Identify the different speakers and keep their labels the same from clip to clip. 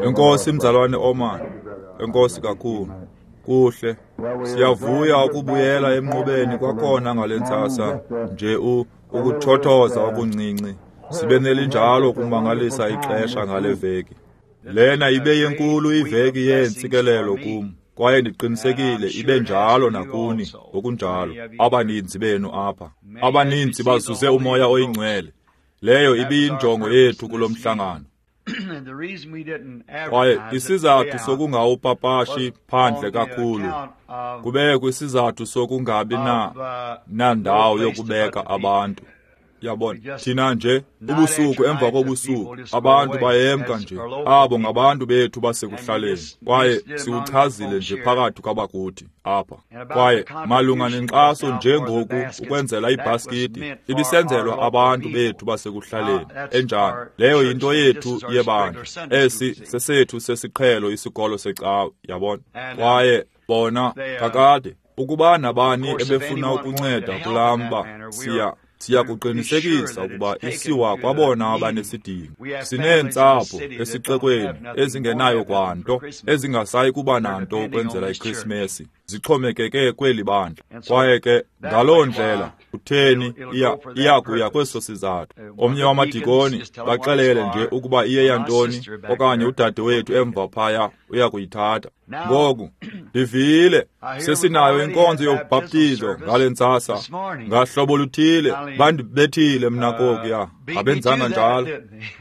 Speaker 1: Enkosi mzalwane Oman, enkosi kakhulu. Kuhle, siyavuya ukubuyela emnqubeni kwakhona ngale ntsasa nje ukuthothoza okuncinci. Sibe nelinjalo kumangalisa ixesha ngale veki. Lena ibe yenkulu iveki yeentsikelelo kum, kwaye ndiqinisekile ibe njalo nakuni ngokunjalo. Abaninzi benu apha, abaninzi bazuze uMoya oyiNgcwele. Leyo ibiyinjongo yethu kulo mhlangano. Kwaye isizathu sokungawupapashi phandle kakhulu kubekho isizathu sokungabi nandawo yokubeka abantu. Yabona, thina nje ubusuku emva kobusuku abantu bayemka nje. Abo ngabantu bethu basekuhlaleni, kwaye siwuchazile nje phakathi kwabakuthi apha. Kwaye malunga nenkxaso njengoku ukwenzela ibhaskiti ibisenzelwa abantu bethu basekuhlaleni. Enjani leyo yinto yethu yebandla. Esi sesethu sesiqhelo isikolo secawe, yabona. Kwaye bona kakade ukuba nabani ebefuna ukunceda kulaa mba, siyakuqinisekisa ukuba isiwa kwabona abanesidingo. Sineentsapho esixekweni ezingenayo kwanto, ezingasayi kuba nanto ukwenzela iKrisimesi, zixhomekeke kweli bandla. Kwaye ke ngaloo ndlela kutheni iya kuya kweso sizathu. Omnye wamadikoni baxelele nje ukuba iye yantoni, okanye udade wethu emva phaya uya kuyithatha. Ngoku ndivile sesinayo inkonzo yobhaptizo ngale ntsasa. Ngahlobo luthile bandibethile mna kokuya, abenzanga njalo.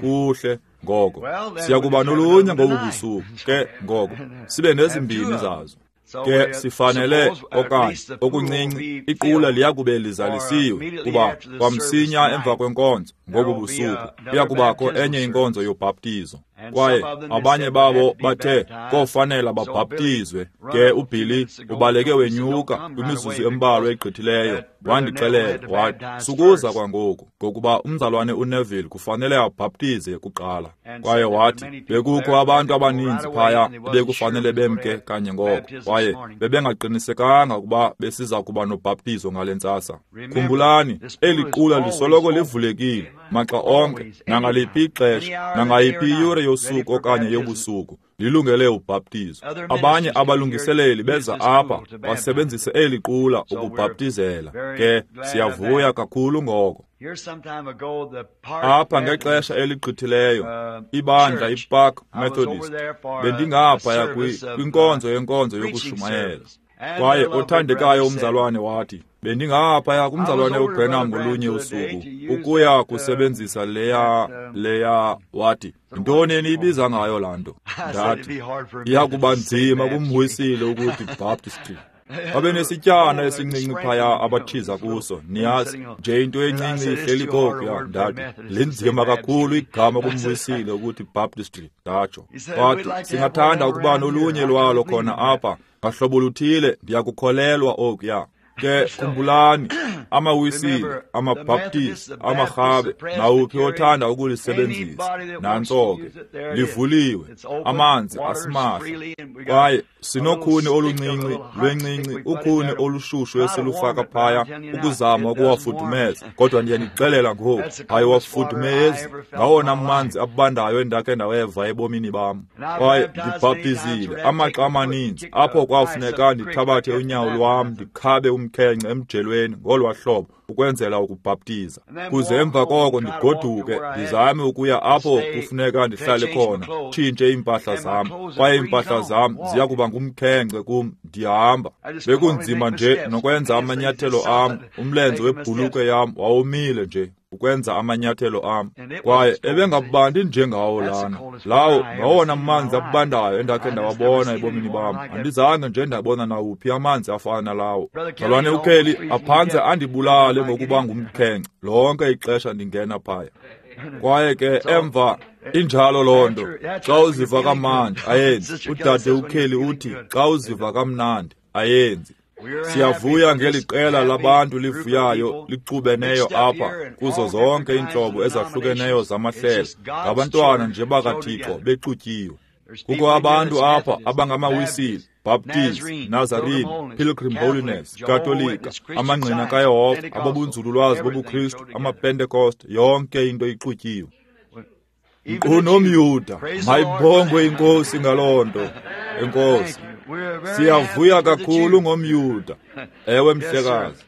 Speaker 1: Kuhle, ngoko siyakuba nolunye ngobu busuku ke, ngoko sibe nezimbini zazo. Ke sifanele okanye okuncinci iqula liyakube lizalisiwe, kuba kwamsinya emva kwenkonzo ngobu busuku kuyakubakho enye inkonzo yobhaptizo. Kwaye abanye babo bathe kofanela babhaptizwe. Ke uBilly ubaleke wenyuka kwimizuzu embalwa egqithileyo, wandixelela wathi sukuza kwangoku, ngokuba umzalwane uNeville kufanele abhaptize kuqala. Kwaye wathi bekukho abantu abaninzi phaya ebekufanele bemke kanye ngoko, kwaye bebengaqinisekanga ukuba besiza kuba nobhaptizo ngale ntsasa. Khumbulani, eli qula lisoloko livulekile maxa onke, nangaliphi ixesha, nangayiphi iyure yosuku okanye yobusuku, lilungele ubhaptizo. Abanye abalungiseleli beza apha basebenzise eli qula ukubhaptizela. Ke siyavuya kakhulu ngoko. Apha ngexesha eligqithileyo, ibandla iPark Methodist, bendingaphaya kwinkonzo yenkonzo yokushumayela. Kwaye othandekayo umzalwane wathi, bendingaphaya kumzalwane uBrenham ngolunye usuku ukuya kusebenzisa leya wathi, yintoni eniyibiza ngayo laa nto? Ndathi, iya kuba nzima kumwisile ukuthi Baptistry. Babenesityana esincinci phaya abathiza kuso, niyazi nje into encinci ihleli kokuya. Ndathi, linzima kakhulu igama kumwisile ukuthi Baptistry. Ndatsho. Wathi, singathanda ukuba nolunye lwalo khona apha ngahlobo luthile, ndiyakukholelwa okuya. Ke khumbulani, amaWisile, amaBaptist, amaRhabe, nawuphi othanda ukulisebenzisa, nantso ke livuliwe, amanzi asimahla. Kwaye sinokhuni oluncinci lwencinci, ukhuni olushushu esilufaka phaya ukuzama ukuwafudumeza, kodwa ndiyanixelela ngoku, ayiwafudumezi. Ngawona manzi abandayo endakhe ndaweva ebomini bam. Kwaye ndibhaptizile amaxa amaninzi apho kwafuneka ndithabathe unyawo lwam ndikhabe umkhenkce emjelweni ngolwa hlobo ukwenzela ukubhaptiza, kuze emva koko ndigoduke ndizame ukuya apho kufuneka ndihlale khona, tshintshe iimpahla zam, kwaye iimpahla zam ziya kuba ngumkhenkce kum ndihamba. Bekunzima nje nokwenza amanyathelo am, umlenze webhulukhwe yam wawomile nje ukwenza amanyathelo am. Kwaye ebengabandi njengawo lana. Lawo ngawona manzi abandayo endakhe ndawabona ebomini bam. Andizange nje ndabona nawuphi amanzi afana nalawo. Mzalwane uKelly aphantse andibulale ngokuba ngumkhenkce lonke ixesha ndingena phaya. Kwaye ke emva injalo loo nto, xa uziva kamnandi ayenzi. Udade uKelly uthi xa uziva kamnandi ayenzi. Siyavuya ngeli qela labantu livuyayo lixubeneyo apha kuzo zonke iintlobo ezahlukeneyo zamahlelo, ngabantwana nje bakaThixo bexutyiwe. Kukho abantu apha abangamaWisile, Baptist, Nazarene, Pilgrim Holiness, Katolika, amaNgqina kaYehova, abobunzululwazi bobuKristu, amaPentecost, yonke into ixutyiwe. Nkqu nomYuda. Mayibongwe iNkosi ngaloo nto. Enkosi. Siyavuya kakhulu ngomYuda. Ewe mhlekazi.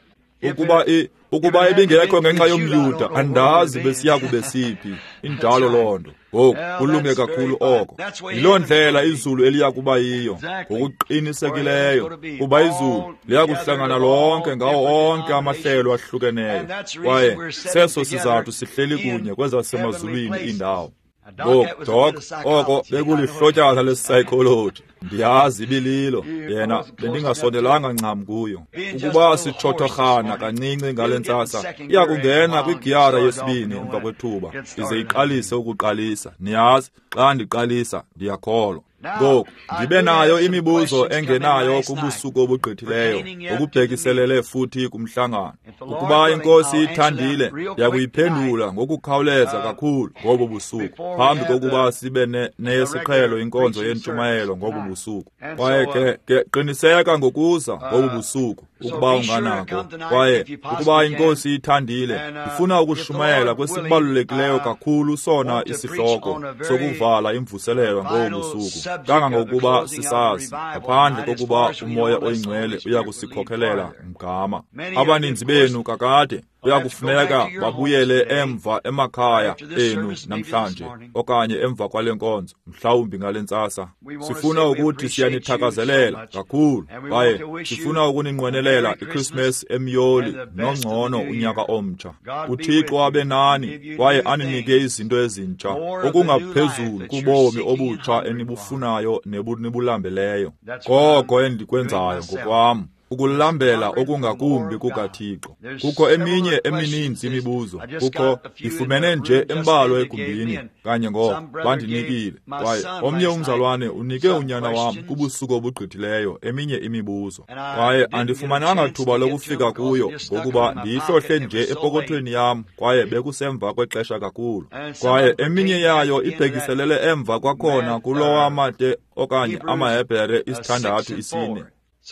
Speaker 1: Ukuba ibingekho ngenxa yomYuda, andazi besiya kube siphi. Injalo loo nto. Ngoku kulunge kakhulu oko. Yiloo ndlela izulu eliya kuba yiyo, ngokuqinisekileyo, kuba izulu liya kuhlangana lonke ngawo onke amahlelo ahlukeneyo. Kwaye seso sizathu sihleli kunye kwezasemazulwini iindawo. Ngoku, Doc, oko bekulihlotyana lesipsychology. Ndiyazi ibililo, yena bendingasondelanga ncam kuyo. Ukuba sitshothorhana kancinci ngale ntsasa, iya kungena kwigiyara yesibini emva kwethuba, ize iqalise ukuqalisa. Niyazi, xa ndiqalisa, ndiyakholwa. Ngoku, ndibe nayo imibuzo engenayo kubusuku obugqithileyo, ngokubhekiselele futhi kumhlangano. Ukuba iNkosi ithandile, ndiyakuyiphendula ngokukhawuleza kakhulu ngobo busuku, phambi kokuba sibe neyesiqhelo inkonzo yentshumayelo ngobo busuku. Kwaye ke qiniseka ngokuza ngobo busuku, ukuba unganako. Kwaye ukuba iNkosi ithandile, ndifuna ukushumayela kwesibalulekileyo kakhulu sona isihloko sokuvala imvuselelo ngobo busuku, kangangokuba sisazi, ngaphandle kokuba uMoya oyiNgcwele uyakusikhokelela mgama. Abaninzi benu kakade kuyakufuneka babuyele emva emakhaya enu namhlanje, okanye emva kwale nkonzo, mhlawumbi ngale ntsasa. Sifuna ukuthi siyanithakazelela kakhulu, kwaye sifuna ukuninqwenelela iChristmas emyoli nongcono unyaka omtsha. UThixo abe nani kwaye aninike izinto ezintsha, okungaphezulu kubomi obutsha enibufunayo nebunibulambeleyo. Koko endikwenzayo ngokwam, ukulambela okungakumbi kukaThixo. Kukho eminye emininzi imibuzo. Kukho ndifumene nje embalwa egumbini kanye ngoko bandinikile. Kwaye omnye umzalwane unike unyana wam kubusuku obugqithileyo eminye imibuzo. Kwaye andifumananga thuba lokufika kuyo ngokuba ndiyihlohle nje epokothweni yam, kwaye bekusemva kwexesha kakhulu. Kwaye eminye yayo ibhekiselele emva kwakhona kulowa okanye amaHebhere 6 4.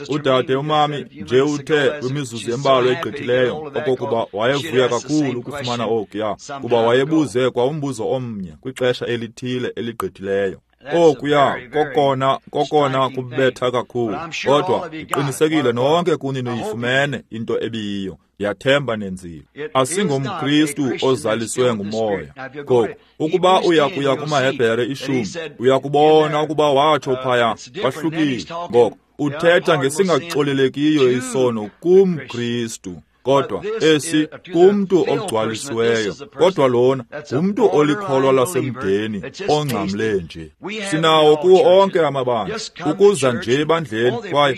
Speaker 1: Udade umami nje uthe kwimizuzu embalwa egqithileyo okokuba wayevuya kakhulu ukufumana okuya, kuba wayebuze kwa umbuzo omnye kwixesha elithile eligqithileyo. Okuya kokona kubetha kakhulu, kodwa ndiqinisekile nonke kuni niyifumene into ebiyiyo. Ndiyathemba nenzile. AsingomKristu ozaliswe nguMoya. Ngoku, ukuba uyakuya kumaHebhere 10, uyakubona ukuba watsho phaya, kwahlukile. Ngoku uthetha ngesingaxolelekiyo isono kumKristu, kodwa esi kumntu ogcwalisiweyo. Kodwa lona ngumntu olikholwa lasemdeni ongcamle nje. Sinawo kuwo onke amabandla, ukuza nje ebandleni, kwaye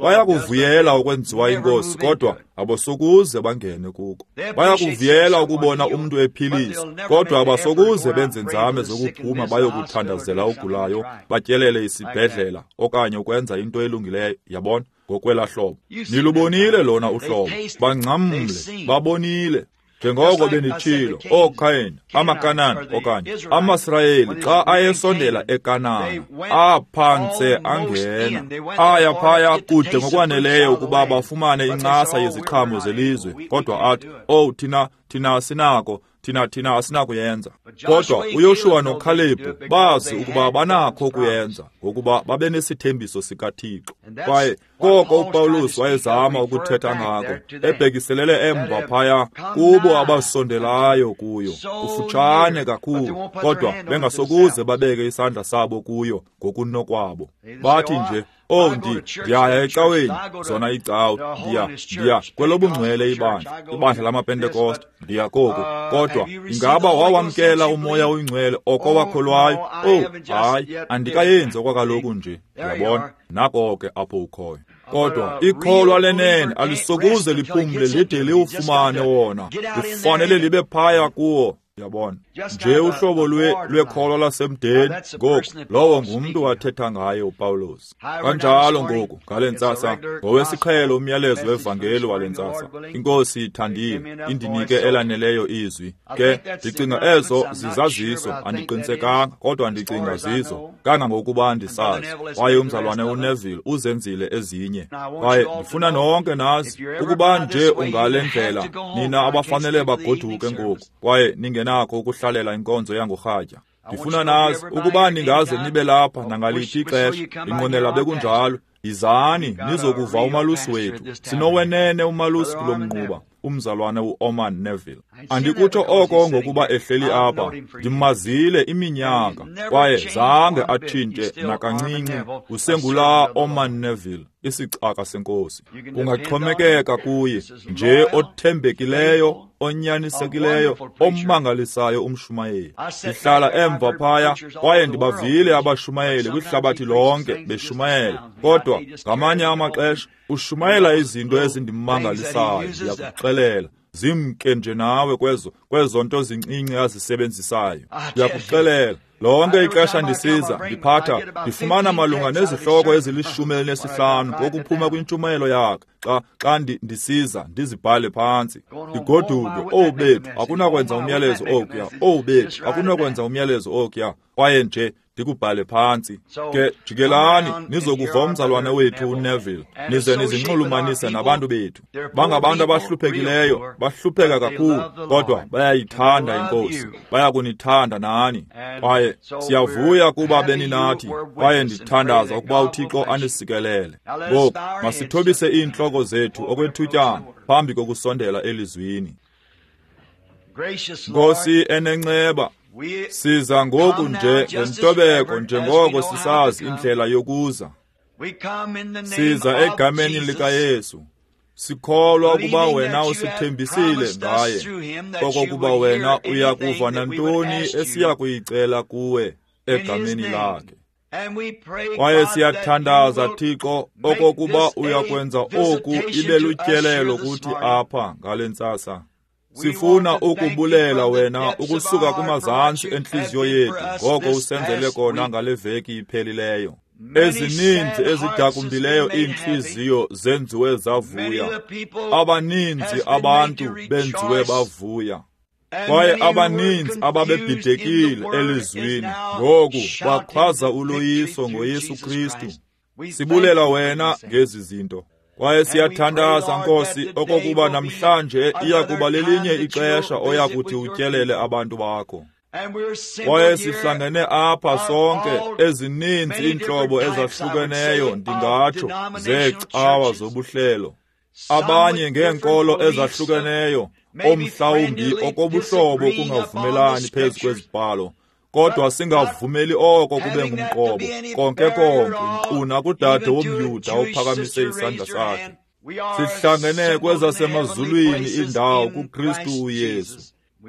Speaker 1: bayakuvuyela ukwenziwa inkosi, kodwa abasokuze bangene kuko. Bayakuvuyela ukubona umntu ephiliswa, kodwa abasokuze benze nzame zokuphuma bayokuthandazela ogulayo, batyelele isibhedlela okanye ukwenza into elungileyo, yabona, ngokwela hlobo. Nilubonile lona uhlobo, bangcamle, babonile. Njengoko benditshilo, ooKayin, amaKanani okanye amaSirayeli xa ayesondela eKanana, aphantse angena, aya phaya kude ngokwaneleyo ukuba bafumane incasa yeziqhamo zelizwe, kodwa athi, "Oh, thina asinako, thina asinakuyenza." Kodwa uYoshuwa noKhalebhu bazi ukuba banakho ukuyenza, ngokuba babenesithembiso sikaThixo. Kwaye koko uPawulos wayezama ukuthetha ngako, ebhekiselele emva phaya kubo abasondelayo kuyo, kufutshane kakhulu, kodwa bengasokuze babeke isandla sabo kuyo ngokunokwabo. Bathi nje, "Oh, ndiyaya ecaweni, zona icawe, ndiya kwelobungcwele ibandla lamaPentekoste, ndiya koku." Kodwa ingaba wawamkela uMoya oyiNgcwele oko wakholwayo? Oh, hayi, andikayenzi okwakaloku nje. Uyabona, nako ke apho ukhoyo. Kodwa ikholwa lenene alisokuze liphumle lide liwufumane wona, lifanele libe phaya kuwo. Yabona, nje uhlobo lwekholwa lasemdeni. Ngoku lowo ngumntu wathetha ngaye uPawulos. Kanjalo ngoku ngale ntsasa, ngowesiqhelo umyalezo wevangeli wale ntsasa. INkosi ithandile, indinike elaneleyo izwi. Ke ndicinga ezo zizaziso, andiqinisekanga, kodwa ndicinga zizo kangangokuba ndisazi. Kwaye umzalwane uNeville uzenzile ezinye. Kwaye ndifuna nonke nazi ukuba nje ungale ndlela, nina abafanele bagoduke ngoku, kwaye ningenakho ukuhlalela inkonzo yangorhatya. Ndifuna nazi ukuba ningaze nibe lapha nangaliphi ixesha, ndinqwenela bekunjalo. Yizani nizokuva umalusi wethu. Sinowenene umalusi kulo mnquba, umzalwane uOrman Neville. Andikutsho oko ngokuba ehleli apha, ndimazile iminyaka, kwaye zange atshintshe nakancinci. Usengulaa Orman Neville, isicaka senkosi. Ungaxhomekeka kuye, nje othembekileyo, onyanisekileyo, omangalisayo umshumayeli. Ndihlala emva phaya kwaye ndibavile abashumayeli kwihlabathi lonke beshumayela, kodwa ngamanye amaxesha ushumayela izinto ezindimangalisayo. Ndiyakuxelela, zimke nje nawe kwezo nto zincinci azisebenzisayo. Ndiyakuxelela, lonke ixesha ndisiza ndiphatha ndifumana malunga nezihloko ezili-15 ngokuphuma kwintshumayelo yakhe. Xa ndisiza ndizibhale phantsi, ndigoduke. Owu bethu, akunakwenza umyalezo okuya. Owu bethu, akunakwenza umyalezo okuya. Kwaye nje ndikubhale phantsi. Ke jikelani nizokuva umzalwane wethu uNeville, nize nizinxulumanise nabantu bethu. Bangabantu abahluphekileyo, bahlupheka kakhulu, kodwa bayayithanda iNkosi, bayakunithanda nani. Kwaye siyavuya kuba beninathi, kwaye ndithandaza ukuba uThixo anisikelele. Ngoku masithobise iintloko zethu okwethutyana phambi kokusondela elizwini. Nkosi enenceba, siza ngoku nje ngentobeko njengoko sisazi indlela yokuza. Siza egameni likaYesu, sikholwa ukuba wena usithembisile ngaye, okokuba wena uya kuva nantoni esiya kuyicela kuwe egameni lakhe. Kwaye siyathandaza, Thixo, okokuba uya kwenza oku ibe lutyelelo kuthi apha ngale ntsasa. Sifuna ukubulela wena ukusuka kumazantsi entliziyo yethu ngoko usenzele kona ngale veki iphelileyo. Ezininzi ezidakumbileyo iintliziyo zenziwe zavuya, abaninzi abantu benziwe bavuya, kwaye abaninzi ababebhidekile elizwini ngoku bakhwaza uloyiso ngoYesu Kristu. Sibulela wena ngezi zinto. Kwaye siyathandaza, Nkosi, okokuba namhlanje iya kuba lelinye ixesha oya kuthi utyelele abantu bakho. Kwaye sihlangene apha sonke, ezininzi iintlobo ezahlukeneyo, ndingatsho, zeecawa zobuhlelo, abanye ngeenkolo ezahlukeneyo, omhlawumbi okobuhlobo kungavumelani phezu kwezibhalo, kodwa singavumeli oko kube ngumqobo konke konke, nkqu nakudade womYuda ophakamise isandla sakhe. Sihlangene kwezasemazulwini indawo kuKristu uYesu.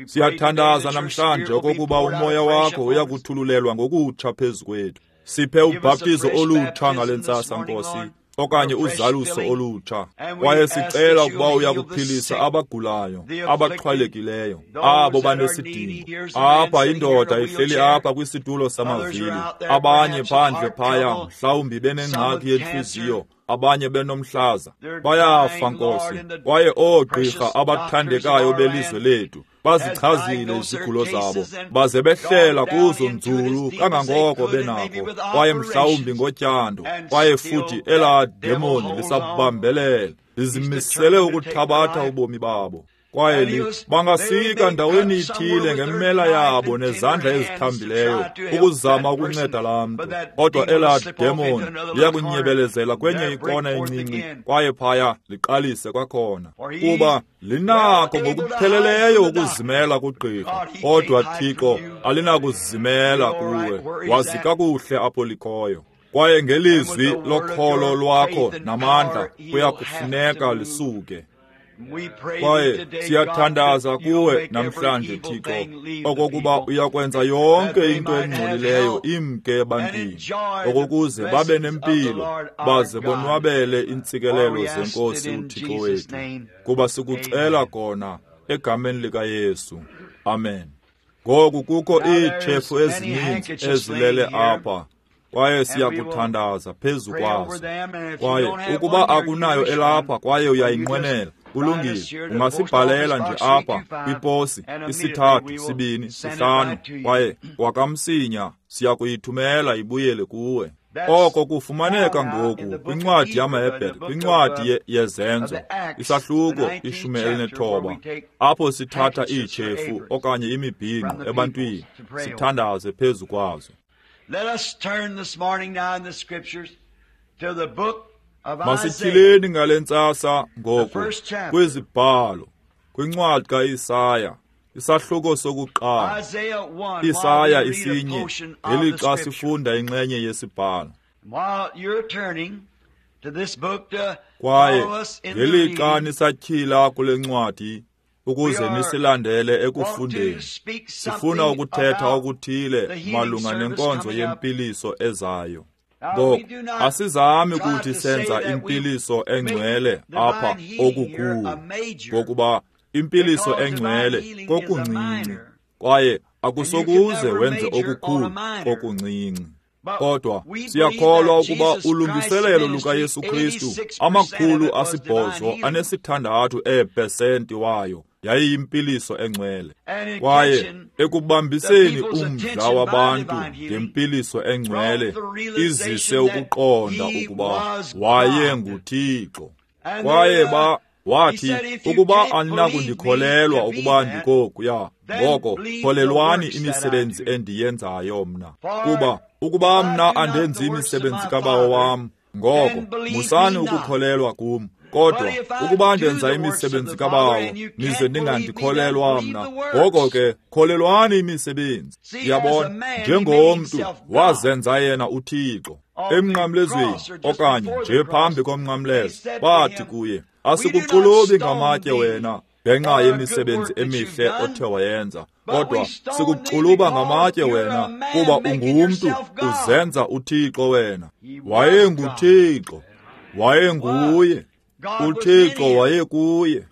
Speaker 1: Siyathandaza namhlanje okokuba umoya wakho uyakuthululelwa ngokutsha phezu kwethu. Siphe ubhaptizo olutsha ngale ntsasa, Nkosi, okanye uzaluso olutsha. Kwaye sicela ukuba uyakuphilisa abagulayo, abaxhwalekileyo, abo banesidingo. Apha indoda ihleli apha kwisitulo samavili, abanye phandle phaya mhlawumbi benengxaki yentliziyo, abanye benomhlaza. Bayafa, Nkosi. Kwaye oogqirha abathandekayo belizwe lethu bazichazile izigulo zabo, baze behlela kuzo nzulu kangangoko benako, kwaye mhlawumbi ngotyando, kwaye futhi elaa demoni lisabambelela, lizimisele ukuthabatha ubomi babo. Kwaye bangasika ndaweni ithile ngemela yabo nezandla ezithambileyo ukuzama ukunceda laa mntu, kodwa elaa demoni liyakunyebelezela kwenye ikona encinci, kwaye phaya liqalise kwakhona, kuba linakho ngokupheleleyo ukuzimela kugqirha, kodwa Thixo alinakuzimela kuwe. Wazi kakuhle apho likhoyo. Kwaye ngelizwi lokholo lwakho namandla kuya kufuneka lisuke. Kwaye siyathandaza kuwe namhlanje, Thixo, okokuba uyakwenza yonke into engcolileyo imke ebantwini, okokuze babe nempilo baze bonwabele iintsikelelo zeNkosi uThixo wethu. Kuba sikucela kona egameni likaYesu. Amen. Ngoku kukho iitshefu ezininzi ezilele apha, kwaye siyakuthandaza phezu kwazo. Kwaye ukuba akunayo elapha kwaye uyayinqwenela, kulungile, ungasibhalela nje apha kwiposi 3 2 5, kwaye kwakamsinya siyakuyithumela ibuyele kuwe. Oko kufumaneka ngoku kwincwadi yamaHebhere, kwincwadi yeZenzo, isahluko 19, apho sithatha iitshefu okanye imibhinqo ebantwini sithandaze phezu kwazo. Masityhileni ngale ntsasa ngoku kwizibhalo, kwincwadi kaIsaya, isahluko sokuqala, Isaya 1, ngelixa sifunda inxenye yesibhalo. Kwaye ngelixa nisatyhila kule ncwadi ukuze nisilandele ekufundeni, sifuna ukuthetha okuthile malunga nenkonzo yempiliso ezayo. Ngoku asizami ukuthi senza impiliso engcwele apha okukhulu, ngokuba impiliso engcwele kokuncinci, kwaye akusokuze wenze okukhulu kokuncinci. Kodwa siyakholwa ukuba ulungiselelo lukaYesu Kristu 886 eepesenti wayo yayiyimpiliso engcwele. Kwaye ekubambiseni umdla wabantu ngempiliso engcwele izise ukuqonda ukuba wayenguThixo. Kwaye wathi, ukuba aninakundikholelwa ukuba ndikokuya, ngoko kholelwani imisebenzi endiyenzayo mna. Kuba ukuba mna andenzi imisebenzi kaBawo wam, ngoko musani ukukholelwa kum. Kodwa ukuba ndenza imisebenzi kaBawo, nize ningandikholelwa mna, ngoko ke kholelwani imisebenzi. Yabona, njengomntu wazenza yena uThixo emnqamlezweni okanye nje phambi komnqamlezo, bathi kuye, asikuxulubi ngamatye wena ngenxa yemisebenzi emihle othe wayenza, kodwa sikuxuluba ngamatye wena kuba ungumntu, uzenza uThixo wena. WayenguThixo, wayenguye, uThixo wayekuye.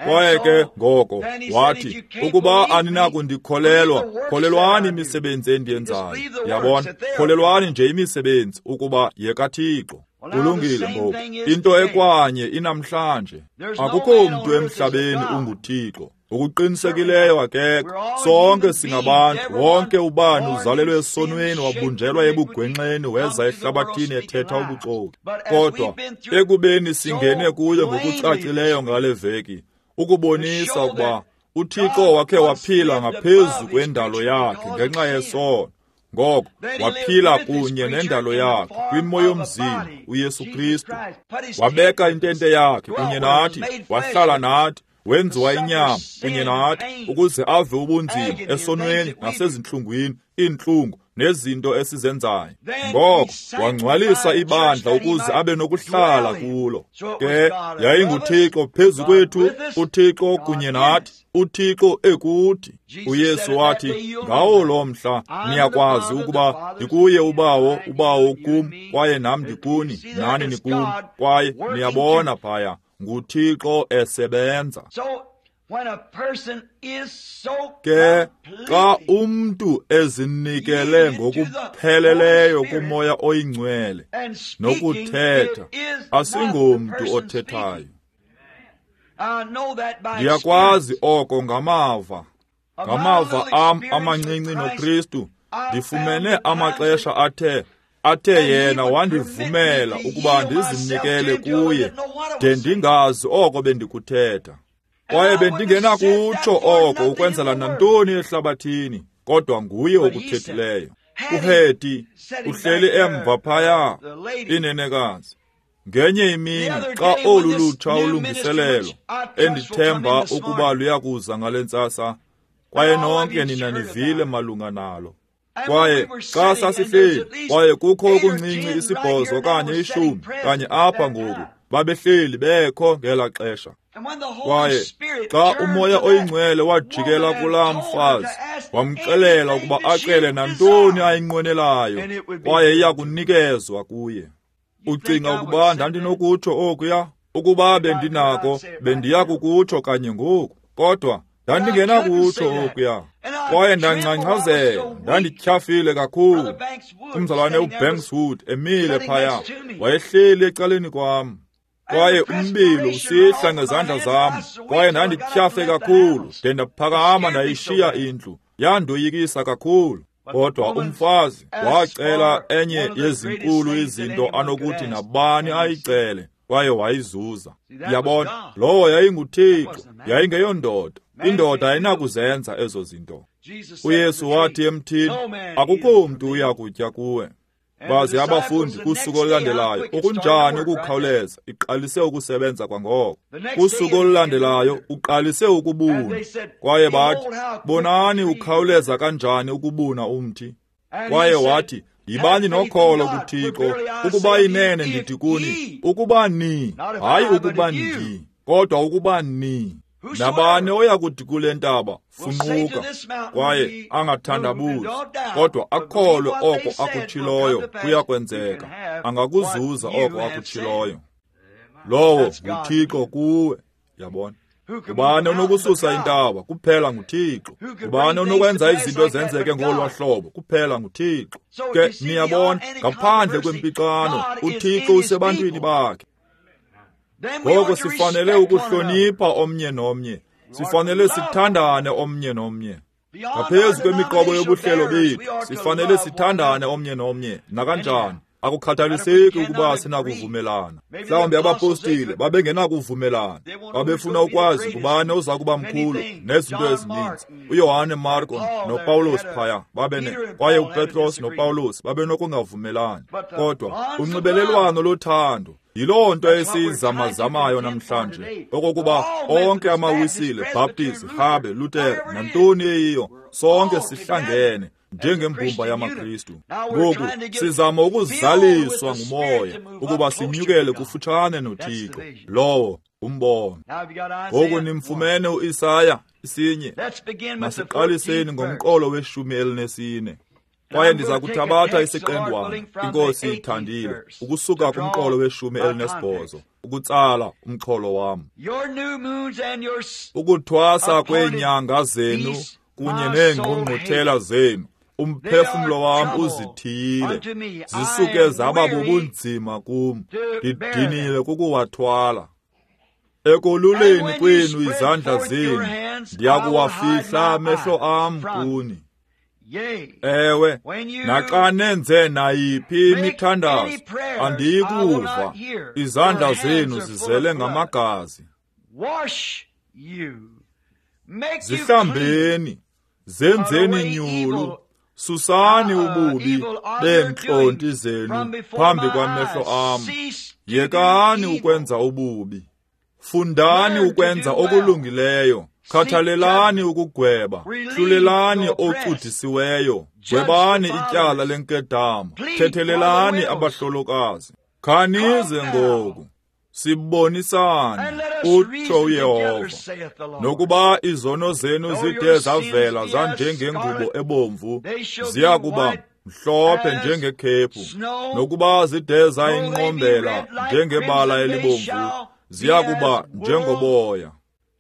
Speaker 1: Kwaye ke ngoko wathi, ukuba aninakundikholelwa, kholelwani imisebenzi endiyenzayo. Yabona, kholelwani nje imisebenzi ukuba yekaThixo. Kulungile ngoku. Into ekwanye inamhlanje. Akukho mntu emhlabeni unguThixo. Ngokuqinisekileyo akekho. Sonke singabantu. Wonke ubani uzalelwe esonweni, wabunjelwa ebugwenxeni, weza ehlabathini ethetha ubuxoki. Kodwa ekubeni singene kuyo ngokucacileyo ngale veki, ukubonisa ukuba uThixo wakhe waphila ngaphezu kwendalo yakhe ngenxa yesono. Ngoko waphila kunye nendalo yakhe kwimo yomzimba uYesu Kristu. Wabeka intente yakhe kunye nathi, wahlala nathi, wenziwa inyama kunye nathi ukuze ave ubunzima esonweni nasezintlungwini, iintlungu nezinto esizenzayo. Ngoko wangcwalisa ibandla ukuze abe nokuhlala kulo. Ke yayinguThixo phezu kwethu, uThixo kunye nathi, uThixo ekuthi. uYesu wathi, ngawo lo mhla niyakwazi ukuba ndikuye uBawo, uBawo kum, kwaye nam ndikuni, nani nikum. Kwaye niyabona phaya, nguThixo esebenza. Ke xa umntu ezinikele ngokupheleleyo kuMoya oyiNgcwele nokuthetha, asingomntu othethayo. Ndiyakwazi oko ngamava. Ngamava am amancinci noKristu, ndifumene amaxesha athe yena wandivumela ukuba ndizinikele kuye, de ndingazi oko bendikuthetha. Kwaye bendingenakutsho oko ukwenzela nantoni ehlabathini, kodwa nguye okuthethileyo. UHeti uhleli emva phaya, inenekazi. Ngenye imini xa olu lutsha ulungiselelo endithemba ukuba luyakuza ngale ntsasa, kwaye nonke nina nivile malunga nalo. Kwaye xa sasihleli, kwaye kukho okuncinci 8 okanye 10 kanye apha ngoku, babehleli bekho ngela xesha. Kwaye xa uMoya oyiNgcwele wajikela kulaa mfazi, wamxelela ukuba acele nantoni ayinqwenelayo, kwaye iya kunikezwa kuye. Ucinga ukuba ndandinokutsho okuya? Ukuba bendinako, bendiya kukutsho kanye ngoku. Kodwa ndandingenakutsho okuya. Kwaye ndangcangcazela, ndandityhafile kakhulu. Umzalwane uBankswood emile phaya, wayehleli ecaleni kwam. Kwaye umbilo usihla ngezandla zam, kwaye ndandityhafe kakhulu, de ndaphakama ndayishiya indlu. Yandoyikisa kakhulu. Kodwa umfazi wacela enye yezinkulu izinto anokuthi nabani ayicele, kwaye wayizuza. Yabona, lowo yayinguThixo, yayingeyondoda. Indoda ayinakuzenza ezo zinto. UYesu wathi emthini, akukho mntu uya kutya kuwe. Baze abafundi kusuku olulandelayo, okunjani ukukhawuleza, iqalise ukusebenza kwangoko. Kusuku olulandelayo uqalise ukubuna. Kwaye bathi, bonani ukhawuleza kanjani ukubuna umthi. Kwaye wathi, yibani nokholo kuThixo, ukuba inene ndithi kuni, ukuba ni, hayi ukuba ndi, kodwa ukuba ni. Nabani oya kuthi kule ntaba, funquka, kwaye angathandabuzi, kodwa akholwe oko akutshiloyo kuya kwenzeka, angakuzuza oko akutshiloyo. Lowo nguThixo kuwe, yabona. Ngubani onokususa intaba? Kuphela nguThixo. Ngubani onokwenza izinto zenzeke ngolwa hlobo? Kuphela nguThixo. Ke niyabona, ngaphandle kwempixano, uThixo usebantwini bakhe. Ngoko sifanele ukuhlonipha omnye nomnye. Sifanele sithandane omnye nomnye. Ngaphezu kwemiqobo yobuhlelo bethu, sifanele sithandane omnye nomnye. Nakanjani, akukhathaliseki ukuba sinakuvumelana. Mhlawumbi abapostile babengenakuvumelana. Babefuna ukwazi ngubani oza kuba mkhulu nezinto ezininzi. uYohane Marko noPawulos phaya babene, kwaye uPetros noPawulos babenokungavumelani. Kodwa unxibelelwano lothando yiloo nto esiyizamazamayo namhlanje, okokuba onke amaWisile, Baptist, Rhabe, Luther, nantoni eyiyo, sonke sihlangene njengembumba yamaKristu. Ngoku sizama ukuzaliswa nguMoya ukuba sinyukele kufutshane noThixo. Lowo umbono. Ngoku nimfumene uIsaya isinye. Masiqaliseni ngomqolo we-14. Kwaye ndiza kuthabatha isiqendwana, iNkosi ithandile, ukusuka kumqolo we-18 ukutsala umxholo wam. Ukuthwasa kweenyanga zenu kunye neengqungquthela zenu, umphefumlo wam uzithiyile, zisuke zaba bubunzima kum, ndidiniwe kukuwathwala. Ekoluleni kwenu izandla zenu, ndiyakuwafihla amehlo am kuni. Ewe, naxa nenze nayiphi imithandazo, andiyikuva, izandla zenu zizele ngamagazi. Zihlambeni, zenzeni nyulu, susani ububi beentlonti zenu phambi kwamehlo am. Yekani ukwenza ububi, fundani ukwenza okulungileyo. Khathalelani ukugweba, hlulelani ocudisiweyo, gwebani ityala lenkedama, thethelelani abahlolokazi. Khanize ngoku, sibonisane, utsho uYehova. Nokuba izono zenu zide zavela zanjengengubo ebomvu, ziya kuba mhlophe njengekhephu. Nokuba zide zayinqombela njengebala elibomvu, ziya kuba njengoboya.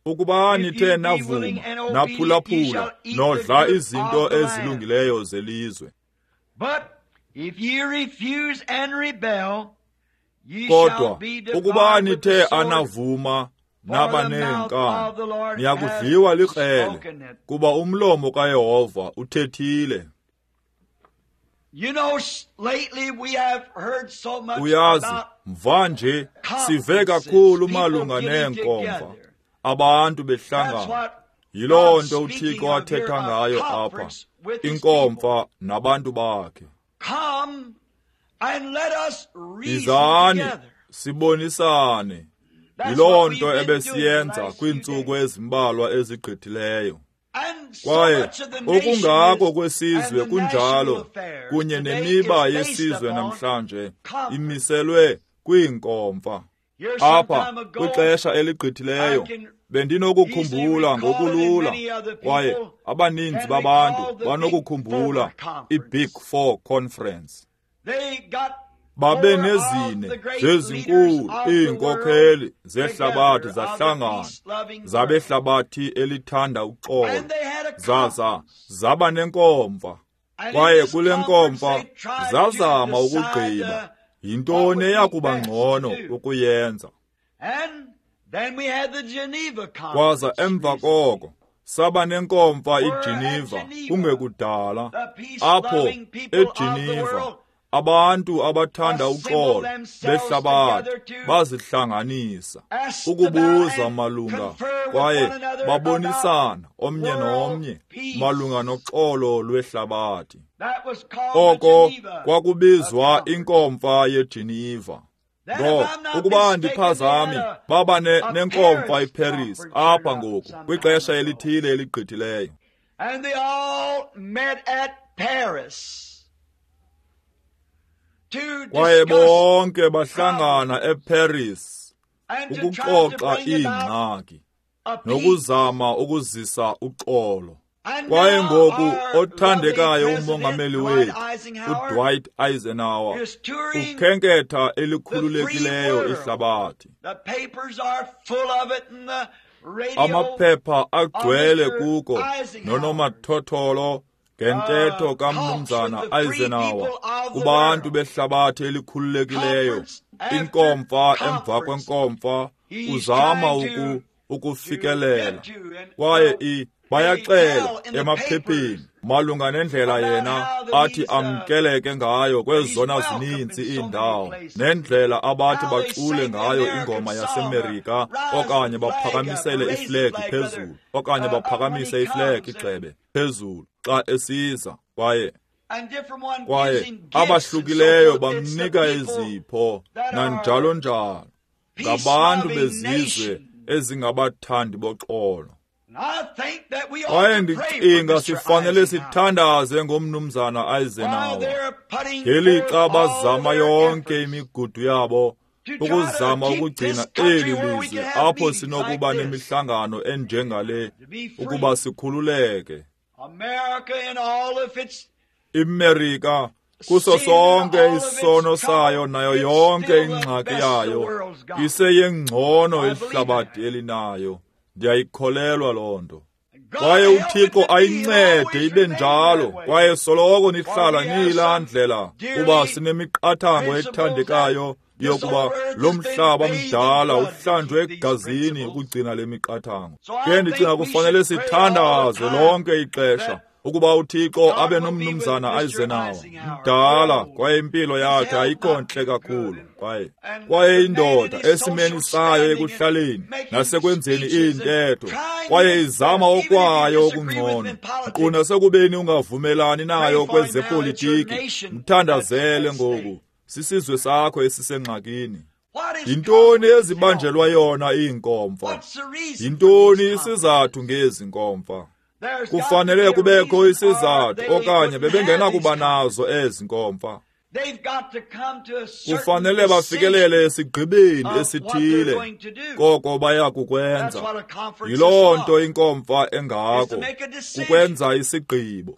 Speaker 1: Ukuba nithe navuma, naphulaphula, nodla izinto ezilungileyo zelizwe. Kodwa ukuba nithe anavuma naba neenkani, niyakudliwa likrele, kuba umlomo kaYehova uthethile. Uyazi, mvanje sive kakhulu malunga neenkomfa, abantu behlangana. Yiloo nto uThixo athetha ngayo apha, inkomfa nabantu bakhe. Izani sibonisane. Yiloo nto ebesiyenza kwiintsuku ezimbalwa ezigqithileyo. Kwaye okungako kwesizwe kunjalo, kunye nemiba yesizwe namhlanje imiselwe kwiinkomfa. Apha kwixesha eligqithileyo bendinokukhumbula ngokulula, kwaye abaninzi babantu banokukhumbula i-Big Four Conference. Babe nezine zezinkulu iinkokheli zehlabathi zahlangana, zabehlabathi elithanda uxolo, zaza zaba nenkomfa. Kwaye kule nkomfa zazama ukugqiba yintoni eyakuba ngcono ukuyenza. Kwaza emva koko Saba nenkomfa iGeneva kungekudala. Apho eGeneva abantu abathanda uxolo behlabathi bazihlanganisa ukubuza malunga kwaye babonisana omnye nomnye malunga noxolo lwehlabathi. Oko kwakubizwa inkomfa yeGeneva. Ngoko ukuba andiphazami, baba nenkomfa iParis apha ngoku kwixesha elithile eligqithileyo.
Speaker 2: And they all met at Paris.
Speaker 1: Kwaye bonke bahlangana eParis ukuxoxa iingxaki nokuzama ukuzisa uxolo. Kwaye ngoku othandekayo umongameli wethu uDwight Eisenhower ukhenketha elikhululekileyo ihlabathi. Amaphepha agcwele kuko nonomathotholo ngentetho kaMnumzana Eisenhower kubantu behlabathi elikhululekileyo, inkomfa emva kwenkomfa uzama ukufikelela. Kwaye bayaxela emaphepheni malunga nendlela yena athi amkeleke ngayo kwezona zininzi iindawo, nendlela abathi bacule ngayo ingoma yaseMerika okanye baphakamisele iflegi phezulu okanye baphakamise iflegi igxebe phezulu xa esiza. Kwaye abahlukileyo bamnika izipho nanjalo njalo, ngabantu bezizwe ezingabathandi boxolo. Kwaye ndicinga sifanele sithandaze ngomnumzana Eisenhower ngelixa bazama yonke imigudu yabo ukuzama ukugcina eli lizwe apho sinokuba nemihlangano enjengale ukuba sikhululeke. IMerika kuso sonke isono sayo nayo yonke ingxaki yayo iseyengcono ihlabathi elinayo. Ndiyayikholelwa loo nto. Kwaye uThixo ayincede ibe njalo, kwaye soloko nihlala niyilaa ndlela, kuba sinemiqathango ethandekayo yokuba lo mhlaba mdala uhlanjwe egazini ukugcina le miqathango. Ke ndicinga kufanele sithandaze lonke ixesha ukuba uThixo abe nomnumzana Eisenhower mdala, kwaye impilo yakhe ayikho ntle kakhulu, kwaye indoda esimeni sayo ekuhlaleni nasekwenzeni iintetho, kwaye izama okwayo okungcono, nkqu nasekubeni ungavumelani nayo kwezepolitiki. Mthandazele ngoku, sisizwe sakho esisengxakini. Yintoni ezibanjelwa yona iinkomfa? Yintoni isizathu ngezi nkomfa? Kufanele kubekho isizathu okanye bebengenakuba nazo ezi nkomfa. Kufanele bafikelele esigqibeni esithile koko baya kukwenza. Yiloo nto inkomfa engako, kukwenza isigqibo.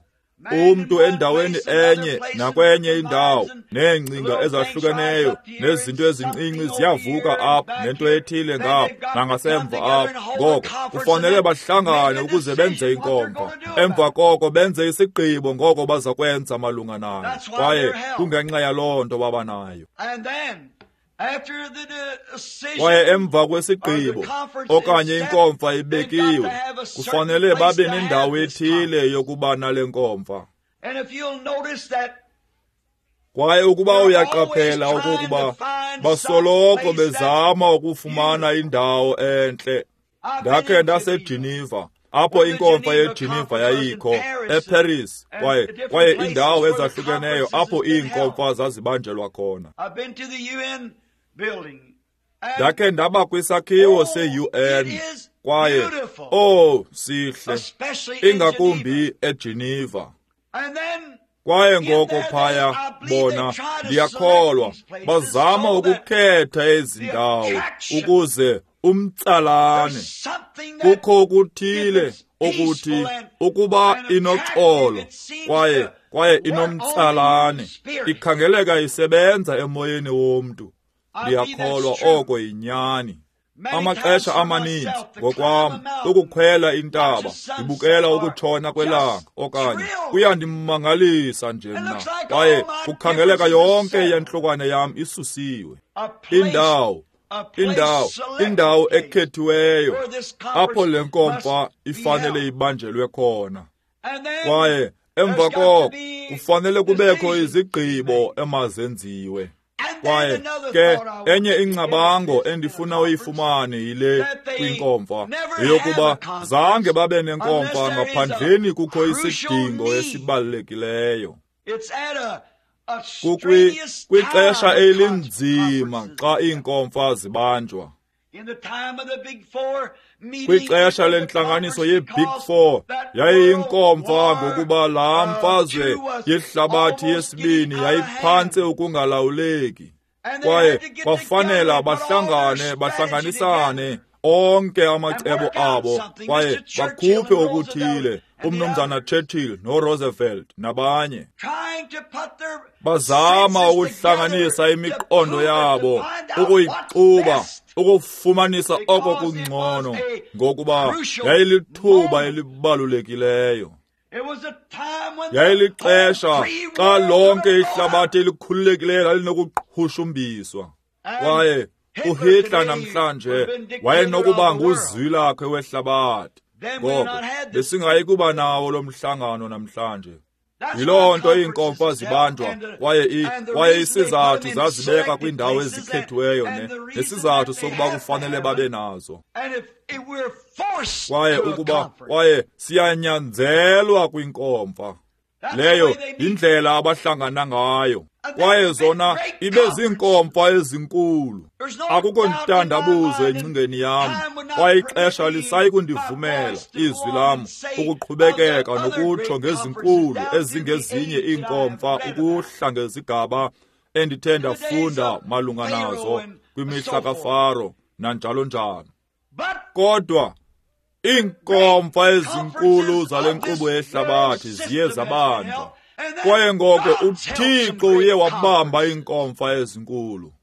Speaker 1: Umntu endaweni enye nakwenye indawo, neengcinga ezahlukeneyo nezinto ezincinci ziyavuka apha, nento ethile ngapha nangasemva apha. Ngoko kufanele bahlangane ukuze benze inkomfa, emva koko benze isigqibo ngoko baza kwenza malunga nayo. Kwaye kungenxa yaloo nto baba nayo. Kwaye emva kwesigqibo okanye inkomfa ibekiwe, kufanele babe nendawo ethile yokuba nale nkomfa. Kwaye ukuba uyaqaphela okokuba basoloko bezama ukufumana indawo entle. Ndakhe ndaseGeneva, apho inkomfa yeGeneva yayikho, eParis, kwaye iindawo ezahlukeneyo apho iinkomfa zazibanjelwa khona. Ndakhe ndaba kwisakhiwo se-UN, kwaye sihle, ingakumbi eGeneva. Kwaye ngoko phaya bona, ndiyakholwa, bazama ukukhetha ezi ndawo ukuze umtsalane. Kukho okuthile okuthi ukuba inoxolo kwaye inomtsalane, ikhangeleka isebenza emoyeni womntu. Ndiyakholwa oko yinyani. Amaxesha amaninzi ngokwam ukukhwela intaba ndibukela ukutshona kwelanga okanye kuyandimangalisa nje mna, kwaye kukhangeleka yonke yentlokwane yam isusiwe. Indawo Indawo ekhethiweyo apho le nkomfa ifanele ibanjelwe khona. Kwaye emva koko kufanele kubekho izigqibo emazenziwe. Kwaye ke enye ingcabango endifuna uyifumane yile kwinkomfa yeyokuba zange babe nenkomfa ngaphandleni kukho isidingo esibalulekileyo. Kwixesha elinzima xa iinkomfa zibanjwa. Kwixesha lentlanganiso ye-Big Four yayiyinkomfa ngokuba laa mfazwe yehlabathi yesibini yayiphantse ukungalawuleki. Kwaye kwafanela bahlangane, bahlanganisane onke amacebo abo kwaye bakhuphe okuthile, umnumzana Churchill noRoosevelt nabanye. Bazama ukuhlanganisa imiqondo yabo, ukuyixuba, ukufumanisa oko kungcono, ngokuba yayilithuba elibalulekileyo. Yayilixesha xa lonke ihlabathi elikhululekileyo lalinokuqhushumbiswa. Kwaye uHitler namhlanje wayenokuba nguzwi lakhe wehlabathi. Ngoko besingayi kuba nawo lo mhlangano namhlanje. Yiloo nto iinkomfa zibanjwa, kwaye isizathu zazibeka kwiindawo ezikhethiweyo nesizathu sokuba kufanele babe nazo. Kwaye kwaye siyanyanzelwa kwinkomfa. Leyo yindlela abahlangana ngayo. Kwaye zona ibe ziinkomfa ezinkulu. Akukho ntandabuzo engcingeni yam, kwaye ixesha lisayi kundivumela izwi lam ukuqhubekeka nokutsho ngezinkulu ezingezinye iinkomfa ukuhla ngezigaba endithe ndafunda malunga nazo kwimihla kaFaro nanjalo njalo. Kodwa iinkomfa ezinkulu zale nkqubo yehlabathi ziye zabanjwa. Kwaye ngoko uThixo uye wabamba iinkomfa ezinkulu.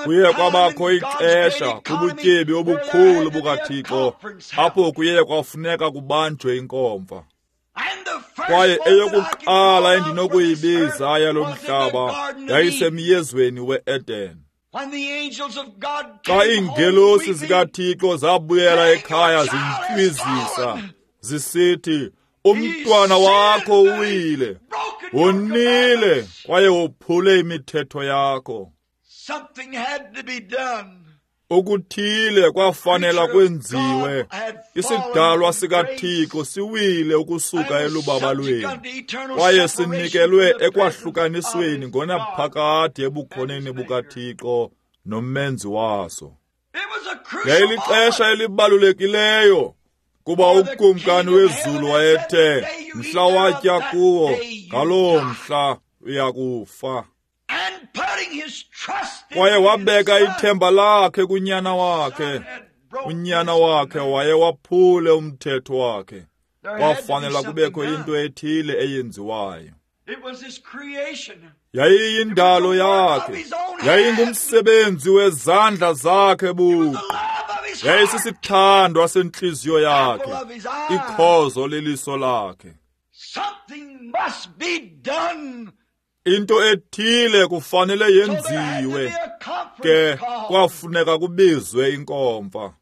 Speaker 1: Kuye kwabakho ixesha kubutyebi obukhulu bukaThixo apho kuye kwafuneka kubanjwe inkomfa. Kwaye eyokuqala endinokuyibiza yalo mhlaba yayisemyezweni we-Eden. Xa iingelosi zikaThixo zabuyela ekhaya zintywizisa zisithi, umntwana wakho uwile, wonile kwaye wophule imithetho yakho. Okuthile kwafanela kwenziwe. Isidalwa sikaThixo siwile ukusuka elubabalweni kwaye sinikelwe ekwahlukanisweni ngonaphakade ebukhoneni bukaThixo nomenzi waso. Yayilixesha elibalulekileyo kuba ukumkani wezulu wayethe, mhla watya kuwo, ngaloo mhla uyakufa. Kwaye wabeka ithemba lakhe kunyana wakhe. Unyana wakhe wayewaphule umthetho wakhe. Kwafanela kubekho into ethile eyenziwayo. Yayiyindalo yakhe, yayingumsebenzi wezandla zakhe buqu, yayisisithandwa sentliziyo yakhe, ikhozo leliso lakhe. Into ethile kufanele yenziwe, ke kwafuneka kubizwe inkomfa.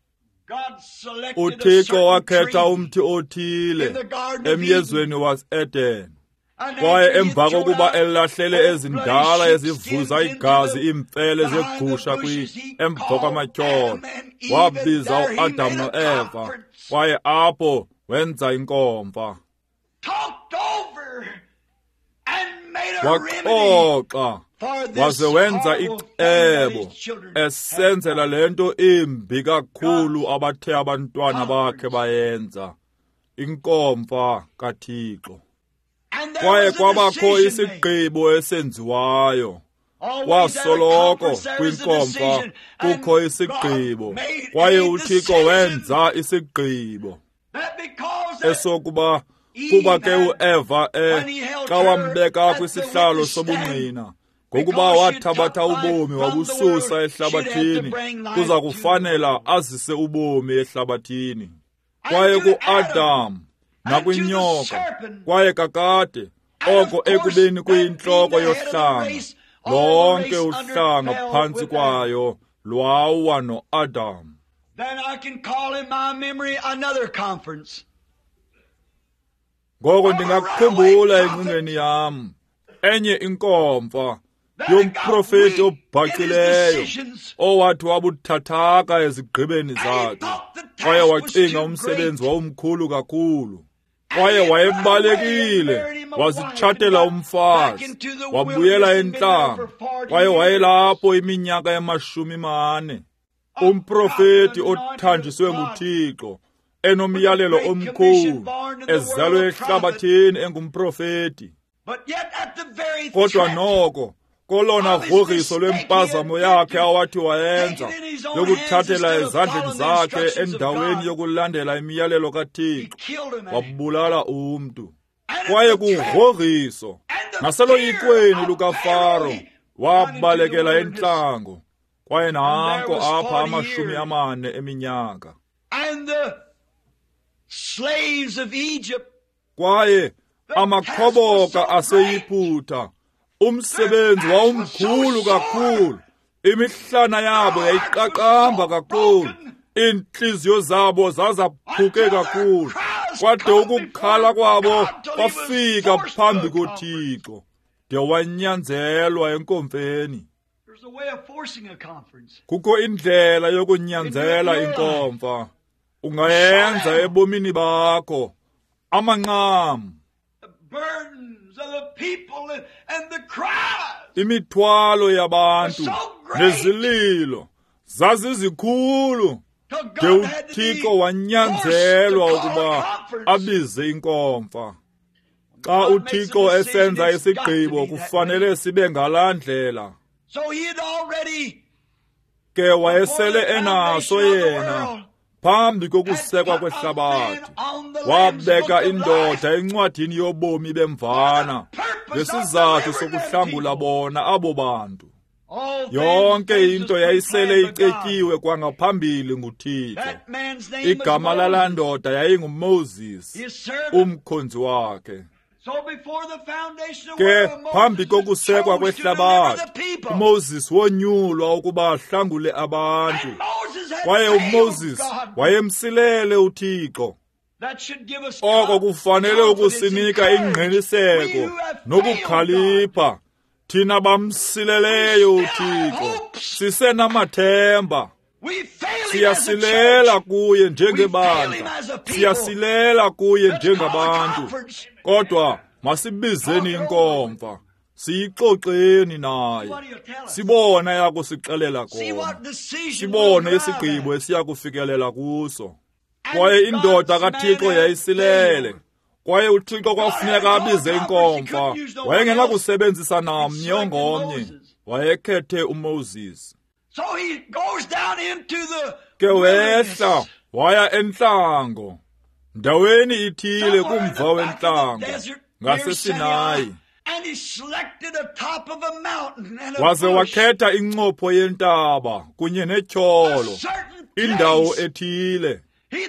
Speaker 1: uThixo wakhetha umthi othile emyezweni wase-Eden. Kwaye emva kokuba elahlele ezindala ezivuza igazi iimfele zegusha emva kwamatyholo, wabiza uAdam noEva, kwaye apho wenza inkomfa. Waxoxa waze wenza icebo esenzela le nto imbi kakhulu abathe abantwana bakhe bayenza, inkomfa kaThixo. Kwaye kwabakho isigqibo esenziwayo. Kwasoloko kwinkomfa kukho isigqibo, kwaye uThixo wenza isigqibo esokuba kuba ke uEva xa wambeka kwisihlalo sobungqina, ngokuba wathabatha ubomi wabususa ehlabathini, kuza kufanela azise ubomi ehlabathini. Kwaye kuAdam nakwinyoka, kwaye kakade oko ekubeni kuyintloko yohlanga, Lonke uhlanga phantsi kwayo lwawa noAdam.
Speaker 2: Then I can call in my memory another conference.
Speaker 1: Ngoko ndingakukhumbula engcingeni yam enye inkomfa yomprofeti obhacileyo owathi wabuthathaka ezigqibeni zakhe, kwaye wacinga umsebenzi wawumkhulu kakhulu. Kwaye wayebalekile, wazitshatela umfazi, wabuyela entlango, kwaye wayelapho iminyaka ema-40. Umprofeti othanjiswe nguThixo, enomyalelo omkhulu, ezalwe ehlabathini engumprofeti. Kodwa noko kolona grogriso lwempazamo yakhe awathi wayenza yokuthathela ezandleni zakhe endaweni yokulandela imiyalelo kaThixo, wabulala umntu. Kwaye kugrogriso naseloyikweni lukaFaro wabalekela entlango, kwaye nanko apha 40 eminyaka. Kwaye amakhoboka aseYiputa, umsebenzi wawumkhulu kakhulu, imihlana yabo yayiqaqamba kakhulu, iintliziyo zabo zazaphuke kakhulu, kwade ukukhala kwabo kwafika phambi koThixo, de wanyanzelwa enkomfeni. Kukho indlela yokunyanzela inkomfa, ungayenza ebomini bakho. Amanqam, imithwalo yabantu nezililo zazizikhulu, de uThixo wanyanzelwa ukuba abize inkomfa. Xa uThixo esenza isigqibo kufanele sibe ngalaa ndlela. Ke wayesele enaso yena phambi kokusekwa kwehlabathi, wabeka indoda encwadini yobomi bemvana ngesizathu sokuhlangula bona abo bantu. Yonke into yayisele icetyiwe kwangaphambili nguThixo. Igama lalaa ndoda yayinguMoses, umkhonzi wakhe. Ke phambi kokusekwa kwehlabathi, uMoses wonyulwa ukuba ahlangule abantu. Kwaye uMoses wayemsilele uThixo. Oko kufanele ukusinika ingqiniseko nokukhalipha. Thina bamsileleyo uThixo sisenamathemba. Siyasilela kuye njengebandla, siyasilela kuye njengabantu, kodwa masibizeni inkomfa, siyixoxeni naye, sibone yakusixelela kona, sibone isigqibo esiyakufikelela kuso. Kwaye indoda kaThixo yayisilele, kwaye uThixo kwafuneka abize inkomfa. Wayengenakusebenzisa namnye ongomnye, wayekhethe uMoses. Ke wehla waya entlango, ndaweni ithile kumva wentlango ngaseSinayi, waze wakhetha incopho yentaba kunye netyholo, indawo ethile.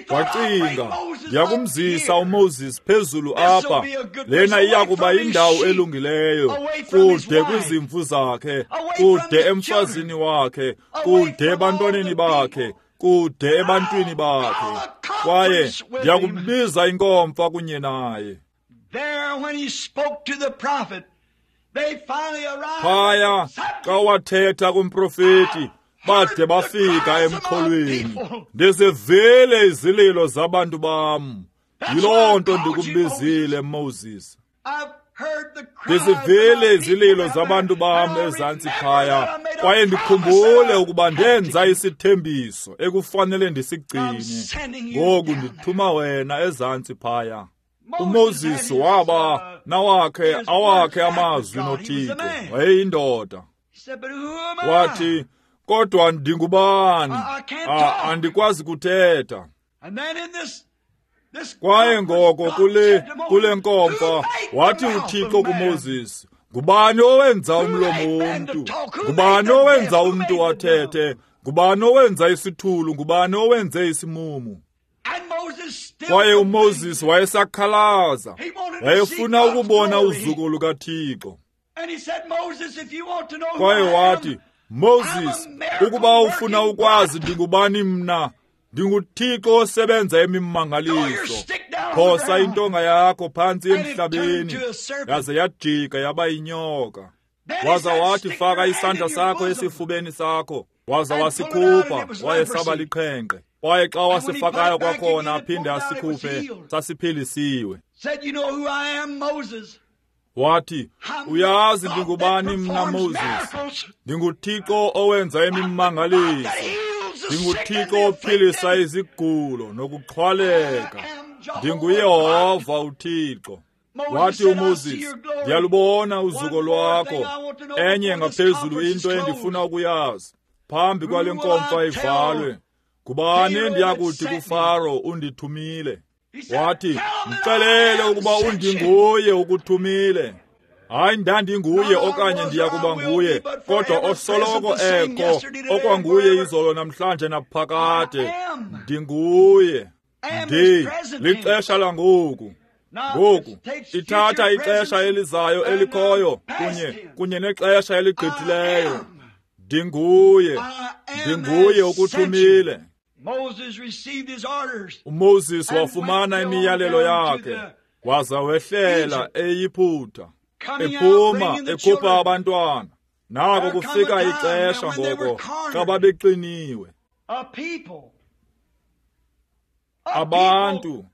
Speaker 1: Wacinga, ndiyakumzisa uMoses phezulu apha, lena iyakuba indawo elungileyo, kude kwizimvu zakhe, kude emfazini wakhe, kude ebantwaneni bakhe, kude ebantwini bakhe, kwaye ndiyakubiza inkomfa kunye naye. Phaya xa wathetha kumprofeti, bade bafika emxholweni. Ndizivile izililo zabantu bam, yiloo nto ndikubizile Moses. Ndizivile izililo zabantu bam ezantsi phaya, kwaye ndikhumbule ukuba ndenza isithembiso ekufanele ndisigcine. Ngoku ndithuma wena ezantsi phaya. uMoses waba nawakhe awakhe amazwi noThixo, wayeyindoda. Wathi, kodwa ndingubani? Andikwazi kuthetha. Kwaye ngoko kule nkomfa wathi uThixo kuMoses, ngubani owenza umlomo womntu? Ngubani owenza umntu wathethe? Ngubani owenza isithulu? Ngubani owenze isimumu? Kwaye uMoses wayesakhalaza, wayefuna ukubona uzuko lukaThixo. Kwaye wathi, Moses, ukuba ufuna ukwazi ndingubani mna, ndinguThixo osebenza imimangaliso. Phosa intonga yakho phantsi emhlabeni, yaze yajika yaba yinyoka. Waza wathi, faka isandla sakho esifubeni sakho. Waza wasikhupha, wayesaba liqhenqe. Kwaye xa wasifakayo kwakhona aphinde asikhuphe, sasiphilisiwe. Wathi, uyazi ndingubani mna Moses? NdinguThixo owenza imimangaliso. NdinguThixo ophilisa izigulo nokuxhwaleka. NdinguYehova uThixo. Wathi uMoses, ndiyalubona uzuko lwakho. Enye ngaphezulu into endifuna ukuyazi, phambi kwale nkomfa ivalwe, ngubani endiyakuthi kuFaro undithumile? Wathi, mxelele ukuba undinguye ukuthumile. Hayi ndandinguye okanye ndiyakuba nguye, kodwa osoloko ekho, okwanguye izolo namhlanje naphakade. Ndinguye. Ndi lixesha langoku. Ngoku ithatha ixesha elizayo elikhoyo kunye nexesha eligqithileyo. Ndinguye. Ndinguye ukuthumile. uMoses wafumana imiyalelo yakhe, waza wehlela eYiputa, ephuma ekhupha abantwana. Nako kufika ixesha ngoko xa babeqiniwe. Abantu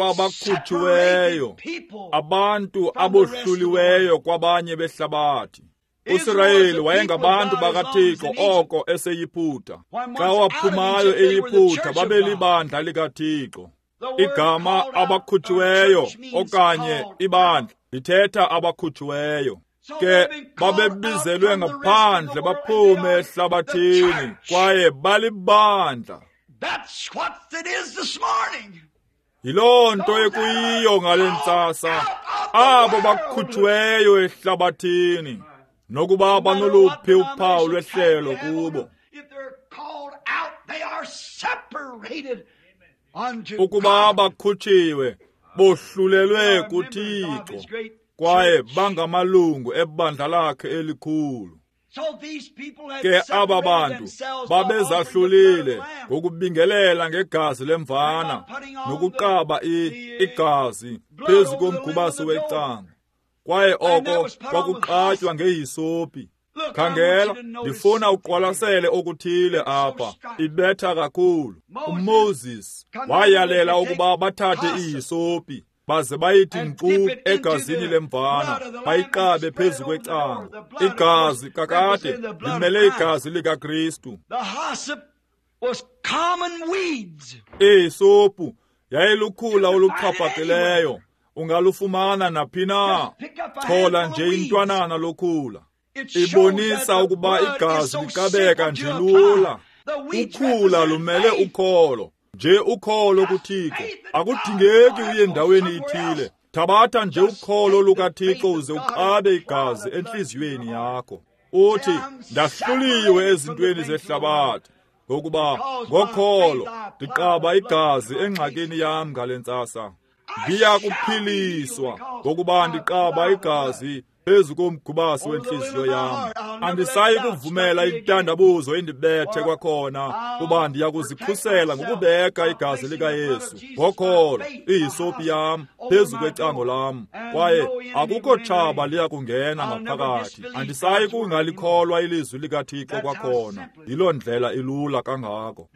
Speaker 1: abakhutshiweyo, abantu abohluliweyo kwabanye behlabathi. uSirayeli wayengabantu bakaThixo oko eseYiputa. Xa waphumayo eYiputa babelibandla likaThixo. Igama abakhutshiweyo okanye ibandla lithetha abakhutshiweyo. Ke babebizelwe ngaphandle baphume ehlabathini kwaye balibandla. Yiloo nto ekuyiyo ngale ntsasa, abo bakhutshiweyo ehlabathini, nokuba banoluphi uphawu lwehlelo kubo. Ukuba bakhutshiwe, bohlulelwe kuThixo, kwaye bangamalungu ebandla lakhe elikhulu. Ke aba bantu babezahlulile ngokubingelela ngegazi lemvana nokuqaba igazi phezu komgubasi wecango. Kwaye oko kwakuqatywa ngehisopi. Khangela, ndifuna uqwalasele okuthile apha. Ibetha kakhulu. uMoses wayalela ukuba bathathe ihisopi baze bayithi nkqu egazini lemvana, bayiqabe phezu kwecango. Igazi kakade limele igazi likaKristu. Ihisopu yayilukhula oluxhaphakileyo. Ungalufumana naphi na, chola nje intwanana lokhula. Ibonisa ukuba igazi liqabeka nje lula. Ukhula lumele ukholo, nje ukholo kuThixo. Akudingeki uye endaweni ithile. Thabatha nje ukholo lukaThixo uze uqabe igazi entliziyweni yakho. Uthi, ndahluliwe ezintweni zehlabathi, ngokuba ngokholo ndiqaba igazi engxakini yam ngale ntsasa. Ndiyakuphiliswa ngokuba ndiqaba igazi phezu komgubasi wenhliziyo yam. Andisayi kuvumela intandabuzo indibethe kwakhona, kuba ndiyakuzikhusela ngokubeka igazi likaYesu ngokholo, ihisopi yam phezu kwecango lam, kwaye akukho tshaba liya kungena ngaphakathi. Andisayi kungalikholwa ilizwi likaThixo kwakhona. Yiloo ndlela ilula kangako.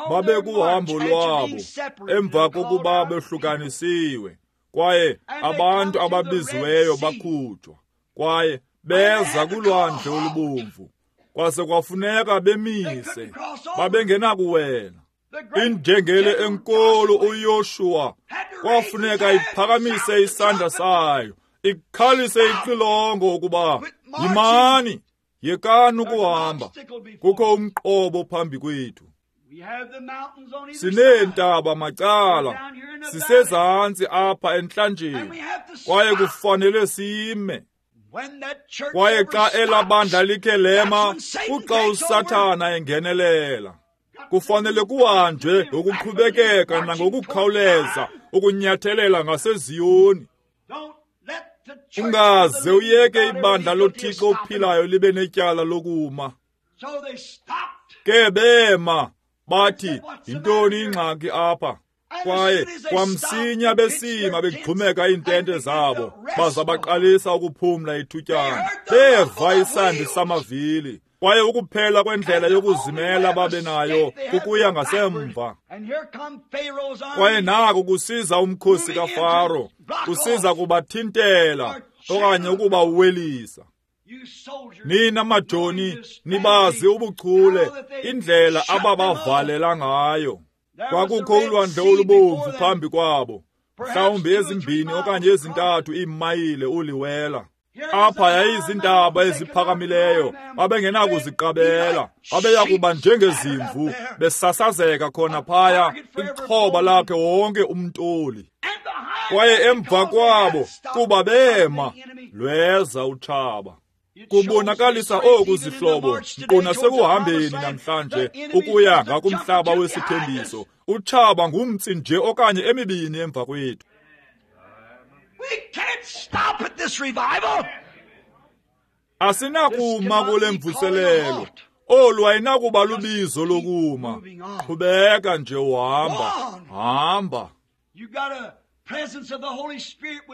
Speaker 1: Babekuhambo lwabo emva kokuba behlukanisiwe, kwaye abantu ababiziweyo bakhutshwa, kwaye beza kulwandle olubomvu. Kwase kwafuneka bemise, babengenakuwela. Injengele enkulu uYoshuwa kwafuneka iphakamise isandla sayo, ikhalise ixilongo ukuba yimani, yekani ukuhamba, kukho umqobo phambi kwethu. Sineentaba macala, sisezantsi apha entlanjeni, kwaye kufanele sime. Kwaye xa elabandla likhe lema, kuxa uSathana engenelela. Kufanele kuhanjwe ngokuqhubekeka nangokukhawuleza ukunyathelela ngaseZiyoni. Ungaze uyeke ibandla loThixo ophilayo libe netyala lokuma. Ke bema bathi, yintoni ingxaki apha? Kwaye kwamsinya besima begxumeka iintente zabo, baza baqalisa ukuphumla ithutyana. Beva isandi samavili, kwaye ukuphela kwendlela yokuzimela babe nayo kukuya ngasemva. Kwaye naku kusiza umkhosi kaFaro, kusiza kubathintela okanye ukubawelisa. Nina majoni nibazi ubuchule indlela ababavalela ngayo. Kwakukho ulwandle olubomvu phambi kwabo, mhlawumbi 2 okanye 3 iimayile uliwela. Apha yayizintaba eziphakamileyo, babengenakuziqabela, babeya kuba njengezimvu besasazeka khona phaya, ixhoba lakhe wonke umntoli. Kwaye emva kwabo, kuba bema, lweza utshaba. Kubonakalisa oku zihlobo, nkqu nasekuhambeni namhlanje ukuya ngakumhlaba wesithembiso. Utshaba ngumtsi nje okanye emibini emva kwethu. Asinakuma kule mvuselelo. Olu ayinakuba lubizo lokuma. Qhubeka nje uhamba, hamba.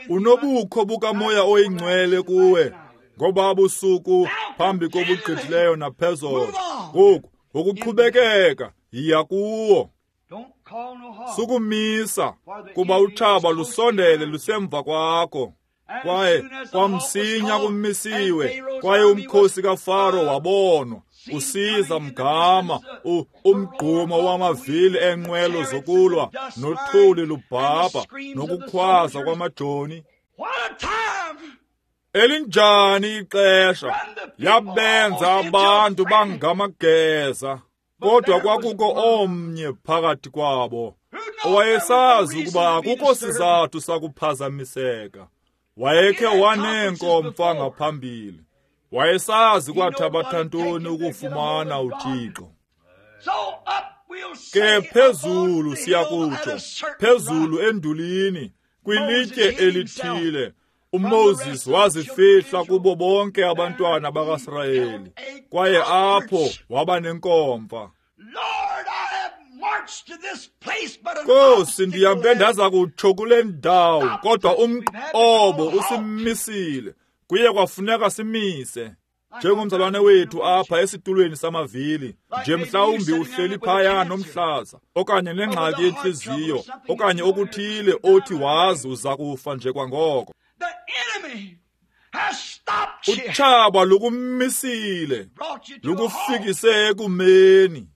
Speaker 1: Unobukho bukaMoya oyiNgcwele kuwe ngoba busuku phambi kobugqithileyo naphezolo. Ngoku ngokuqhubekeka yiya kuwo. Sukumisa kuba utshaba lusondele lusemva kwakho. Kwaye kwamsinya kumisiwe, kwaye umkhosi kaFaro wabonwa usiza mgama, umgqumo wamavili enqwelo zokulwa nothuli lubhabha nokukhwaza kwamajoni. Elinjani ixesha! Yabenza abantu bangamageza. Kodwa kwakukho omnye phakathi kwabo owayesazi ukuba akukho sizathu sakuphazamiseka. Wayekhe waneenkomfa ngaphambili. Wayesazi kwathabatha ntoni ukufumana uThixo. Ke phezulu siyakutsho, phezulu endulini, kwilitye elithile, uMoses wazifihla kubo bonke abantwana bakaSirayeli, kwaye apho waba nenkomfa. Nkosi, ndihambe ndaza kutsho kule ndawo, kodwa umqobo usimisile. Kuye kwafuneka simise. Njengomzalwane wethu apha esitulweni samavili, nje mhlawumbi uhleli phaya nomhlaza, okanye nengxaki yentliziyo, okanye okuthile othi wazi uza kufa nje kwangoko. Utshaba lukumisile, lukufikise ekumeni.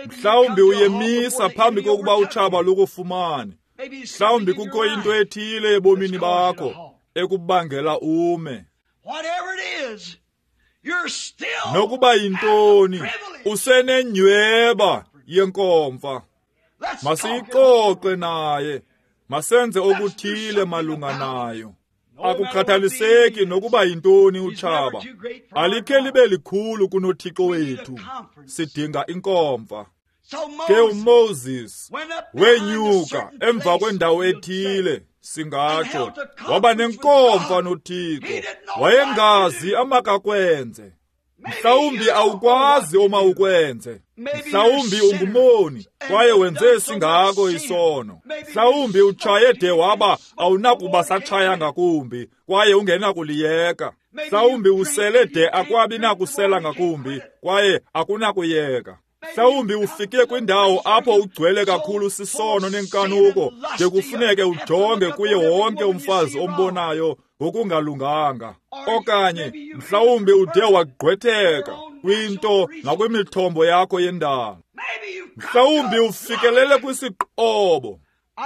Speaker 1: Mhlawumbi uyemisa phambi kokuba utshaba lukufumane. Mhlawumbi kukho into ethile ebomini bakho ekubangela ume. Nokuba yintoni, usenenyhweba yenkomfa. Masiyixoxe naye, masenze okuthile malunga nayo. Akukhathaliseki nokuba yintoni utshaba, alikhe libe likhulu kunoThixo wethu. Sidinga inkomfa. Ke uMoses wenyuka emva kwendawo ethile, singatsho, waba nenkomfa noThixo. Wayengazi amakakwenze. Mhlawumbi awukwazi omawukwenze. Mhlawumbi ungumoni kwaye wenze singako isono. Mhlawumbi utshaye de waba awunakuba satshaya ngakumbi kwaye ungenakuliyeka. Mhlawumbi usele de akwabi nakusela ngakumbi kwaye akunakuyeka. Mhlawumbi ufike kwindawo apho ugcwele kakhulu sisono nenkanuko de kufuneke ujonge kuye wonke umfazi ombonayo ngokungalunganga. Okanye mhlawumbi ude wagqwetheka kwinto nakwimithombo yakho yendalo. Mhlawumbi ufikelele kwisiqobo.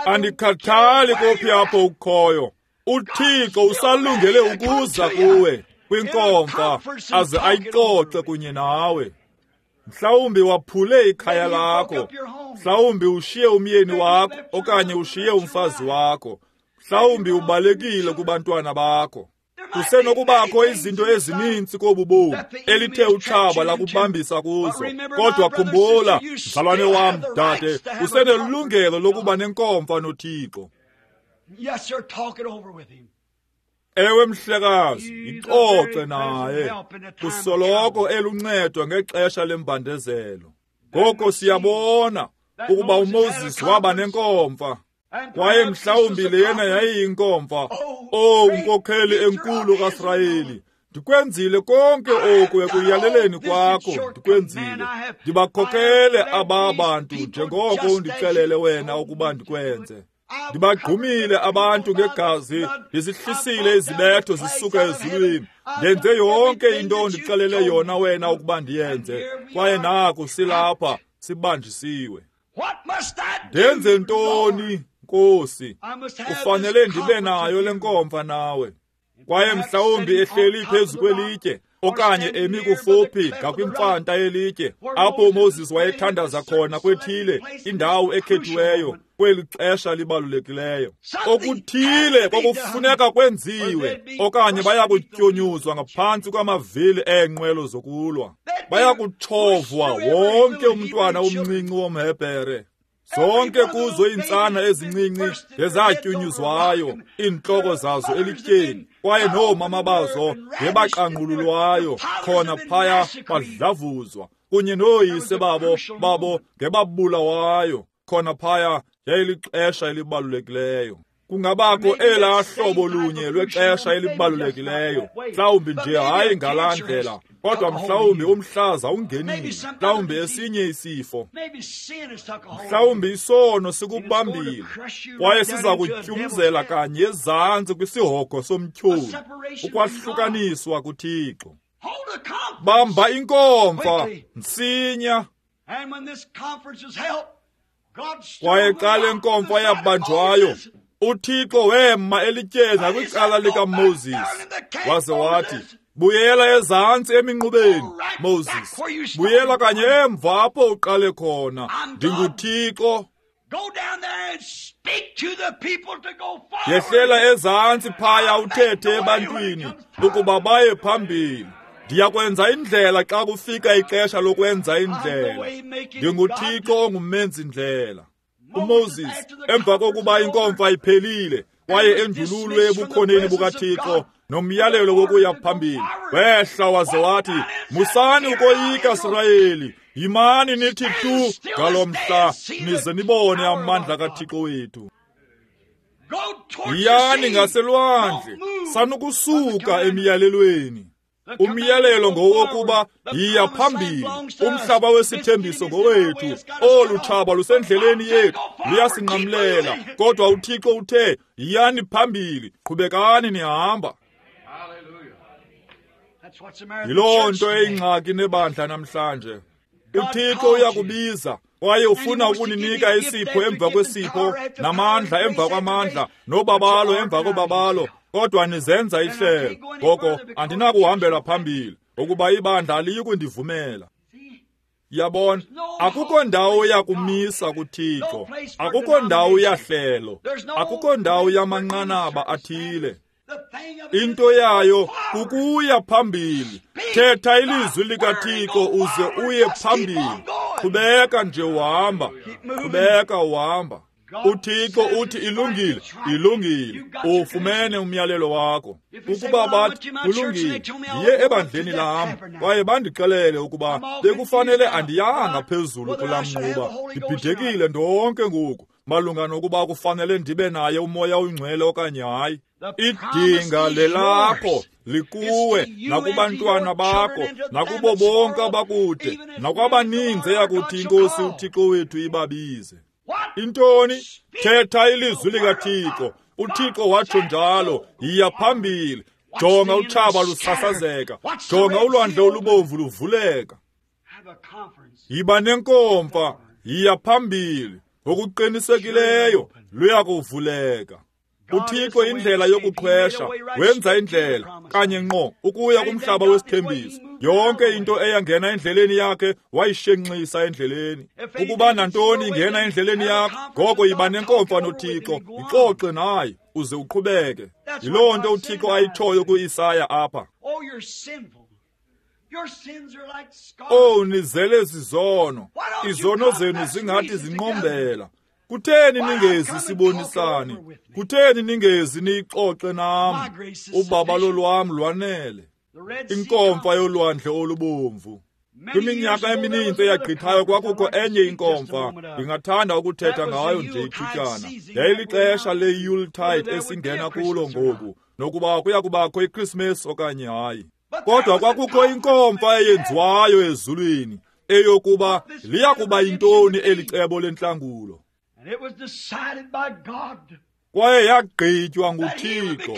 Speaker 1: Andikhathali kophi apho ukhoyo, uThixo usalungele ukuza kuwe kwinkomfa aze ayixoxe kunye nawe. Mhlawumbi waphule ikhaya lakho, mhlawumbi ushiye umyeni wakho okanye ushiye umfazi wakho, mhlawumbi ubalekile kubantwana bakho. Kusenokubakho izinto ezininzi kobu bomi elithe utshaba lakubambisa kuzo, kodwa khumbula, mzalwane wam, dade, usenelungelo lokuba nenkomfa noThixo. Ewe mhlekazi, ixoxe naye. Kusoloko eluncedo ngexesha lembandezelo. Ngoko siyabona ukuba uMoses waba nenkomfa, kwaye mhlawumbi lena yayiyinkomfa. Oh, nkokheli enkulu kaSirayeli, ndikwenzile konke oku ekuyaleleni kwakho, ndikwenzile. Ndibakhokhele aba bantu njengoko undixelele wena ukuba ndikwenze. Ndibagqumile abantu ngegazi, ndizihlisile izibetho zisuka ezulwini. Ndenze yonke into ondixelele yona wena ukuba ndiyenze, kwaye naku silapha sibanjisiwe. Ndenze ntoni, Nkosi? Kufanele ndibe nayo le nkomfa nawe. Kwaye mhlawumbi ehleli phezu kwelitye okanye emi kufuphi ngakwimfanta yelitye apho uMoses wayethandaza khona kwethile indawo ekhethiweyo kweli xesha libalulekileyo. Okuthile kwakufuneka kwenziwe, okanye bayakutyunyuzwa ngaphantsi kwamavili eenqwelo zokulwa. Bayakutshovwa wonke umntwana omncinci womHebhere. Zonke kuzo iintsana ezincinci ngezatyunyuzwayo, iintloko zazo elityeni, kwaye noomama bazo ngebaqangqululwayo khona phaya badlavuzwa, kunye nooyise babo ngebabulawayo khona phaya. Yayilixesha elibalulekileyo. Kungabakho elaa hlobo lunye lwexesha elibalulekileyo, mhlawumbi nje hayi ngalaa ndlela, kodwa mhlawumbi umhlaza ungenile, mhlawumbi esinye isifo, mhlawumbi isono sikubambile, kwaye siza kutyumzela kanye ezantsi kwisihogo somtyholi, ukwahlukaniswa kuThixo. Bamba inkomfa msinya. Kwaye xa le nkomfa yabanjwayo, uThixo wema elityeni ngakwicala likaMoses, waze wathi, buyela ezantsi eminqubeni, Moses. Buyela kanye emva apho uqale khona. NdinguThixo. Yehlela ezantsi phaya uthethe ebantwini ukuba baye phambili. Ndiyakwenza indlela xa kufika ixesha lokwenza indlela. NdinguThixo ongumenzi-ndlela. uMoses, emva kokuba inkomfa iphelile kwaye endululwe ebukhoneni bukaThixo nomyalelo wokuya phambili, wehla waze wathi, musani ukoyika, Sirayeli, yimani nithi tu ngalo mhla, nize nibone amandla kaThixo wethu. Yiyani ngaselwandle, sanukusuka emiyalelweni. Umyalelo ngowokuba yiya phambili, umhlaba wesithembiso ngowethu. Olu tshaba lusendleleni yethu, luyasinqamlela, kodwa uThixo uthe, yiyani phambili, qhubekani nihamba. Yiloo nto eyingxaki nebandla namhlanje. uThixo uyakubiza kwaye ufuna ukuninika isipho emva kwesipho, namandla emva kwamandla, nobabalo emva kobabalo, kodwa nizenza ihlelo. Ngoko andinakuhambela phambili ukuba ibandla aliyi kundivumela. Yabona, akukho ndawo yakumisa kuThixo, akukho ndawo yahlelo, akukho ndawo yamanqanaba athile. Into yayo kukuya phambili. Thetha ilizwi likaThixo uze uye phambili. Qhubeka nje uhamba, qhubeka uhamba. uThixo uthi ilungile, ilungile. Ufumene umyalelo wakho. Ukuba bathi kulungile, ndiye ebandleni lam, kwaye bandixelele ukuba bekufanele andiyanga phezulu kulaa mnquba. Ndibhidekile ndonke ngoku malunga nokuba kufanele ndibe naye uMoya oyiNgcwele okanye hayi. Idinga lelakho likuwe nakubantwana bakho nakubo bonke abakude nakwabaninzi eyakuthi iNkosi uThixo wethu ibabize. Intoni? Thetha ilizwi likaThixo. uThixo watsho njalo, yiya phambili. Jonga utshaba lusasazeka, jonga ulwandle olubomvu luvuleka. Yiba nenkomfa, yiya phambili. Ngokuqinisekileyo luyakuvuleka. uThixo indlela yokuqhwesha, wenza indlela kanye ngqo ukuya kumhlaba wesithembiso. Yonke into eyangena endleleni yakhe wayishenxisa endleleni. Ukuba nantoni ingena endleleni yakho, ngoko yiba nenkomfa noThixo, ixoxe naye uze uqhubeke. Yiloo nto uThixo ayitshoyo kuIsaya apha. Oh, nizele zizono, izono zenu zingathi zinqombela. Kutheni ningezi sibonisane? Kutheni ningezi niyixoxe nam? Ubabalo lwam lwanele. Inkomfa yolwandle olubomvu. Kwiminyaka emininzi eyagqithayo kwakukho enye inkomfa, ndingathanda ukuthetha ngayo nje ithutyana. Yayilixesha le-Yuletide esingena kulo ngoku, nokuba kuya kubakho iKrismesi okanye hayi. Kodwa kwakukho inkomfa eyenziwayo ezulwini, eyokuba liya kuba yintoni eli cebo lentlangulo. Kwaye yagqitywa nguThixo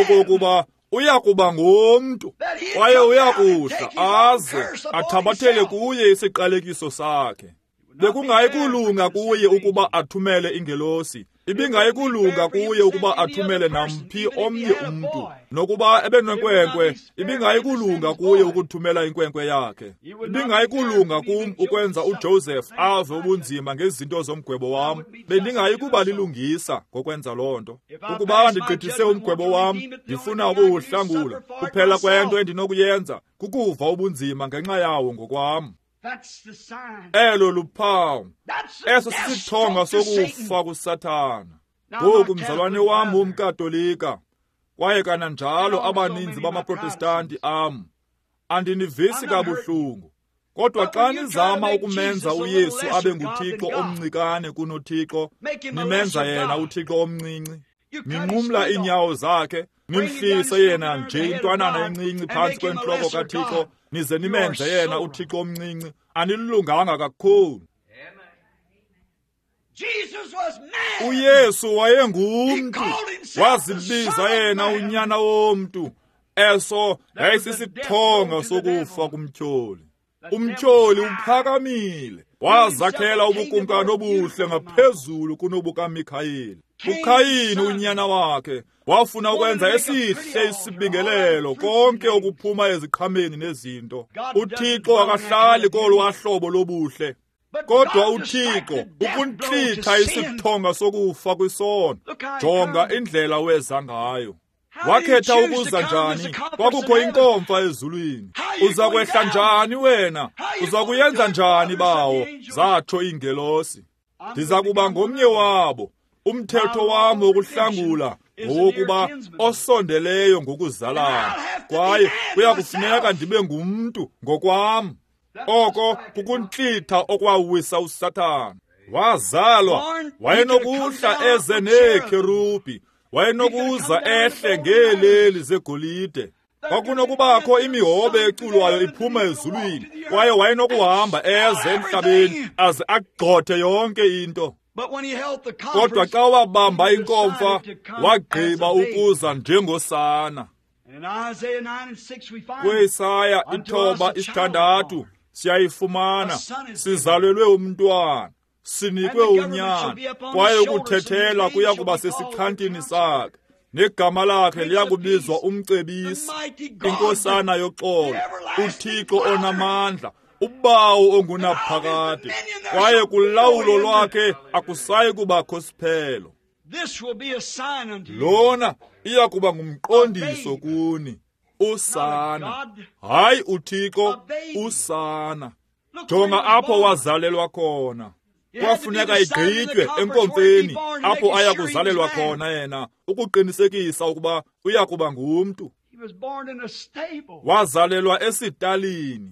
Speaker 1: okokuba uya kuba ngumntu, kwaye uya kuhla aze athabathele kuye isiqalekiso sakhe. Bekungayi kulunga kuye ukuba athumele ingelosi, ibingayi kulunga kuye ukuba athumele namphi omnye umntu, nokuba ebenenkwenkwe, ibingayi kulunga kuye ukuthumela inkwenkwe yakhe. Ibingayi kulunga kum ukwenza uJoseph ave ubunzima ngezinto zomgwebo wam. Bendingayi kuba lilungisa ngokwenza loo nto. Ukuba ndigqithise umgwebo wam, ndifuna ukuwuhlangula, kuphela kwento endinokuyenza kukuva ubunzima ngenxa yawo ngokwam. Elo luphawu. Eso sisithonga sokufa kuSathana. Ngoku mzalwane wam umKatolika, kwaye kananjalo abaninzi bamaProtestanti am, andinivisi kabuhlungu. Kodwa xa nizama ukumenza uYesu abe nguThixo omncikane kunoThixo, nimenza yena uThixo omncinci. Ninqumla iinyawo zakhe, nimhlise yena nje intwanana encinci phantsi kwentloko kaThixo, nize nimenze yena uThixo omncinci. Anilunganga kakhulu. uYesu wayengumntu, wazibiza yena unyana womntu. Eso yayisisithonga sokufa kumtyholi. Umtyholi uphakamile, wazakhela ubukumkani obuhle ngaphezulu kunobukaMikhayeli. uKhayini unyana wakhe wafuna ukwenza esihle isibingelelo, konke okuphuma eziqhameni nezinto. uThixo akahlali kolwa hlobo lobuhle. Kodwa uThixo ukuntlitha isithonga sokufa kwisono. Jonga indlela weza ngayo. Wakhetha ukuza njani? Kwakukho inkomfa ezulwini. Uza kwehla njani wena? Uza kuyenza njani, bawo? Zatsho iingelosi. Ndiza kuba ngomnye wabo. Umthetho wam wokuhlangula ngowokuba osondeleyo ngokuzalana, kwaye kuya kufuneka ndibe ngumntu ngokwam. Oko kukuntlitha okwawisa uSathana. Wazalwa, wayenokuhla eze neekherubhi, wayenokuza ehle ngeeleli zegolide. Kwakunokubakho imihobe eculwayo iphuma ezulwini, kwaye wayenokuhamba eze emhlabeni aze agxothe yonke into. Kodwa xa wabamba inkomfa, wagqiba ukuza njengosana. KweIsaya 9:6 siyayifumana, sizalelwe umntwana, sinikwe unyana, kwaye ukuthethela kuya kuba sesixhantini sakhe, negama lakhe liyakubizwa uMcebisi, iNkosana yoxolo, uThixo onamandla, uBawo ongunaphakade, kwaye kulawulo lwakhe akusayi kubakho siphelo. Lona iya kuba ngumqondiso kuni, usana, hayi uThixo, usana. Jonga apho wazalelwa khona. Kwafuneka igqitywe enkomfeni apho aya kuzalelwa khona yena, ukuqinisekisa ukuba uya kuba ngumntu. Wazalelwa esitalini.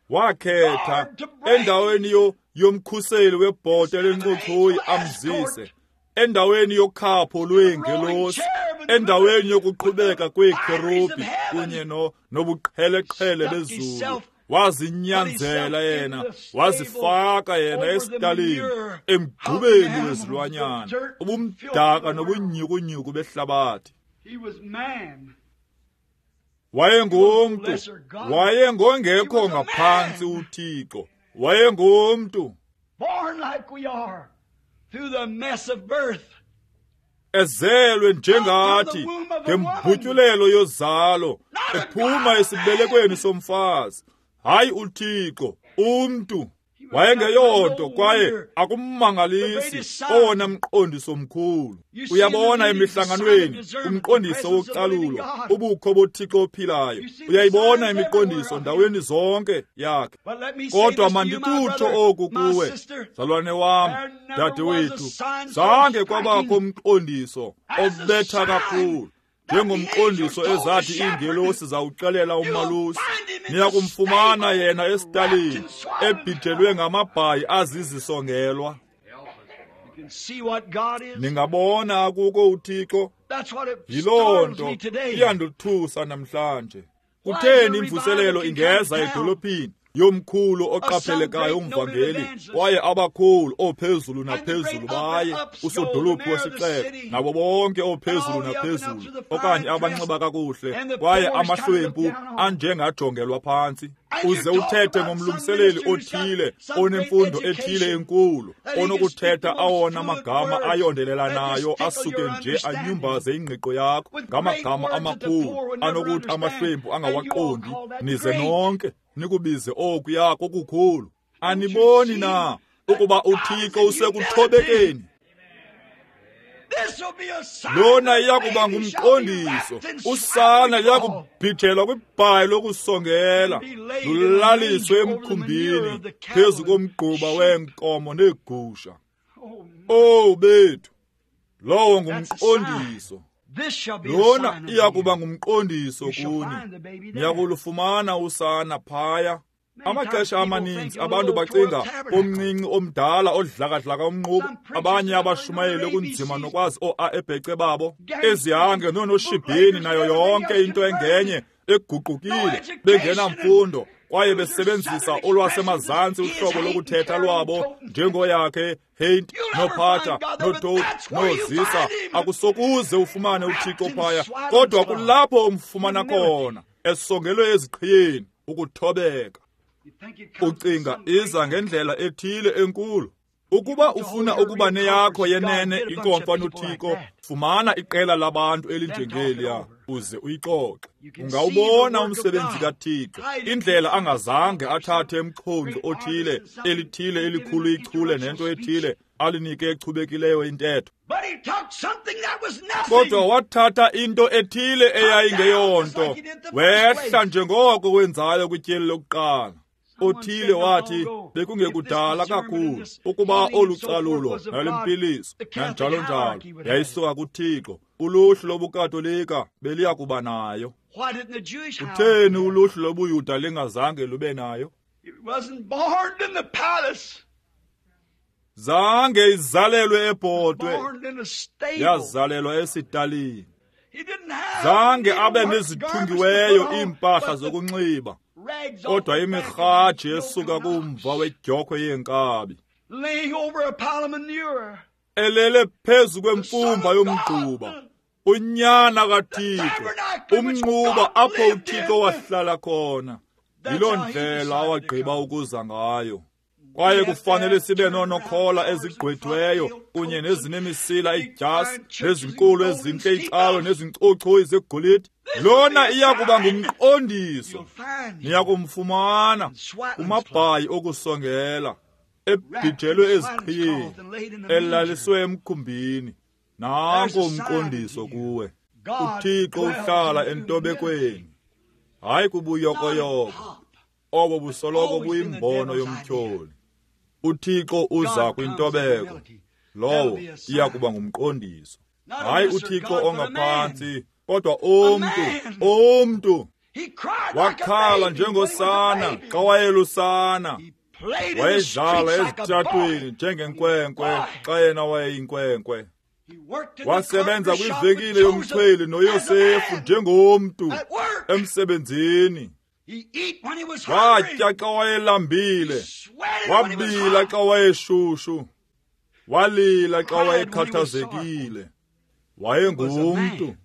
Speaker 1: Wakhetha endaweni yomkhuseli webhote lencochoyi amzise, endaweni yokhapho lweengelosi, endaweni yokuqhubeka kweekherubhi kunye nobuqheleqhele bezulu. Wazinyanzela yena, wazifaka yena esitalini, emgqubeni wezilwanyana, ubumdaka nobunyhukunyhuku behlabathi. Wayengumntu, wayengongekho ngaphantsi uThixo, wayengumntu. Ezelwe njengathi ngembutyulelo yozalo, ephuma esibelekweni somfazi. Hayi uThixo, umntu. Wayengeyonto kwaye akummangalisi owona mqondiso mkhulu. Uyabona emihlanganweni umqondiso wokucalulo, ubukho boThixo ophilayo. Uyayibona imiqondiso ndaweni zonke yakhe. Kodwa mandikutsho oku kuwe, mzalwane wam, dadewethu, zange kwabakho umqondiso obetha kakhulu njengomqondiso ezathi iingelosi zawuxelela umalusi. Niyakumfumana yena esitalini ebhijelwe ngamabhayi azizisongelwa. Ningabona akuko uThixo. Yiloo nto iyandothusa namhlanje. Kutheni imvuselelo ingeza edolophini yomkhulu oqaphelekayo umvangeli, kwaye abakhulu ophezulu naphezulu baye usodolophu wesixeko nabo bonke ophezulu naphezulu okanye abanxiba kakuhle, kwaye amahlwempu anjengajongelwa phantsi. Uze uthethe ngomlungiseleli othile onemfundo ethile enkulu onokuthetha awona magama ayondelelanayo asuke nje anyumbaze ingqiqo yakho ngamagama amakhulu anokuthi amahlwempu angawaqondi, nize nonke nikubize okuya kokukhulu. Aniboni na ukuba uThixo usekuthobekeni? Lona iyakuba ngumqondiso. Usana liyakubhijelwa kwibhayi lokusongela, lulaliswe emkhumbini phezu komgquba weenkomo neegusha. Owu bethu, lowo ngumqondiso. Lona iyakuba ngumqondiso kuni. Niyakulufumana usana phaya. Amaxesha amaninzi abantu bacinga omncinci omdala odlakadlaka umnquba, abanye abashumayeli okunzima nokwazi oo-A ebhece babo, ezihange noonoshibhini nayo yonke into engenye eguqukile, bengenamfundo kwaye besebenzisa olwasemazantsi uhlobo lokuthetha lwabo njengoyakhe Haint, noPhatha, noToad, noZisa. Akusokuze ufumane uThixo phaya, kodwa kulapho umfumana khona, esongelwe eziqhiyeni, ukuthobeka. Ucinga iza ngendlela ethile enkulu. Ukuba ufuna ukuba neyakho yenene inkomfa noThixo, fumana iqela labantu elinjengeliya uze uyixoxe. Ungawubona umsebenzi kaThixo, indlela angazange athathe umxhonxo othile, elithile elikhulu ichule nento ethile, alinike echubekileyo intetho. Kodwa wathatha into ethile eyayingeyonto, wehla njengoko wenzayo kwityeli lokuqala. Othile wathi bekungekudala kakhulu ukuba olu calulo nalempiliso nanjalo njalo yayisuka kuThixo, uluhlu lobuKatolika beliya kuba nayo. Kutheni uluhlu lobuYuda lingazange lube nayo? Zange izalelwe ebhotwe, yazalelwa esitalini. Zange abe nezithungiweyo iimpahla zokunxiba, kodwa imirhaji esuka kumva wedyokhwe yeenkabi, elele phezu kwemfumba yomgquba, unyana kaThixo, umnquba apho uThixo wahlala khona. Yiloo ndlela awagqiba ukuza ngayo. Kwaye kufanele sibe noonokhola ezigqwethiweyo kunye nezinemisila idyasi nezinkulu ezintle icawe nezinkcochoyi zegolide. Lona iyakuba ngumqondiso. Niyakumfumana kumabhayi okusongela, ebhijelwe eziqhiyeni, elaliswe emkhumbini. Nanko umqondiso kuwe. uThixo uhlala entobekweni, hayi kubuyokoyoko. Obo busoloko buyimbono yomtyholi. uThixo uza kwintobeko, lowo iyakuba ngumqondiso. Hayi uThixo ongaphantsi, kodwa umntu, umntu. Wakhala njengosana xa wayelusana. Wayedlala ezitratweni njengenkwenkwe xa yena wayeyinkwenkwe. Wasebenza kwivenkile yomchweli noYosefu njengomntu emsebenzini. Watya xa wayelambile, wabila xa wayeshushu, walila xa wayekhathazekile. Wayengumntu.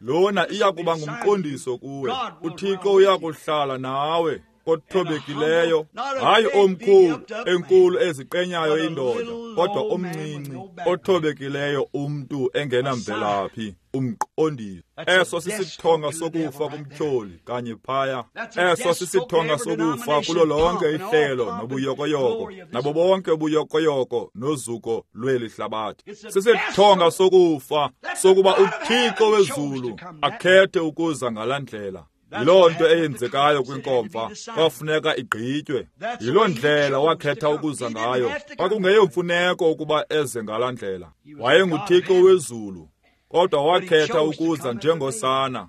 Speaker 1: Lona iya kuba ngumqondiso kuwe. uThixo uya kuhlala nawe. Othobekileyo, hayi omkhulu, enkulu eziqenyayo indoda, kodwa omncinci, othobekileyo umntu engenamvelaphi, umqondiso. Eso sisithonga sokufa kumtyholi kanye phaya. Eso sisithonga sokufa kulo lonke ihlelo nobuyokoyoko, nabo bonke ubuyokoyoko nozuko lweli hlabathi. Sisithonga sokufa sokuba uThixo wezulu akhethe ukuza ngalaa ndlela. Yiloo nto eyenzekayo kwinkomfa, kwafuneka igqitywe. Yiloo ndlela wakhetha ukuza ngayo. Kwakungeyomfuneko ukuba eze ngalaa ndlela. WayenguThixo wezulu, kodwa wakhetha ukuza njengosana.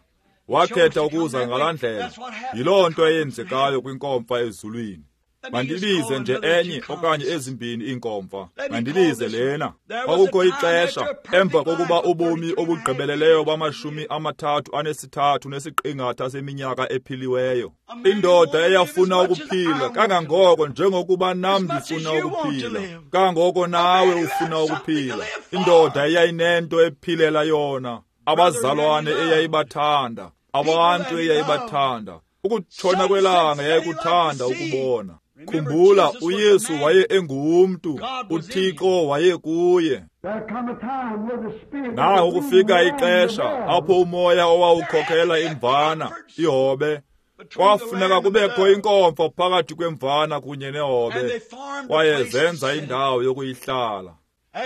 Speaker 1: Wakhetha ukuza ngalaa ndlela. Yiloo nto eyenzekayo kwinkomfa ezulwini. Mandibize nje enye okanye ezimbini iinkomfa. Mandibize lena. Kwakukho ixesha emva kokuba ubomi obugqibeleleyo bama-33.5 seminyaka ephiliweyo. Indoda eyafuna ukuphila kangangoko njengokuba nam ndifuna ukuphila, kangangoko nawe ufuna ukuphila. Indoda eyayinento ephilela yona, abazalwane eyayibathanda, abantu eyayibathanda, ukutshona kwelanga yayikuthanda ukubona. Khumbula, uYesu waye engumntu, uThixo waye kuye. Naho kufika ixesha apho umoya owawukhokhela imvana, ihobe, kwafuneka kubekho inkomfa phakathi kwemvana kunye nehobe, kwaye zenza indawo yokuyihlala.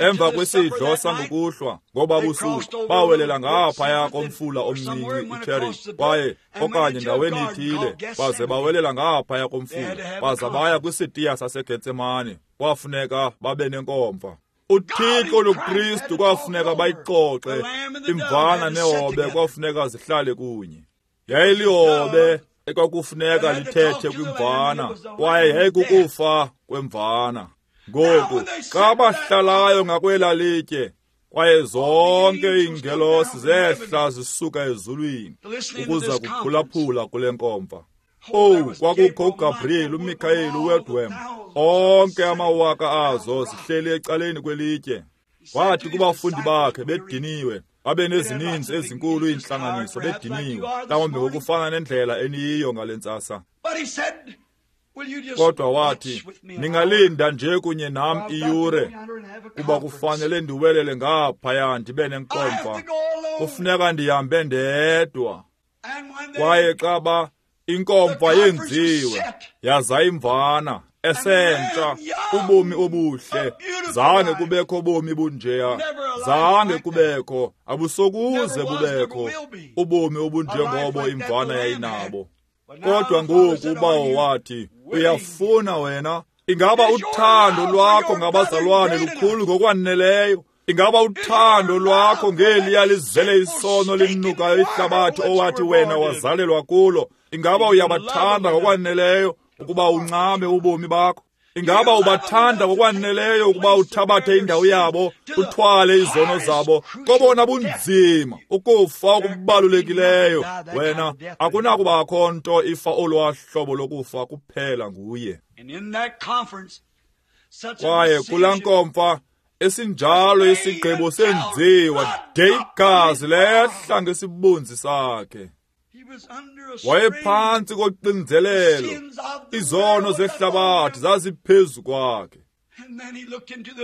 Speaker 1: Emva kwesidlo sangokuhlwa ngoba busuku bawelela ngaphaya komfula omncinci iCherith, kwaye okanye ndaweni ithile, baze bawelela ngaphaya komfula, baza baya kwisitiya saseGetsemane. Kwafuneka babe nenkomfa. uThixo noKristu kwafuneka bayixoxe, imvana nehobe kwafuneka zihlale kunye. Yayilihobe ekwakufuneka lithethe kwimvana, kwaye yayikukufa kwemvana. Ngoku xa bahlalayo ngakwela litye, kwaye zonke iingelosi zehla zisuka ezulwini ukuza kuphulaphula kule nkomfa. Owu, kwakukho uGabriel, uMikaeli, uWedwem, onke amawaka azo zihleli ecaleni kwelitye. Wathi kubafundi bakhe bediniwe, babe nezininzi ezinkulu iintlanganiso, bediniwe, mhlawumbi ngokufana nendlela eniyiyo ngale ntsasa. Kodwa wathi, ningalinda nje kunye nam iyure, kuba kufanele ndiwelele ngaphaya ndibe nenkomfa. Kufuneka ndihambe ndedwa. Kwaye xa inkomfa yenziwe, yaza imvana esentsha, ubomi obuhle, zange kubekho bomi bunjeya, zange kubekho, abusokuze kubekho ubomi obunjengobo imvana yayinabo. Kodwa ngoku uBawo wathi, uyafuna wena? Ingaba uthando lwakho ngabazalwane lukhulu ngokwaneleyo? Ingaba uthando lwakho ngeliya lizele isono linukayo ihlabathi owathi wena wazalelwa kulo? Ingaba uyabathanda ngokwaneleyo ukuba uncame ubomi bakho? Ingaba ubathanda ngokwaneleyo ukuba uthabathe indawo yabo, uthwale izono zabo? Kobona bunzima, ukufa okubalulekileyo, wena akunakubakho nto ifa olwahlobo lokufa kuphela nguye. Kwaye kulaa nkomfa esinjalo isigqibo senziwa, de igazi lehla ngesibunzi sakhe. Wayephantsi koxinzelelo, izono zehlabathi zaziphezu kwakhe.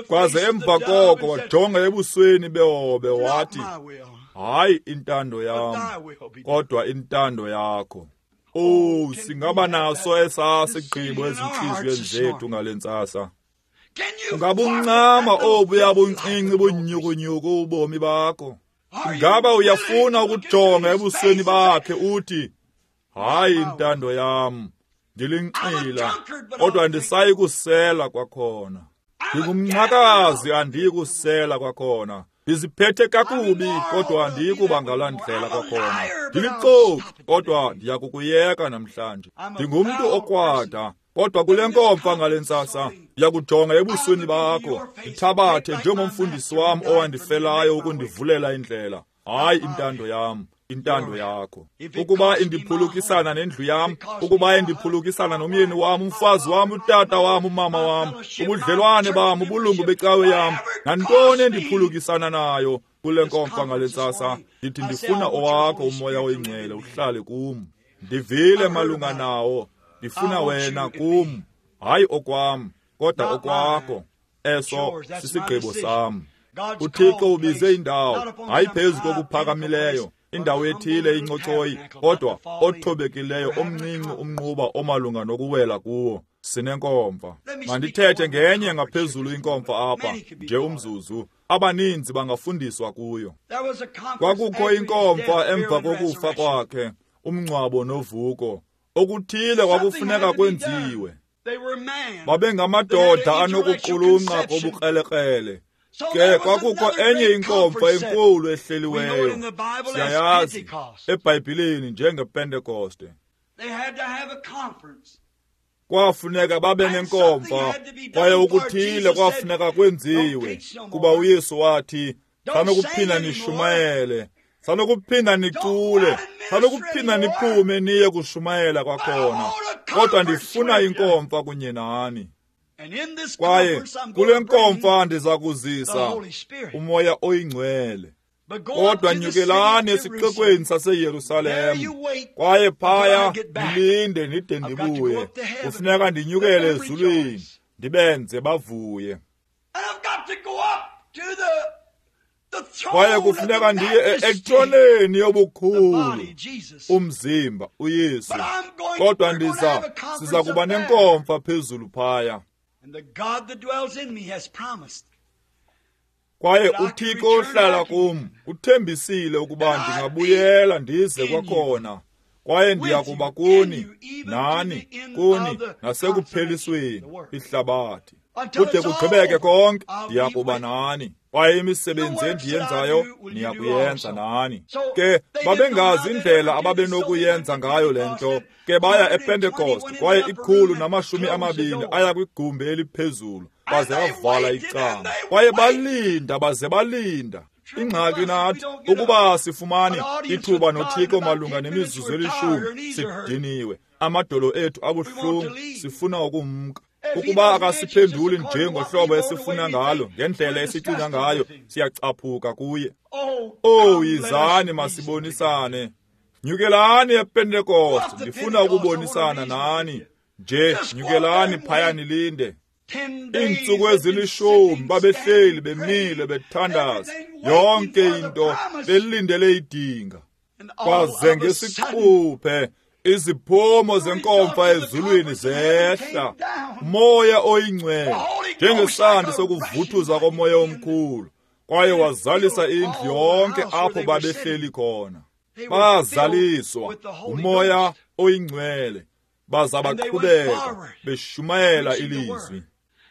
Speaker 1: Kwaze emva koko wajonga ebusweni behobe wathi, hayi intando yam, kodwa intando yakho. Oh, singaba naso esaa sigqibo ezintliziyweni zethu ngale ntsasa. Ungabuncama obuya buncinci bunyukunyuku ubomi bakho. Ingaba uyafuna ukujonga ebusweni bakhe uthi, hayi intando yam, ndilinxila, kodwa andisayi kusela kwakhona. Ndingumnqakazi, andiyi kusela kwakhona. Ndiziphethe kakubi, kodwa andiyi kuba ngalaa ndlela kwakhona. Ndilixoki, kodwa ndiya kukuyeka namhlanje. Ndingumntu okrwada, kodwa kule nkomfa ngale ntsasa ndiya kujonga ebusweni bakho, ndithabathe njengomfundisi wam owandifelayo ukundivulela indlela. Hayi intando yam, intando yakho. Ukuba indiphulukisana nendlu yam, ukuba indiphulukisana nomyeni wam, umfazi wam, utata wam, umama wam, ubudlelwane bam, ubulungu becawe yam, nantoni endiphulukisana nayo kule nkomfa ngale ntsasa, ndithi ndifuna owakho umoya oyingcwele uhlale kum. Ndivile malunga nawo, Ndifuna wena kum, hayi okwam, kodwa okwakho. Eso sisigqibo sam. UThixo ubize indawo, hayi phezu kokuphakamileyo, indawo ethile incochoyi, kodwa othobekileyo omncinci umnquba omalunga nokuwela kuwo. Sinenkomfa. Mandithethe ngenye ngaphezulu inkomfa apha, nje umzuzu. Abaninzi bangafundiswa kuyo. Kwakukho inkomfa emva kokufa kwakhe, umngcwabo novuko. Okuthile kwakufuneka kwenziwe. Babengamadoda anokuqulunqa kobukrelekrele. Ke kwakukho enye inkomfa enkulu ehleliweyo, siyayazi eBhayibhileni njengePentekoste. Kwafuneka babe nenkomfa, kwaye okuthile kwafuneka kwenziwe, kuba uYesu wathi, sanokuphinda nishumayele, sanokuphinda nicule, sanokuphinda niphume niye kushumayela kwakhona, kodwa ndifuna inkomfa kunye nani. Kwaye kule nkomfa ndiza kuzisa uMoya oyiNgcwele. Kodwa nyukelani esixekweni saseYerusalem, kwaye phaya nilinde ndide ndibuye. Kufuneka ndinyukele ezulwini, ndibenze bavuye. Kwaye kufuneka ndiye etroneni yobukhulu, umzimba uYesu. Kodwa siza kuba nenkomfa phezulu phaya. Kwaye uThixo ohlala kum uthembisile ukuba ndingabuyela ndize kwakhona, kwaye ndiya kuba kuni, nani, kuni, nasekuphelisweni ihlabathi. Kude kugqibeke konke, ndiya kuba nani. Kwaye imisebenzi endiyenzayo niya kuyenza nani. Ke babengazi indlela ababenokuyenza ngayo le nto. Ke baya ePentekoste, kwaye 120 aya kwigumbi eliphezulu, baze bavala icango. Kwaye balinda, baze balinda. Ingxaki nathi ukuba sifumane ithuba noThixo malunga nemizuzu 10, sidiniwe, amadolo ethu abuhlungu, sifuna ukumka. Ukuba akasiphenduli nje ngohlobo esifuna ngalo, ngendlela esicinga ngayo, siyacaphuka kuye. Oh, yizani masibonisane. Nyukelani ePentekoste, ndifuna ukubonisana nani. Nje nyukelani phaya nilinde. Iintsuku 10 babehleli bemile bethandaza, yonke into belindele idinga. Kwaze ngesiquphe iziphumo zenkomfa ezulwini zehla, uMoya oyiNgcwele njengesandi sokuvuthuza komoya omkhulu, kwaye wazalisa indlu yonke apho babehleli khona. Bazaliswa uMoya oyiNgcwele, baza baqhubeka beshumayela ilizwi.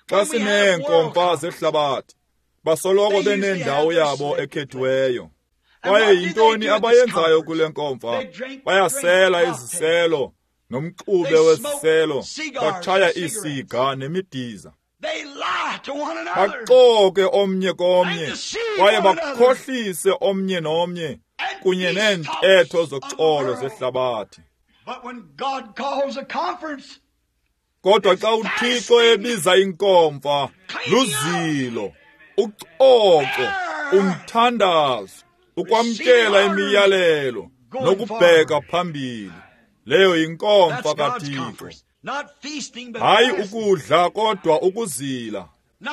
Speaker 1: Xa sineenkomfa zehlabathi, basoloko benendawo yabo ekhethiweyo. Kwaye yintoni abayenzayo kule nkomfa? Bayasela iziselo nomxube wesiselo, batshaya iisiga nemidiza. Baxoke omnye komnye, kwaye bakhohlise omnye nomnye, kunye neentetho zoxolo zehlabathi. Kodwa xa uThixo ebiza inkomfa, luzilo, ucoco, umthandazo, ukwamkela imiyalelo nokubheka phambili. Leyo yinkomfa kaThixo. Hayi ukudla kodwa ukuzila,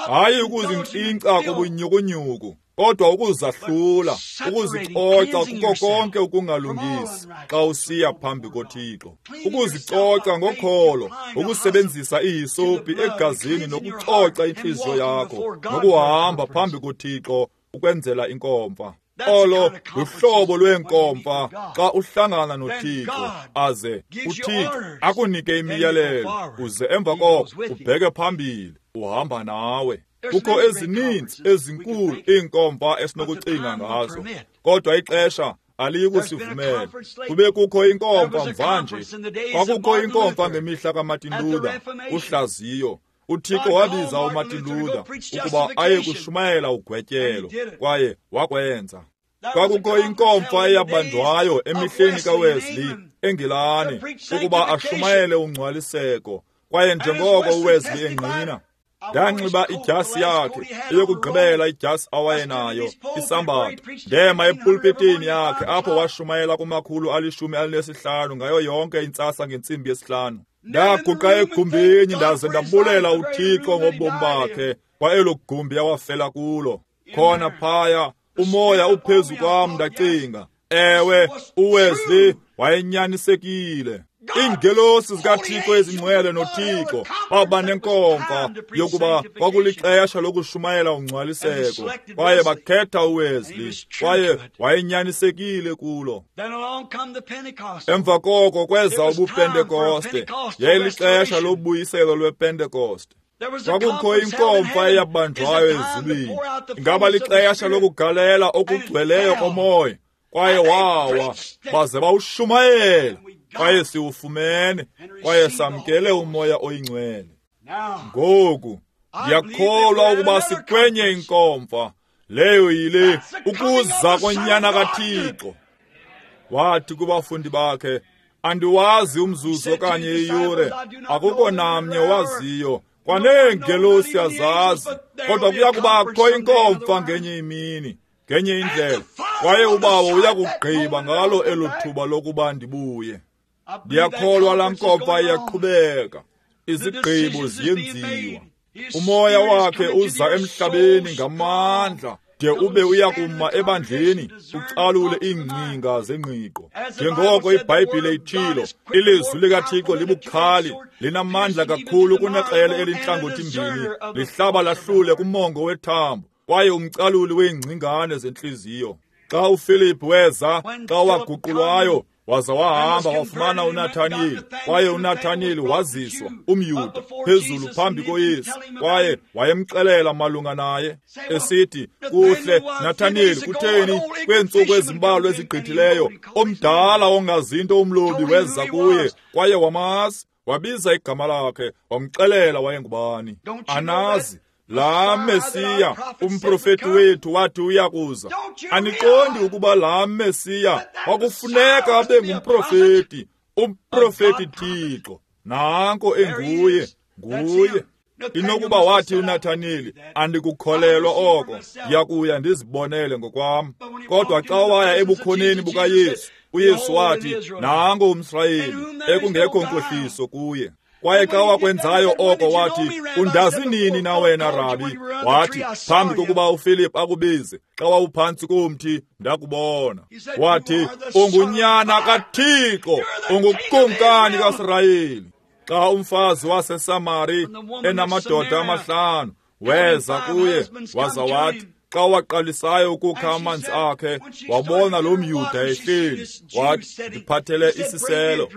Speaker 1: hayi ukuzinkcinkca kobunyukunyuku, kodwa ukuzahlula, ukuzicoca kuko konke ukungalungisi xa usiya phambi koThixo, ukuzicoca ngokholo, ukusebenzisa ihisopi egazini nokucoca intliziyo yakho, nokuhamba phambi koThixo ukwenzela inkomfa. Olo luhlobo lwenkomfa xa uhlangana noThixo, aze uThixo akunike imiyalelo, uze emva koko ubheke phambili, uhamba nawe. Kukho ezininzi ezinkulu iinkomfa esinokucinga ngazo, kodwa ixesha aliyi kusivumela. Kube kukho inkomfa mvanje, kwakukho inkomfa ngemihla kaMartin Luther, uhlaziyo. uThixo wabiza uMartin Luther ukuba aye kushumayela ugwetyelo, kwaye wakwenza. Kwakukho inkomfa eyabanjwayo emihleni kaWesley eNgilani ukuba ashumayele ungcwaliseko, kwaye njengoko uWesley engqina, ndanxiba idyasi yakhe, eyokugqibela idyasi awayenayo, isambatho. Ndema epulpitini yakhe apho washumayela kuma-115 ngayo yonke intsasa ngentsimbi yesihlanu. Ndaguqa egumbini ndaze ndabulela uThixo ngobomi bakhe kwa elo gumbi awafela kulo. Khona phaya umoya uphezu kwam, ndacinga, ewe, uWesley wayenyanisekile. Iingelosi zikaThixo ezingcwele noThixo baba nenkomfa yokuba kwakulixesha lokushumayela ungcwaliseko, kwaye bakhetha uWesley, kwaye wayenyanisekile kulo. Emva koko kweza ubuPentekoste, yayilixesha lobuyiselo lwePentekoste. Kwakukho inkomfa eyabanjwayo ezulwini. Ingaba lixesha lokugalela okugcweleyo komoya, kwaye wawa baze bawushumayela, kwaye siwufumene, kwaye samkele umoya oyingcwele. Ngoku ndiyakholwa ukuba sikwenye inkomfa leyo yile ukuza konyana kaThixo. Wathi kubafundi bakhe, andiwazi umzuzu okanye iyure, akukho namnye waziyo, kwaneengelosi azazi, kodwa kuya kubakho inkomfa ngenye imini, ngenye indlela, kwaye uBawo uyakugqiba ngalo elo thuba lokuba ndibuye. Ndiyakholwa laa nkomfa iyaqhubeka, izigqibo ziyenziwa. Umoya wakhe uza emhlabeni ngamandla de ube uyakuma ebandleni ucalule iingcinga zengqiqo. Njengoko iBhayibhile itshilo, ilizwi likaThixo libukhali, linamandla kakhulu kunekrele elinhlangothi-mbini, lihlaba lahlule kumongo wethambo, kwaye umcaluli weengcingane zentliziyo. Xa uFilip weza, xa waguqulwayo, waza wahamba wafumana uNathaniyeli, kwaye uNathaniyeli waziswa, umYuda, phezulu phambi koYesu, kwaye wayemxelela malunga naye, esithi, kuhle, Nathaniyeli, kutheni kweentsuku ezimbalwa ezigqithileyo, omdala ongazinto umlobi weza kuye, kwaye wamazi, wabiza igama lakhe, wamxelela wayengubani. Anazi laa Mesiya, umprofeti wethu wathi uyakuza. Aniqondi ukuba laa Mesiya kwakufuneka abe ngumprofeti, umprofeti Thixo. Nanko enguye, nguye. Inokuba wathi uNathaniyeli, andikukholelwa oko, ndiyakuya ndizibonele ngokwam. Kodwa xa waya ebukhoneni bukaYesu, uYesu wathi, nango umSirayeli, ekungekho nkohliso kuye. Kwaye xa wakwenzayo oko wathi, undazi nini na wena, Rabi? Wathi, phambi kokuba uFilip akubize, xa wawuphantsi komthi, ndakubona. Wathi, ungunyana kaThixo, ungukumkani kaSirayeli. Xa umfazi waseSamari enamadoda amahlanu weza kuye, waza wathi, xa waqalisayo ukukha amanzi akhe, wabona lo mYuda ehleli, wathi, ndiphathele isiselo.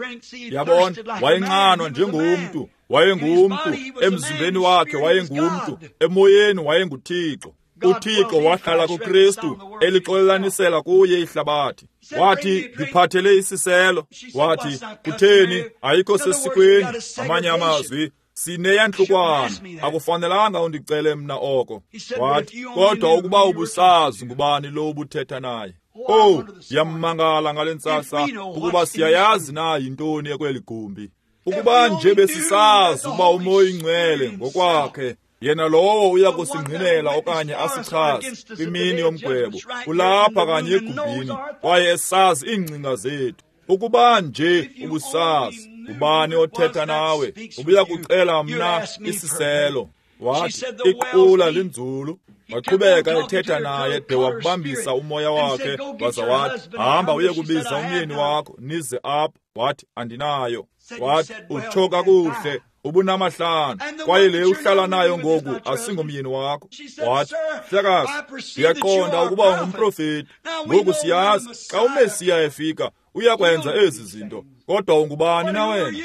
Speaker 1: Yabona, wayenxanwa njengomntu, wayengumntu, emzimbeni wakhe wayengumntu, emoyeni wayenguThixo. uThixo wahlala kuKristu, elixolelanisela kuye ihlabathi. Wathi, ndiphathele isiselo. Wathi, kutheni, ayikho sesikweni. Amanye amazwi, sineyantlukwana, akufanelanga undicele mna oko. Wathi, kodwa ukuba ubusazi ngubani lo ubuthetha naye. Oh, ndiyamangala ngale ntsasa ukuba siyayazi na yintoni ekweli gumbi. Ukuba nje besisazi ukuba uMoya Ingcwele ngokwakhe, yena lowo uya kusingqinela okanye asichaze kwimini yomgwebo, ulapha kanye egumbini, kwaye esazi iingcinga zethu. Ukuba nje ubusazi ubani othetha nawe, ubuya kucela mna isiselo. Wathi, iqula linzulu. Waqhubeka ethetha naye de wabambisa umoya wakhe, waza wathi, hamba uye kubiza umyeni wakho, nize apha. Wathi, andinayo. Wathi, utsho kakuhle, ubunamahlanu, kwaye le uhlala nayo ngoku asingomyeni wakho. Wathi, mhlekazi, ndiyaqonda ukuba ungumprofeti. Ngoku siyazi xa uMesiya efika uyakwenza ezi zinto, kodwa ungubani na wena?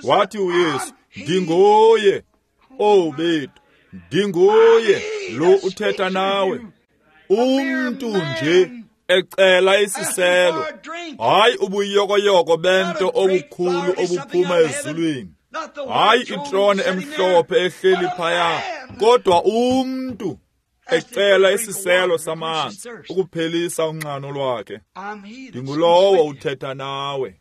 Speaker 1: Wathi uYesu, ndinguye. Oh bethu, ndinguye lo uthetha nawe. Umntu nje ecela isiselo, hayi ubuyokoyoko bento obukhulu obuphuma ezulwini, hayi itrone emhlophe ehleli phaya, kodwa umntu ecela isiselo samanzi ukuphelisa unxano lwakhe. Ndingulowo uthetha nawe.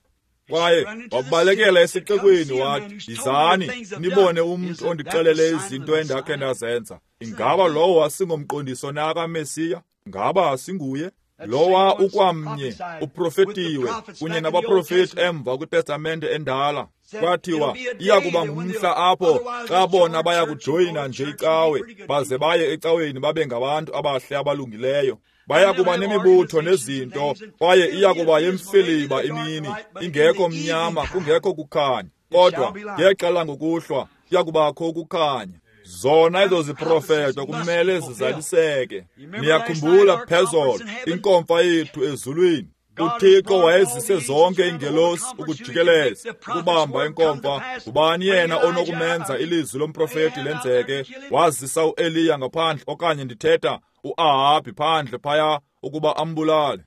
Speaker 1: Kwaye wabalekela esixekweni wathi, yizani nibone umntu ondixelele izinto endakhe ndazenza. Ingaba lowo asingomqondiso na kaMesiya? Ngaba asinguye? Lowa ukwamnye uprofetiwe kunye nabaprofeti emva kwiTestamente endala. Kwathiwa iya kuba ngumhla apho xa bona baya kujoyina nje icawe, baze baye ecaweni babe ngabantu abahle abalungileyo. Baya kuba nemibutho nezinto, kwaye iya kuba yemfiliba imini, ingekho mnyama, kungekho kukhanya. Kodwa ngexa langokuhlwa kuya kubakho ukukhanya. Zona ezo ziprofeto kumele zizaliseke. Niyakhumbula phezolo inkomfa yethu ezulwini. UThixo wayezise zonke iingelosi ukujikeleza ukubamba inkomfa. Ngubani yena onokumenza ilizwi lomprofeti lenzeke? Wazisa uEliya ngaphandle, okanye ndithetha uAhabhi phandle phaya ukuba ambulale.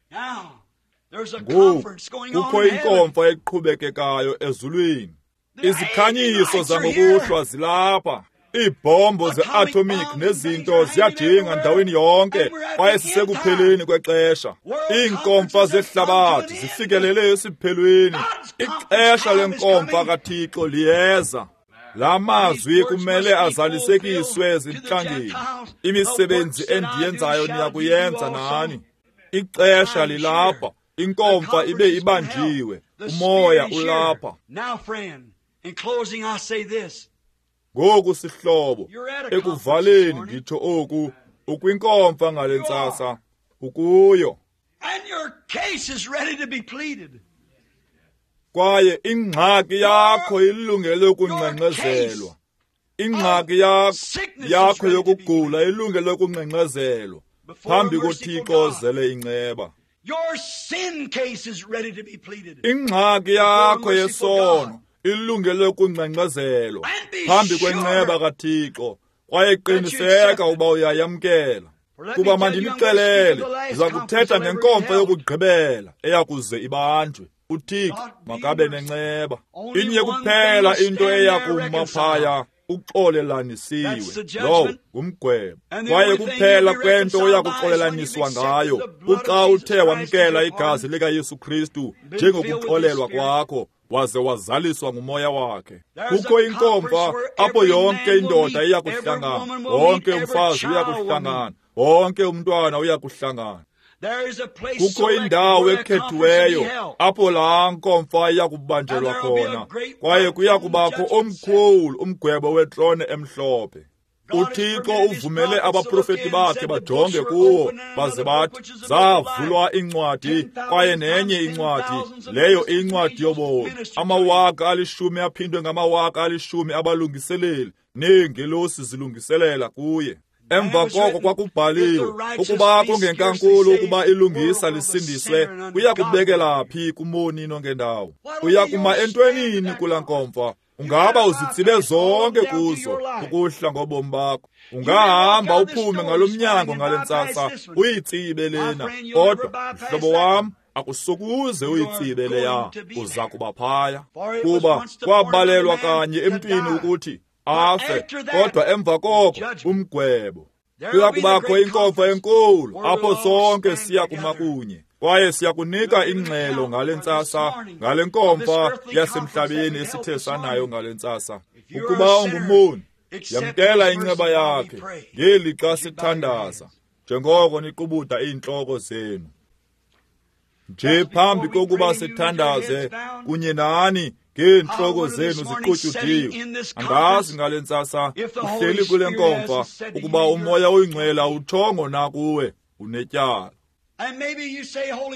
Speaker 1: Ngoku kukho inkomfa eqhubekekayo ezulwini. Izikhanyiso zangokuhlwa zilapha. Iibhombo ze-atomic nezinto ziyajinga ndaweni yonke, kwaye sisekupheleni kwexesha. Iinkomfa zehlabathi zifikelele esiphelweni. Ixesha lenkomfa kaThixo liyeza. La mazwi kumele azalisekiswe ezintlangeni. Imisebenzi endiyenzayo niyakuyenza nani. Ixesha lilapha, inkomfa ibe ibanjiwe, umoya ulapha. Ngoku sihlobo, ekuvaleni nditsho oku, ukwinkomfa ngale ntsasa, ukuyo. Kwaye ingxaki yakho ilungele ukungxengxezelwa. Ingxaki yakho yokugula ilungele ukungxengxezelwa phambi koThixo ozele inceba. Ingxaki yakho yesono ilungele ukungxengxezelwa phambi kwenceba kaThixo, kwaye qiniseka uba uyayamkela. Kuba mandinixelele, ndiza kuthetha ngenkomfa yokugqibela eyakuze ibanjwe. uThixo makabe nenceba. Inye kuphela into eya kuma phaya, uxolelanisiwe. Lowo ngumgwebo. Kwaye kuphela kwento oya kuxolelaniswa ngayo kuxa uthe wamkela igazi likaYesu Kristu njengokuxolelwa kwakho, waze wazaliswa ngumoya wakhe. Kukho inkomfa apho yonke indoda iya kuhlangana, wonke umfazi uya kuhlangana, wonke umntwana uya kuhlangana. Kukho indawo ekhethiweyo apho laa nkomfa iya kubanjelwa khona, kwaye kuya kubakho omkhulu umgwebo wetrone emhlophe. uThixo uvumele abaprofeti bakhe bajonge kuwo baze bathi, zavulwa incwadi kwaye nenye incwadi, leyo incwadi yobomi. Amawaka 10 aphindwe ngamawaka 10 abalungiseleli neengelosi zilungiselela kuye. Emva koko kwakubhaliwe ukuba kungenkankulu ukuba ilungisa lisindiswe, kuya kubekela phi kumoni nongendawo? Uya kuma entwenini kulaa nkomfa? Ungaba uzitsibe zonke kuzo ukuhla ngobomi bakho. Ungahamba uphume ngalo mnyango ngale ntsasa uyitsibe lena, kodwa mhlobo wam, akusokuze uyitsibe leya, uza kuba phaya. Kuba kwabalelwa kanye emntwini ukuthi afe, kodwa emva koko umgwebo. Kuya kubakho inkomfa enkulu apho sonke siya kuma kunye, kwaye siyakunika ingxelo ngale ntsasa, ngale nkomfa yasemhlabeni esithe sanayo ngale ntsasa. Ukuba ungumoni, yamkela inceba yakhe ngelixa sithandaza, njengoko niqubuda iintloko zenu. Nje phambi kokuba sithandaze kunye nani ngeentloko zenu ziqutyudiwe, andazi ngale ntsasa uhleli kule nkomfa ukuba umoya oyingcwele awutshongo na kuwe unetyala.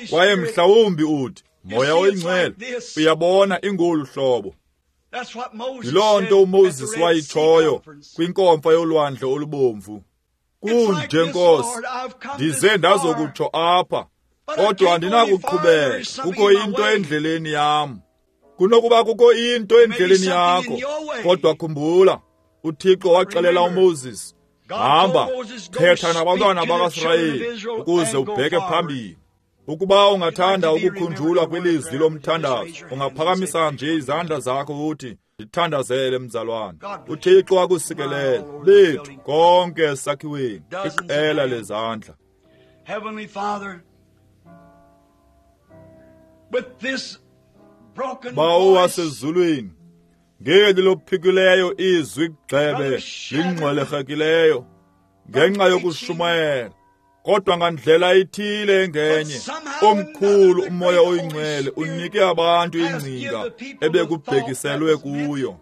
Speaker 1: Kwaye mhlawumbi uthi, Moya oyingcwele, uyabona ingolu hlobo. Yiloo nto uMoses wayitshoyo kwinkomfa yolwandle olubomvu. Kunje Nkosi, ndize ndazokutsho apha, kodwa andinakuqhubeka, kukho into endleleni yam. Kunokuba kukho into endleleni yakho, kodwa khumbula, uThixo waxelela uMoses, hamba, thetha nabantwana bakaSirayeli ukuze ubheke phambili. Ukuba ungathanda ukukhunjulwa kwilizwi lomthandazo, ungaphakamisa nje izandla zakho uthi, ndithandazele mzalwane. uThixo akusikelele. Lethu konke esakhiweni, iqela lezandla.
Speaker 2: Heavenly Father, with this broken
Speaker 1: Bawo wasezulwini, ngeli lophikileyo izwi gxebe lingxwelerhekileyo ngenxa yokushumayela, Kodwa ngandlela ithile engenye, omkhulu uMoya oyiNgcwele unike abantu ingcinga ebekubhekiselwe kuyo.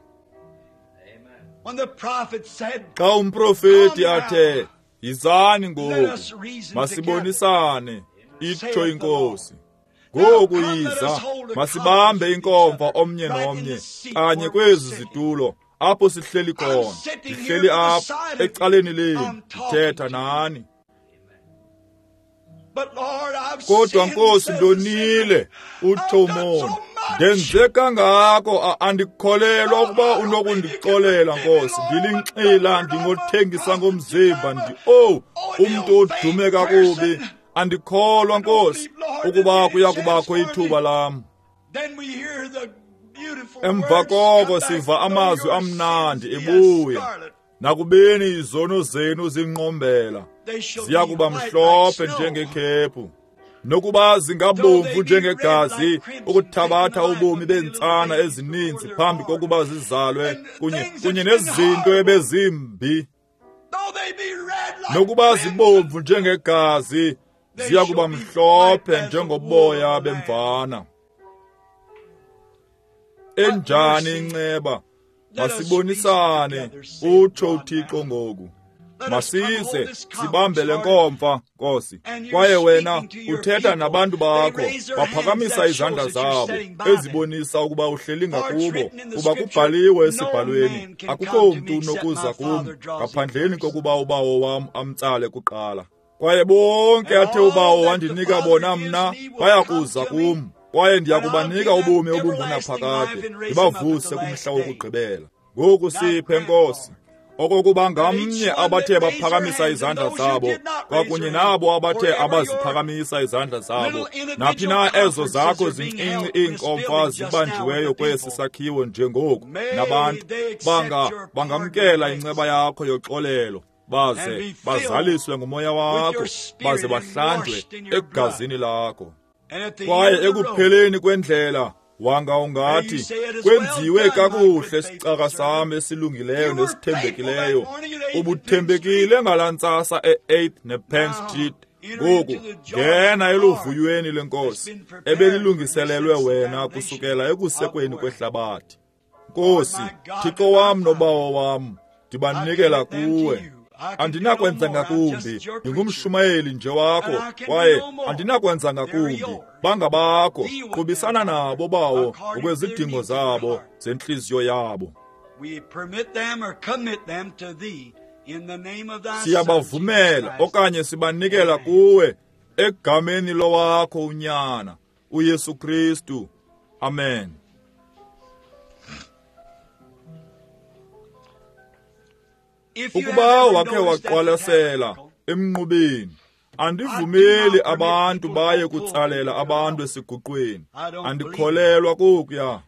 Speaker 1: Xa umprofeti athe, "Yizani ngoku, masibonisane," itsho iNkosi. Ngoku yiza, masibambe inkomfa omnye nomnye, kanye kwezi zitulo, apho sihleli khona. Ndihleli apha ecaleni lenu, ndithetha nani. Kodwa Nkosi, ndonile, utsho umoni. Ndenze kangako, andikholelwa ukuba unokundixolela, Nkosi. Ndilinxila, ndingothengisa ngomzimba, umntu odume kakubi. Andikholwa, Nkosi, ukuba kuya kubakho ithuba lam. Emva koko siva amazwi amnandi ebuya. Nakubeni izono zenu zinqombela, ziya kuba mhlophe njengekhephu, nokuba zingabomvu njengegazi, ukuthabatha ubomi beentsana ezininzi phambi kokuba zizalwe, kunye nezinto ebezimbi. Nokuba zibomvu njengegazi, ziya kuba mhlophe njengoboya bemvana. Enjani inceba! Masibonisane, utsho uThixo ngoku. Masize sibambe le nkomfa, Nkosi. Kwaye wena uthetha nabantu bakho, baphakamisa izandla zabo ezibonisa ukuba uhleli ngakubo, kuba kubhaliwe esibhalweni, akukho mntu unokuza kum ngaphandleni kokuba uBawo wam amtsale kuqala. Kwaye bonke athe uBawo wandinika bona mna bayakuza kum, kwaye ndiyakubanika ubomi obungunaphakade, ndibavuse kumhla wokugqibela. Ngoku siphe, Nkosi, okokuba ngamnye abathe baphakamisa izandla zabo, kwakunye nabo abathe abaziphakamisa izandla zabo, naphi na ezo zakho zincinci iinkomfa zibanjiweyo kwesi sakhiwo njengoku, nabantu bangamkela inceba yakho yoxolelo, baze bazaliswe nguMoya wakho, baze bahlanjwe egazini lakho. Kwaye ekupheleni kwendlela, wanga ungathi, kwenziwe kakuhle sicaka sam esilungileyo nesithembekileyo. Ubuthembekile ngalaa ntsasa e-8 nePenn Street. Ngoku ngena eluvuyweni lenkosi ebelilungiselelwe wena kusukela ekusekweni kwehlabathi. Nkosi, Thixo wam noBawo wam, ndibanikela kuwe. Andinakwenza ngakumbi, ndingumshumayeli nje wakho, kwaye andinakwenza ngakumbi. Bangabakho, qubisana nabo, Bawo, ngokwezidingo zabo zentliziyo yabo. Siyabavumela okanye sibanikela kuwe egameni lowakho uNyana, uYesu Kristu. Amen. Ukuba wakhe waqwalasela emnqubeni, andivumeli abantu baye kutsalela abantu esiguqweni. Andikholelwa kokuya.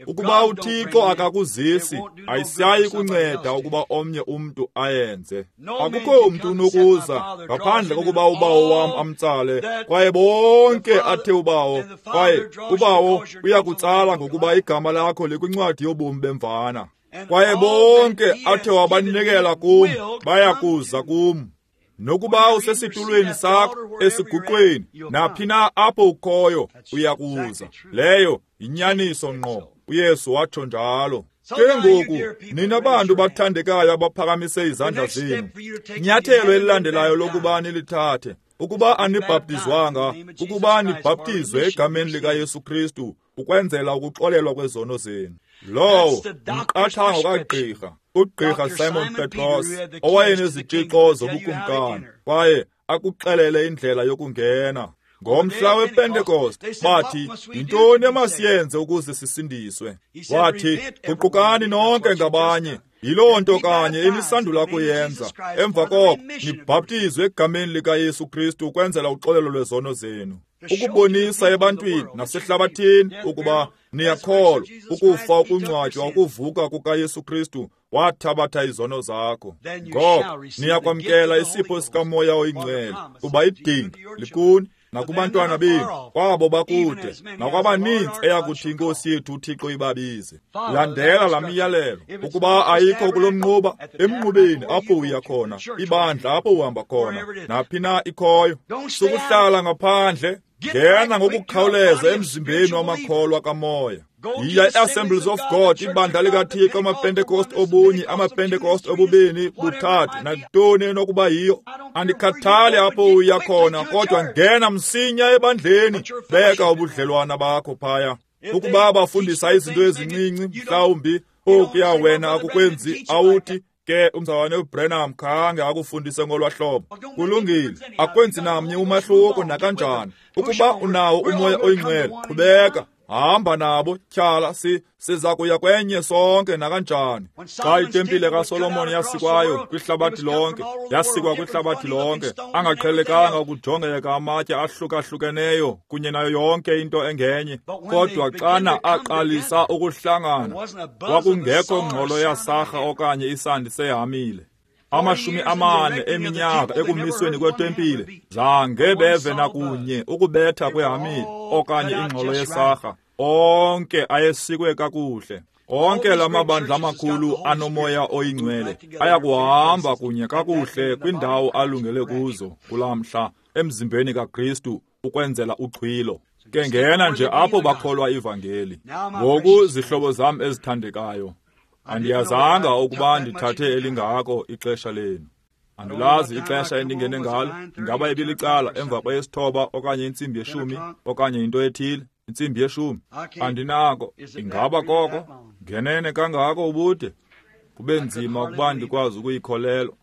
Speaker 1: Ukuba uThixo akakuzisi, ayisayi kunceda ukuba omnye umntu ayenze. Akukho mntu unokuza ngaphandle kokuba uBawo wam amtsale, kwaye bonke athe uBawo, kwaye uBawo uyakutsala ngokuba igama lakho likwincwadi yobomi bemvana. Kwaye bonke athe wabanikela kum bayakuza kum. Nokuba usesitulweni sakho esiguqweni, naphi na apho ukhoyo, uyakuza. Leyo yinyaniso ngqo. uYesu watsho njalo. Ke ngoku, nina bantu bathandekayo abaphakamise izandla zenu, inyathelo elilandelayo lokuba nilithathe, ukuba anibhaptizwanga, ukuba nibhaptizwe egameni likaYesu Kristu ukwenzela ukuxolelwa kwezono zenu. Lowo umqathango kagqirha, ugqirha Simon Petros, owayenezitshixo zobukumkani, kwaye akuxelele indlela yokungena. Ngomhla wePentekoste bathi, yintoni emasiyenze ukuze sisindiswe? Wathi, guqukani nonke ngabanye. Yiloo nto kanye enisandula kuyenza. Emva koko nibhaptizwe egameni likaYesu Kristu ukwenzela uxolelo lwezono zenu, ukubonisa ebantwini nasehlabathini ukuba niyakholwa ukufa, ukungcwatywa, ukuvuka kukaYesu Kristu wathabatha izono zakho. Ngoko niyakwamkela isipho sikaMoya oyiNgcwele, kuba idinga likuni nakubantwana benu, kwabo bakude, nakwabaninzi eyakuthi iNkosi yethu uThixo ibabize. Landela laa miyalelo. Ukuba ayikho kulo mnquba, emnqubeni apho uya khona, ibandla apho uhamba khona, naphi na ikhoyo. Sukuhlala ngaphandle, ngena ngokukhawuleza emzimbeni wamakholwa kamoya. Yiya i-Assemblies of God, ibandla likaThixo, amaPentecost obunye, amaPentecost obubini, buthathu, nantoni enokuba yiyo. Andikhathali apho uya khona, kodwa ngena msinya ebandleni, beka ubudlelwana bakho phaya. Ukuba bafundisa izinto ezincinci, mhlawumbi okuya wena akukwenzi, awuthi ke umzalwane uBranham khange akufundise ngolwa hlobo. Kulungile, akwenzi namnye umahluko nakanjani. Ukuba unawo uMoya oyiNgcwele, qhubeka, hamba nabo, tyhala, siza kuya kwenye sonke nakanjani. Xa itempile kaSolomon yasikwayo kwihlabathi lonke, yasikwa kwihlabathi lonke, angaqhelekanga ukujongeka amatye ahlukahlukeneyo kunye nayo yonke into engenye. Kodwa xana aqalisa ukuhlangana, kwakungekho ngxolo yasarha okanye isandi sehamile. 40 eminyaka ekumisweni kwetempile, zange beve nakunye ukubetha kwehamile okanye ingxolo yesarha. Onke ayesikwe kakuhle. Onke lamabandla amakhulu anomoya oyingcwele ayakuhamba kunye kakuhle kwindawo alungele kuzo kulaa mhla emzimbeni kaKristu ukwenzela uxhwilo. Ke ngena nje apho bakholwa ivangeli. Ngoku, zihlobo zam ezithandekayo, andiyazanga ukuba ndithathe elingako ixesha lenu. Andilazi ixesha endingene ngalo. Ingaba ibilicala emva kweyesithoba okanye 10:15 okanye into ethile, 10:15. Andinako. Ingaba koko ngenene kangako ubude? Kube nzima ukuba ndikwazi ukuyikholelwa.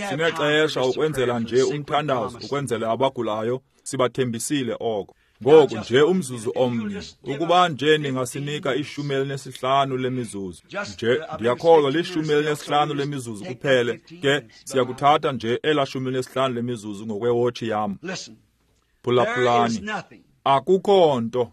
Speaker 1: Sinexesha ukwenzela nje umthandazo, ukwenzela abagulayo, sibathembisile oko. Ngoku nje umzuzu omnye, ukuba nje ningasinika 15 lemizuzu nje, ndiyakholwa 15 lemizuzu kuphele. Ke siyakuthatha nje ela 15 lemizuzu ngokwewotshi yam. Phulaphulani, akukho nto.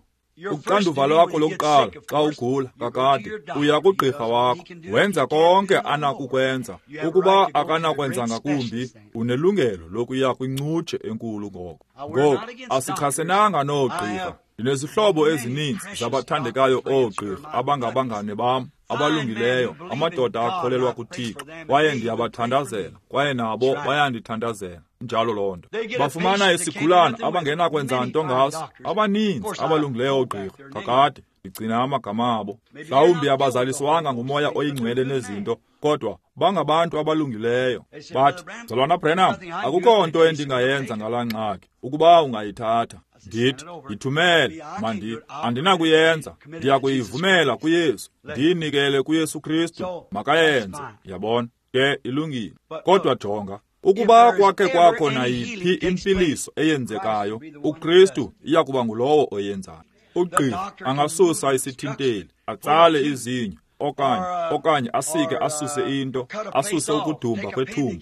Speaker 1: Uxanduva lwakho lokuqala xa ugula kakade, uya kugqirha wakho, wenza konke anakukwenza. Ukuba akanakwenza ngakumbi, unelungelo lokuya kwincutshe enkulu ngoko. Ngoku asichasenanga noogqirha. Ndinezihlobo ezininzi zabathandekayo oogqirha abangabangane bam, abalungileyo, amadoda akholelwa kuThixo, kwaye ndiyabathandazela, kwaye nabo bayandithandazela. Njalo loo nto. Bafumana isigulana abangenakwenza nto ngaso. Abaninzi abalungileyo oogqirha kakade, ndigcina amagama abo. Mhlawumbi abazaliswanga ngumoya oyingcwele nezinto, kodwa bangabantu abalungileyo. Bathi, Mzalwana Branham, akukho nto endingayenza ngalaa ngxaki ukuba ungayithatha. Ndithi, yithumele, andinakuyenza, ndiyakuyivumela kuYesu, ndiyinikele kuYesu Kristu, makayenze. Yabona, ke ilungile. Kodwa jonga, ukuba kwakhe kwakho nayiphi impiliso eyenzekayo, uKristu iyakuba ngulowo oyenzayo. Ugqirha angasusa isithinteli, atsale izinyo, okanye asike asuse into, asuse ukudumba kwethumbu,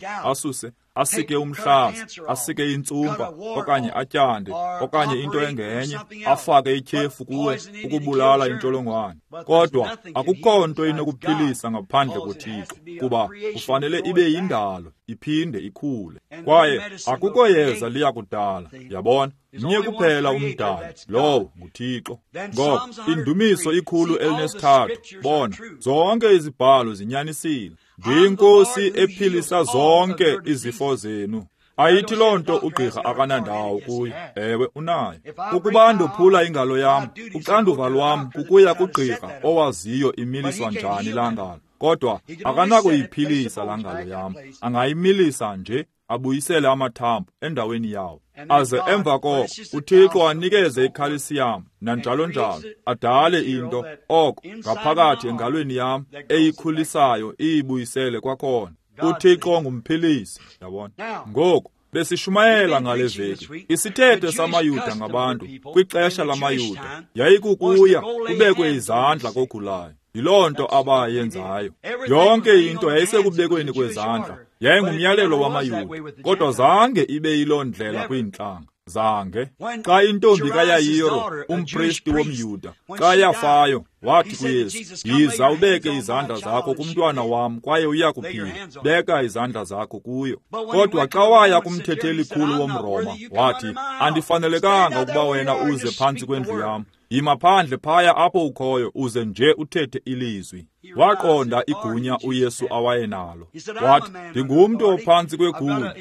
Speaker 1: asike umhlaza, asike intsumpa, okanye atyande, okanye into engenye, afake ityhefu kuwe ukubulala intsholongwane. Kodwa akukho nto inokuphilisa ngaphandle koThixo, kuba kufanele ibe yindalo, iphinde ikhule. Kwaye akukho yeza liyakudala, yabona. Mnye kuphela umdali, lowo nguThixo. Ngoko indumiso 103, bona, zonke izibhalo zinyanisile. NdiyiNkosi ephilisa zonke izifo zenu. Ayithi loo nto ugqirha akanandawo kuyo. Ewe, unayo. Ukuba ndophula ingalo yam, uxanduva lwam kukuya kugqirha owaziyo imiliswa njani laa ngalo. Kodwa akanakuyiphilisa laa ngalo yam. Angayimilisa nje, abuyisele amathambo endaweni yawo. Aze emva koko uThixo anikeze ikhalsiyam nanjalo njalo, adale into oko ngaphakathi engalweni yam eyikhulisayo iyibuyisele kwakhona. uThixo ngumphilisi, yabona. Ngoku besishumayela ngale veki isithethe samaYuda ngabantu kwixesha lamaYuda yayikukuya kubekwe izandla kogulayo. Yiloo nto abayenzayo. Yonke into yayisekubekweni kwezandla, yayingumyalelo wamaYuda, kodwa zange ibe yiloo ndlela kwiintlanga. Zange. Xa intombi kaYayiro, umpristi womYuda, xa yafayo, Wathi kuYesu, yiza ubeke izandla zakho kumntwana wam kwaye uya kuphila. Beka izandla zakho kuyo. Kodwa xa waya kumthetheli-khulu womRoma, wathi, andifanelekanga ukuba wena uze phantsi kwendlu yam. Yima phandle phaya apho ukhoyo uze nje uthethe ilizwi. Waqonda igunya uYesu awayenalo. Wathi, ndingumntu ophantsi kwegunya.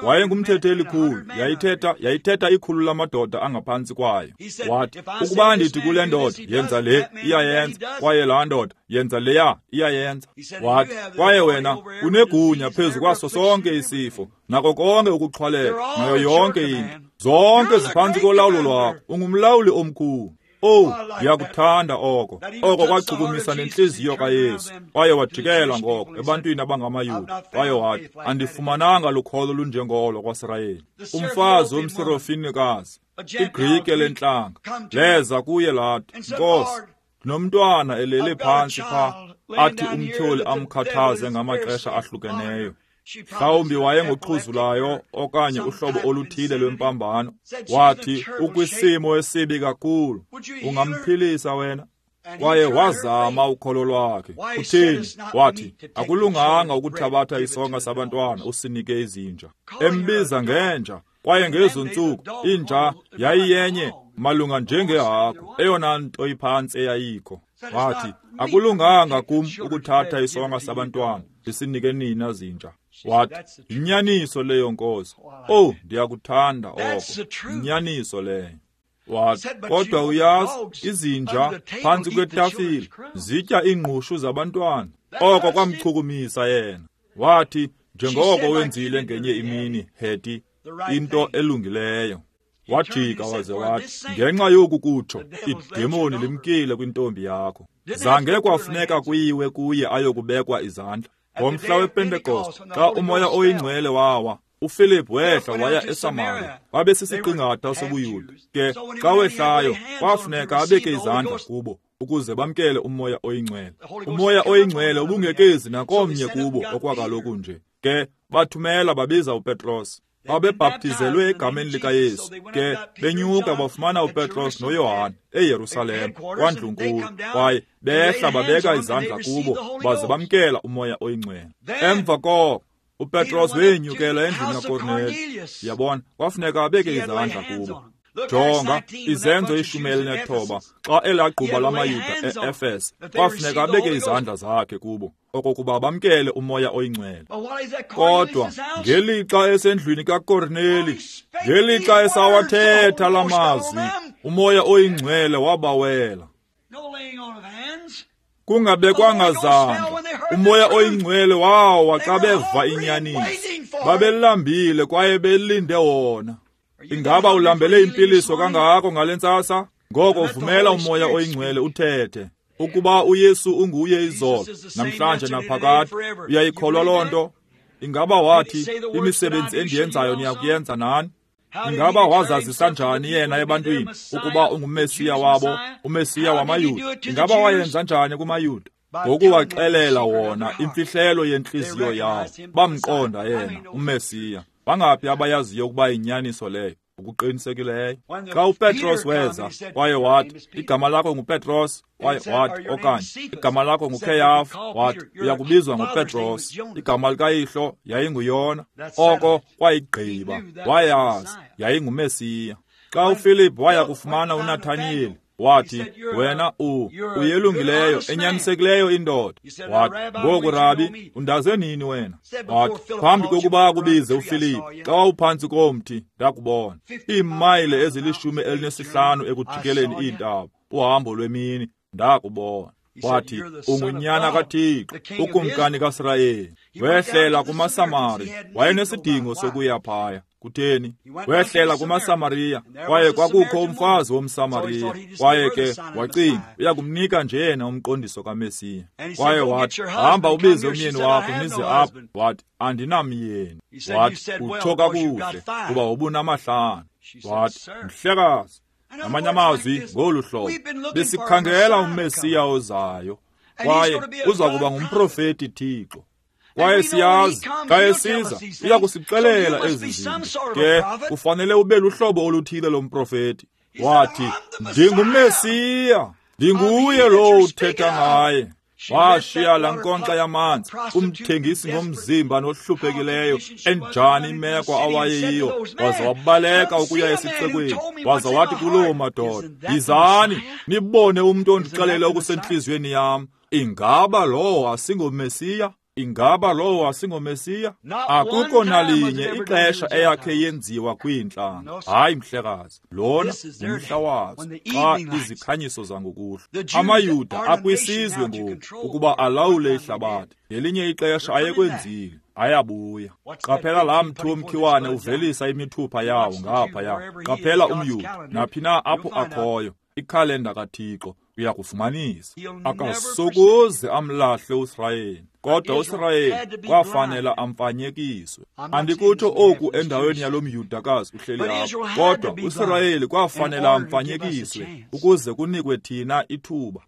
Speaker 1: Wayengumthetheli-khulu. Yayithetha ikhulu lamadoda angaphantsi kwayo. Wathi, ukuba ndithi kule ndoda, yenza le, iyayenza, kwaye laa ndoda, yenza leya, iyayenza. Wathi, kwaye wena unegunya phezu kwaso sonke isifo, nako konke ukuxhwaleka, nayo yonke into. Zonke ziphantsi kolawulo lwakho. Ungumlawuli omkhulu. Oh, ndiyakuthanda oko. Oko kwachukumisa nentliziyo kaYesu. Kwaye wajikela ngoko ebantwini abangamaYuda. Kwaye wathi, andifumananga lukholo lunjengolo kwaSirayeli. Umfazi womSirofinikazi, iGrike lentlanga, leza kuye lathi, Nkosi, ndinomntwana elele phantsi pha, athi umtyholi amkhathaze ngamaxesha ahlukeneyo. Mhlawumbi wayengoxhuzulayo okanye uhlobo oluthile lwempambano. Wathi, ukwisimo esibi kakhulu, ungamphilisa wena? Kwaye wazama ukholo lwakhe. Uthini? Wathi, akulunganga ukuthabatha isonka sabantwana usinike izinja. Embiza ngenja, kwaye ngezo ntsuku inja yayiyenye malunga njengehagu, eyona nto iphantsi eyayikho. Wathi, akulunganga kum ukuthatha isonka sabantwana ndisinike nina zinja. Wathi, yinyaniso leyo, Nkosi. Oh, ndiyakuthanda oko. Yinyaniso leyo. Wathi, kodwa uyazi, izinja phantsi kwetafile zitya iingqushu zabantwana. Oko kwamchukumisa yena. Wathi, njengoko wenzile ngenye imini, Heti, into elungileyo. Wajika waze wathi, ngenxa yoku kutsho, idemoni limkile kwintombi yakho. Zange kwafuneka kuyiwe kuye ayokubekwa izandla. Ngomhla wePentekoste, xa umoya oyingcwele wawa, uPhilip wehla waya eSamaria. Wabe sisiqingatha sobuYuda. Ke xa wehlayo, kwafuneka abeke izandla kubo ukuze bamkele umoya oyingcwele. Umoya oyingcwele ubungekezi nakomnye kubo okwakaloku nje. Ke bathumela babiza uPetros. Babebhaptizelwe egameni likaYesu. Ke benyuka bafumana uPetros noYohane eYerusalem kwandlunkulu, kwaye behla babeka izandla kubo baze bamkela umoya oyingcwele. Emva koko uPetros wenyukela endlini kaKorneli. Yabona, kwafuneka abeke izandla kubo. Jonga iZenzo 19, xa elagquba lamaYuda e-Efese, kwafuneka abeke izandla zakhe kubo okokuba bamkele umoya oyingcwele. Kodwa ngelixa esendlwini kaKorneli, ngelixa esawathetha la mazwi, umoya oyingcwele wabawela. Kungabekwanga zandla, umoya oyingcwele wawa xa beva inyaniso. Babelambile kwaye belinde wona. Ingaba ulambele impiliso kangako ngale ntsasa? Ngoko vumela umoya oyingcwele uthethe. Ukuba uYesu unguye izolo, namhlanje naphakade, uyayikholwa loo nto? Ingaba wathi, imisebenzi endiyenzayo niyakuyenza nani? Ingaba wazazisa njani yena ebantwini ukuba unguMesiya wabo, uMesiya wamaYuda? Ingaba wayenza njani kumaYuda? Ngokuwaxelela wona imfihlelo yentliziyo yawo, bamqonda yena uMesiya. Bangaphi abayaziyo ukuba yinyaniso leyo? Ukuqinisekileyo. Xa uPetros weza kwaye wathi, igama lakho nguPetros, kwaye wathi, okanye igama lakho nguKeyafa, wathi, uyakubizwa ngoPetros, igama likayihlo yayinguyona. Oko kwayigqiba, wayazi yayinguMesiya. Xa uPhilip waya kufumana uNathaniyeli, wathi, wena uyelungileyo, enyanisekileyo indoda. Wathi, ngoku Rabi, undaze nini wena? Wathi, phambi kokuba akubize uPhilip, xa wawuphantsi komthi, ndakubona. Iimayile ezili-15 ekujikeleni iintaba, uhambo lwemini, ndakubona. Wathi, ungunyana kaThixo, ukumkani kaSirayeli. Wehlela kumaSamari, wayenesidingo sokuya phaya. Kutheni? Wehlela kumaSamariya, kwaye kwakukho umfazi womSamariya. Kwaye ke wacinga uyakumnika nje yena umqondiso kaMesiya. Kwaye wathi, hamba ubize umyeni wakho nize apha. Wathi, andinamyeni. Wathi, utsho kakuhle, kuba ubunamahlanu. Wathi, mhlekazi, ngamanye amazwi ngolu hlobo, besikhangela uMesiya ozayo, kwaye uza kuba ngumprofeti Thixo. Kwaye siyazi xa esiza uya kusixelela ezi zinto. Ke kufanele ube luhlobo oluthile lomprofeti. Wathi, ndinguMesiya. Ndinguye lowo uthetha ngaye. Washiya laa nkonkxa yamanzi, umthengisi ngomzimba nohluphekileyo, enjani imeko awayeyiyo, waza wabaleka ukuya esixekweni, waza wathi kuloo madoda, yizani, nibone umntu ondixelele okusentliziyweni yam. Ingaba lowo asingoMesiya? Ingaba lowo asingoMesiya? Akukho nalinye ixesha eyakhe yenziwa kwiintlanga. Hayi mhlekazi, lona ngumhla wazo xa izikhanyiso zangokuhlwa. AmaYuda akwisizwe ngoku ukuba alawule ihlabathi. Ngelinye ixesha ayekwenzile, ayabuya. Qaphela laa mthi womkhiwane uvelisa imithupha yawo ngaphaya. Qaphela umYuda, naphi na apho akhoyo, ikhalenda kaThixo uyakufumanisa. Akasokuze amlahle uSirayeli, kodwa uSirayeli kwafanela amfanyekiswe. Andikutsho oku endaweni yalo myudakazi uhleli apha, kodwa uSirayeli kwafanela amfanyekiswe ukuze kunikwe thina ithuba.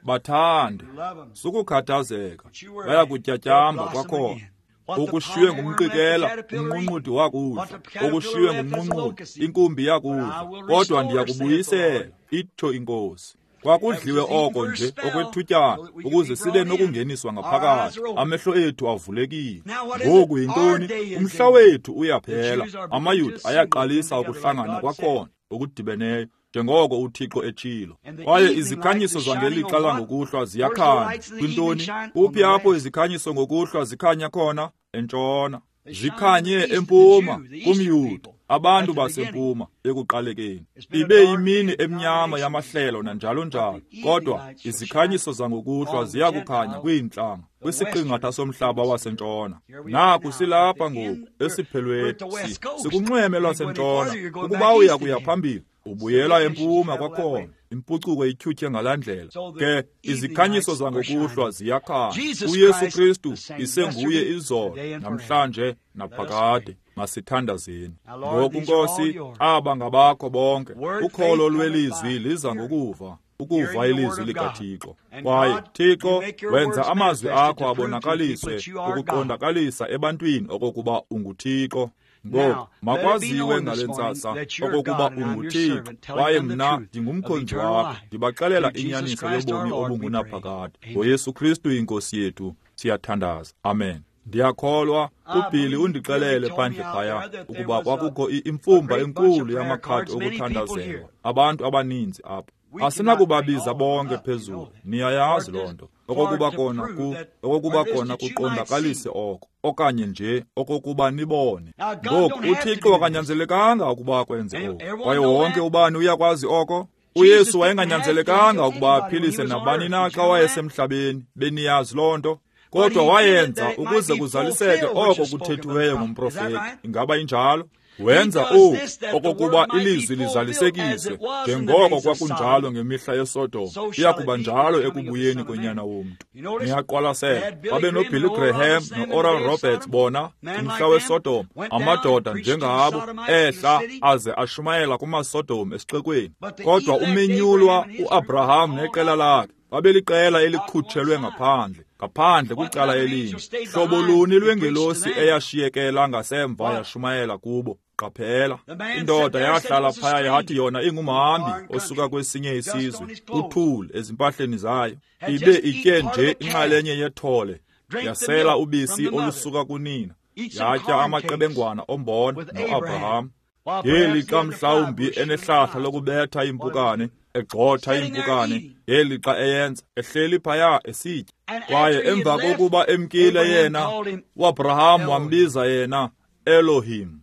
Speaker 1: Bathande, sukukhathazeka, bayakutyatyamba kwakhona. Okushiywe ngumqikela, umnqunqudi wakudla, okushiywe ngumnqunqudi, inkumbi yakudla, kodwa ndiyakubuyisela, itsho iNkosi. Kwakudliwe oko nje okwethutyana ukuze sibe nokungeniswa ngaphakathi, amehlo ethu avulekile. Ngoku yintoni? Umhla wethu uyaphela. AmaYuda ayaqalisa ukuhlangana kwakhona okudibeneyo, njengoko uThixo etshilo. Kwaye izikhanyiso zangelixa langokuhlwa ziyakhanya. Kwintoni? Kuphi apho izikhanyiso ngokuhlwa zikhanya khona? Entshona. Zikhanye empuma kumYuda, abantu basempuma ekuqalekeni. Ibe yimini emnyama yamahlelo nanjalo njalo, kodwa izikhanyiso zangokuhlwa ziyakukhanya kwiintlanga, kwisiqingatha somhlaba wasentshona. Naku silapha ngoku esiphelweni, sikunxweme lwasentshona. Ukuba uya kuya phambili, ubuyela empuma kwakhona. Impucuko ityhutyhe ngalaa ndlela. Ke izikhanyiso zangokuhlwa ziyakhanya. UYesu Kristu isenguye izolo, namhlanje, naphakade. Masithandazeni. Ngoku Nkosi, aba ngabakho bonke. Ukholo lwelizwi liza ngokuva, ukuva ilizwi likaThixo. Kwaye Thixo, wenza amazwi akho abonakaliswe, ukuqondakalisa ebantwini okokuba unguThixo. Ngoku makwaziwe ngale ntsasa okokuba unguThixo, kwaye mna ndingumkhonzi wakho, ndibaxelela inyaniso yobomi obungunaphakade. NgoYesu Kristu iNkosi yethu siyathandaza. Amen. Ndiyakholwa uBilly undixelele phandle phaya ukuba kwakukho imfumba enkulu yamakhadi okuthandazelwa, abantu abaninzi apha. Asinakubabiza bonke phezulu, niyayazi loo nto, okokuba kona kuqondakalise oko, okanye nje okokuba nibone. Ngoku uThixo akanyanzelekanga ukuba akwenze oku, kwaye wonke ubani uyakwazi oko. UYesu wayenganyanzelekanga ukuba aphilise nabani na xa wayesemhlabeni, beniyazi loo nto. Kodwa wayenza ukuze kuzaliseke oko kuthethiweyo ngumprofeti. Ingaba injalo? Wenza oku okokuba ilizwi lizalisekiswe, njengoko kwakunjalo ngemihla yeSodom, iya kuba njalo ekubuyeni konyana womntu. Niyaqwalasela, babe noBilly Graham no-Oral Roberts bona kumhla weSodom, amadoda njengabo ehla aze ashumayela kumaSodom esixekweni. Kodwa umenyulwa uAbraham neqela lakhe babeliqela elikhutshelwe ngaphandle, ngaphandle kwicala elinye. Hlobo luni lwengelosi eyashiyekela ngasemva yashumayela kubo? Qaphela, indoda yahlala phaya yathi yona ingumhambi osuka kwesinye isizwe, uthuli ezimpahleni zayo, ibe itye nje inxalenye yethole, yasela ubisi olusuka kunina, yatya amaqebengwana ombona noAbraham. Ngelixa mhlawumbi enehlahla lokubetha impukane, egxotha impukane, ngelixa eyenza, ehleli phaya esitya. Kwaye emva kokuba emkile yena, uAbraham wambiza yena Elohim,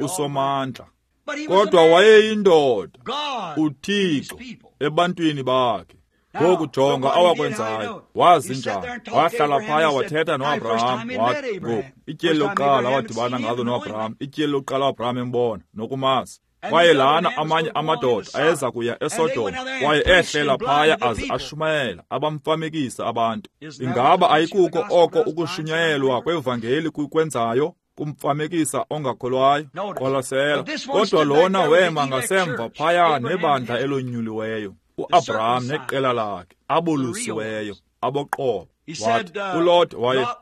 Speaker 1: uSomandla. Kodwa wayeyindoda, uThixo ebantwini bakhe. Ngoku jonga awakwenzayo, wazi njani. Wahlala phaya wathetha noAbraham, wathi ngoku ityeli lokuqala awadibana ngalo noAbraham, ityeli lokuqala uAbraham embona nokumazi. Kwaye lana amanye amadoda ayeza kuya eSodom, kwaye ehlela phaya aze ashumayela, abamfamekisa abantu. Ingaba ayikuko oko ukushunyayelwa kwevangeli kukwenzayo, kumfamekisa ongakholwayo? Qwalasela. Kodwa lona wema ngasemva phaya nebandla elonyuliweyo, uAbraham neqela lakhe, abolusiweyo, aboqobo. Wathi uLot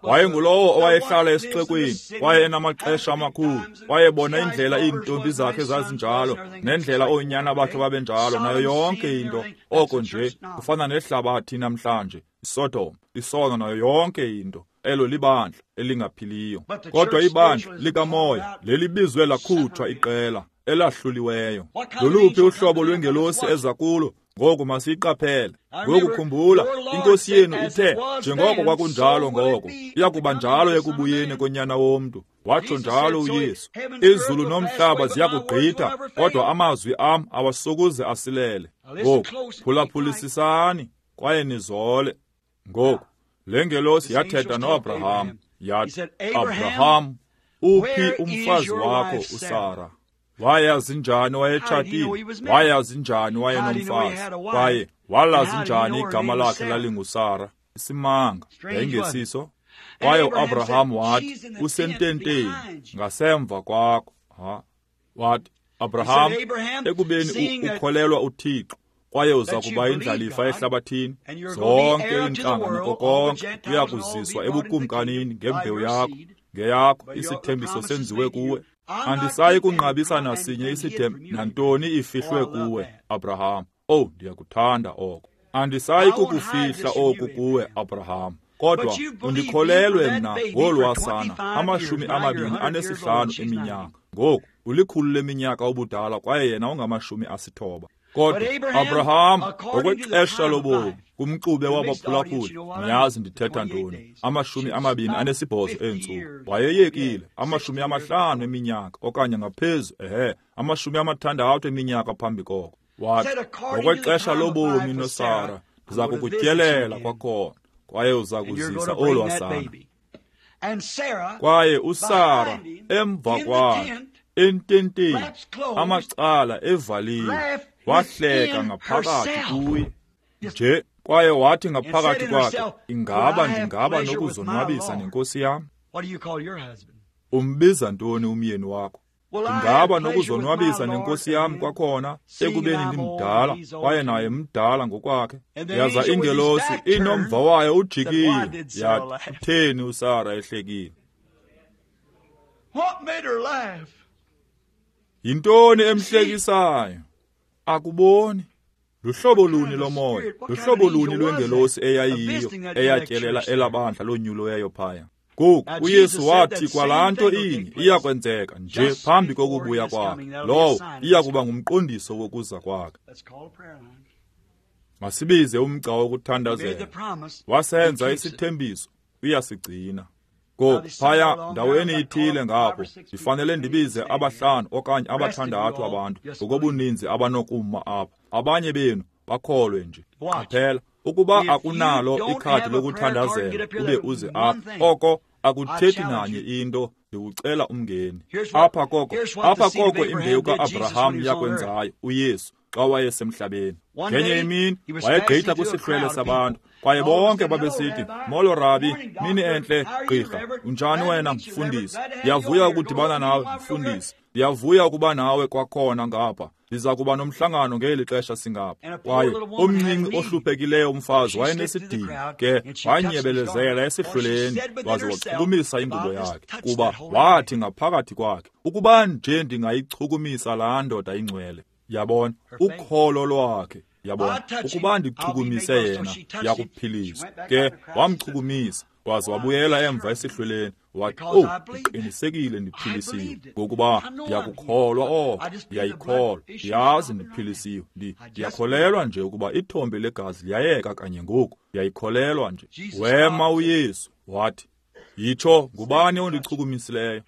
Speaker 1: wayengulowo owayehlala esixekweni, kwaye enamaxesha amakhulu, wayebona indlela iintombi zakhe zazinjalo nendlela oonyana bakhe babenjalo nayo yonke into. Oko nje kufana nehlabathi namhlanje, iSodom, isono nayo yonke into. Elo libandla elingaphiliyo. Kodwa ibandla likamoya lelibizwe lakhutshwa iqela elahluliweyo. Loluphi uhlobo lwengelosi eza kulo? Ngoku masiyiqaphele. Ngoku khumbula, iNkosi yenu ithe, njengoko kwakunjalo ngoko, iyakuba njalo ekubuyeni koNyana womntu. Watsho njalo uYesu. Izulu nomhlaba ziyakugqitha, kodwa amazwi am awasokuze asilele. Ngoku phulaphulisisani kwaye nizole. Ngoku le ngelosi yathetha noAbraham, yathi, Abraham, uphi umfazi wakho uSara? Wayazi njani wayetshatile? Wayazi njani wayenomfazi? Kwaye walazi njani igama lakhe lalinguSara? Isimanga yayingesiso? Kwaye uAbraham wathi, usententeni ngasemva kwakho. Wathi, Abraham, ekubeni ukholelwa uThixo, kwaye uza kuba indlalifa ehlabathini, zonke iintlanga nako konke kuya kuziswa ebukumkanini ngembewu yakho, ngeyakho isithembiso senziwe kuwe. Andisayi kunqabisa nasinye isithembiso nantoni ifihlwe kuwe, Abraham. Oh, ndiyakuthanda oko. Andisayi kukufihla oku kuwe, Abraham. Kodwa undikholelwe mna ngolwasana 25 eminyaka. Ngoku ulikhulu leminyaka ubudala kwaye yena ungama-90. Kodwa Abraham, ngokwexesha lobomi, kumxube wabaphulaphuli, niyazi ndithetha ntoni, 28 eentsuku wayeyekile, 50 eminyaka okanye ngaphezu, 60 eminyaka phambi koko. Wathi, ngokwexesha lobomi noSara, ndiza kukutyelela kwakhona, kwaye uza kuzisa olwasana. Kwaye uSara emva kwakhe ententeni, amacala evaliwe, wahleka ngaphakathi kuye nje, kwaye wathi ngaphakathi kwakhe, ingaba ndingaba nokuzonwabisa nenkosi yam? Umbiza ntoni umyeni wakho? Ndingaba nokuzonwabisa nenkosi yam kwakhona, ekubeni ndimdala kwaye naye mdala ngokwakhe. Yaza ingelosi inomva wayo ujikile, yathi, utheni uSara ehlekile? Yintoni emhlekisayo? Akuboni? Luhlobo luni lomoya, luhlobo luni lwengelosi eyayiyo eyatyelela elabandla lonyuliweyo phaya? Ngoku uYesu wathi kwalaa nto inye iyakwenzeka nje phambi kokubuya kwakhe. Lowo iyakuba ngumqondiso wokuza kwakhe. Masibize umgca wokuthandazela. Wasenza isithembiso, uyasigcina. Ngoku phaya ndaweni ithile ngapho ndifanele ndibize 5 okanye 6 abantu ngokobuninzi abanokuma apha. Abanye benu bakholwe nje. Qaphela, ukuba akunalo ikhadi lokuthandazela ube uze apha, oko akuthethi nanye into, ndikucela umngeni. Apha koko imbewu kaAbraham yakwenzayo uYesu xa wayesemhlabeni. Ngenye imini wayegqitha kwisihlwele sabantu, kwaye bonke babesithi, molo Rabi, mini entle, gqirha, unjani wena mfundisi? Ndiyavuya ukudibana nawe mfundisi, ndiyavuya ukuba nawe kwakhona ngapha. Ndiza kuba nomhlangano ngeli xesha singapha. Kwaye omncinci ohluphekileyo umfazi wayenesidingo, ke wanyebelezela esihlweleni waze wachukumisa ingubo yakhe, kuba wathi ngaphakathi kwakhe, ukuba nje ndingayichukumisa laa ndoda ingcwele. Yabona ukholo lwakhe, yabona, ukuba ndichukumise yena ndiyakuphiliswa. Ke wamchukumisa waze wabuyela emva esihlweleni, wathi, oh, ndiqinisekile ndiphilisiwe, ngokuba ndiyakukholwa oko, ndiyayikholwa, ndiyazi ndiphilisiwe, ndiyakholelwa nje ukuba ithombe legazi liyayeka kanye ngoku, ndiyayikholelwa nje. Wema uYesu wathi, yitsho, ngubani ondichukumisileyo?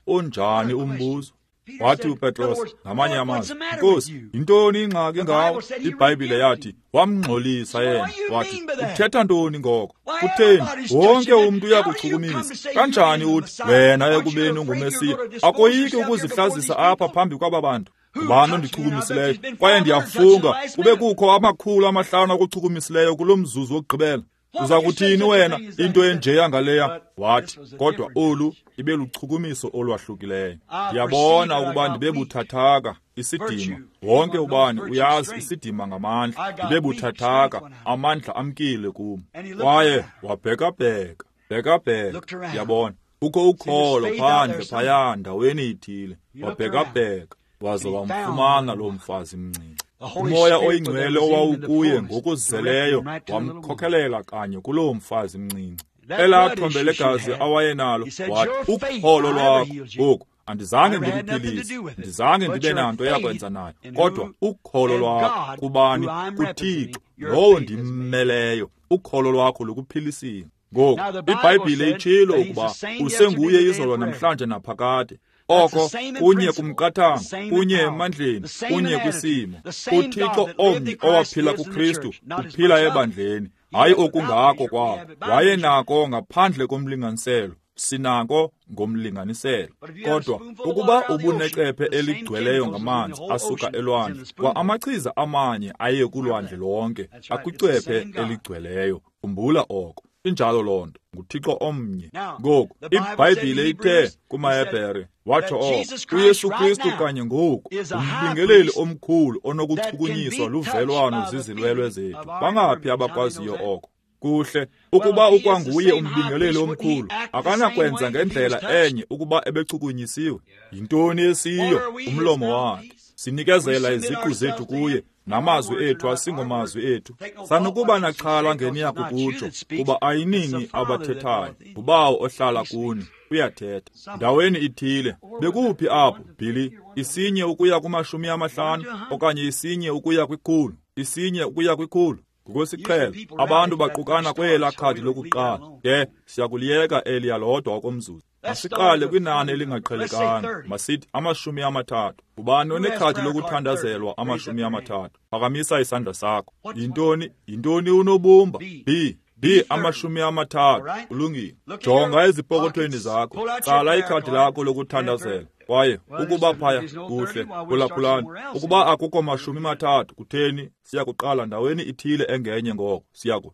Speaker 1: Unjani umbuzo? Wathi uPetros ngamanye amazwi, Nkosi, yintoni ingxaki ngawo? IBhayibhile yathi wamngxolisa yena. Wathi, uthetha ntoni ngoko? Kutheni wonke umntu uyakuchukumisa? Kanjani uthi wena ekubeni unguMesiya akoyiki ukuzihlazisa apha phambi kwaba bantu? Ngubani ondichukumisileyo? Kwaye ndiyafunga kube kukho 500 akuchukumisileyo kulo mzuzu wokugqibela. Uza kuthini wena into enjeya ngaleya? Wathi, kodwa olu ibe luchukumiso olwahlukileyo. Ndiyabona ukuba ndibe buthathaka, isidima. Wonke ubani uyazi isidima ngamandla. Ndibe buthathaka, amandla amkile kum. Kwaye wabhekabheka, bhekabheka, yabona. Kukho ukholo phandle phaya ndaweni ithile. Wabhekabheka, waze wamfumana loo mfazi mncinci. Umoya oyingcwele owawukuye ngokuzeleyo wamkhokhelela kanye kuloo mfazi mncinci. Elaa thombe legazi awayenalo, wathi, ukholo lwakho ngoku andizange ndikuphilise, ndizange ndibe nanto yakwenza nayo, kodwa ukholo lwakho kubani? KuThixo lowo ndimmeleyo, ukholo lwakho lukuphilisile. Ngoku iBhayibhile itshilo ukuba usenguye izolo namhlanje naphakade. Oko kunye kumqathango, kunye emandleni, kunye kwisimo. UThixo omnye owaphila kuKristu uphila ebandleni, hayi okungako kwabo. Wayenako ngaphandle komlinganiselo, sinako ngomlinganiselo. Kodwa ukuba ubunecephe eligcweleyo ngamanzi asuka elwandle, kwa amachiza amanye aye kulwandle lonke akwicephe eligcweleyo. Khumbula oko. Injalo loo nto, nguThixo omnye. Ngoku iBhayibhile ithe kumaHebhere, watsho oko, uYesu Kristu kanye ngoku ngumbingeleli omkhulu onokuchukunyiswa luvelwano zizilwelwe zethu. Bangaphi abakwaziyo oko? Kuhle, ukuba ukwanguye umbingeleli omkhulu, akanakwenza ngendlela enye ukuba ebechukunyisiwe. Yintoni esiyo? Umlomo wakhe. Sinikezela iziqu zethu kuye, namazwi ethu asingomazwi ethu. Sanukuba naxhala ngeniya kukutsho, kuba ayinini abathethayo, nguBawo ohlala kuni, uyathetha. Ndaweni ithile, bekuphi apho, Billy? 1 ukuya ku-50 okanye 1 ukuya ku-100, 1 ukuya ku-100. Ngokwesiqhelo, abantu baqukana kwelaa khadi lokuqala. Ke siyakuliyeka eliya lodwa okomzuzu. Masiqale kwinani elingaqhelekanga, masithi 30. Ubani onekhadi lokuthandazelwa 30? Phakamisa isandla sakho. Yintoni? Yintoni unobumba? B. B 30. Ulungile. Jonga ezipokothweni zakho. Tsala ikhadi lakho lokuthandazela. Kwaye ukuba phaya kuhle, phulaphulani. Ukuba akukho 30, kutheni siyakuqala ndaweni ithile engenye ngoko.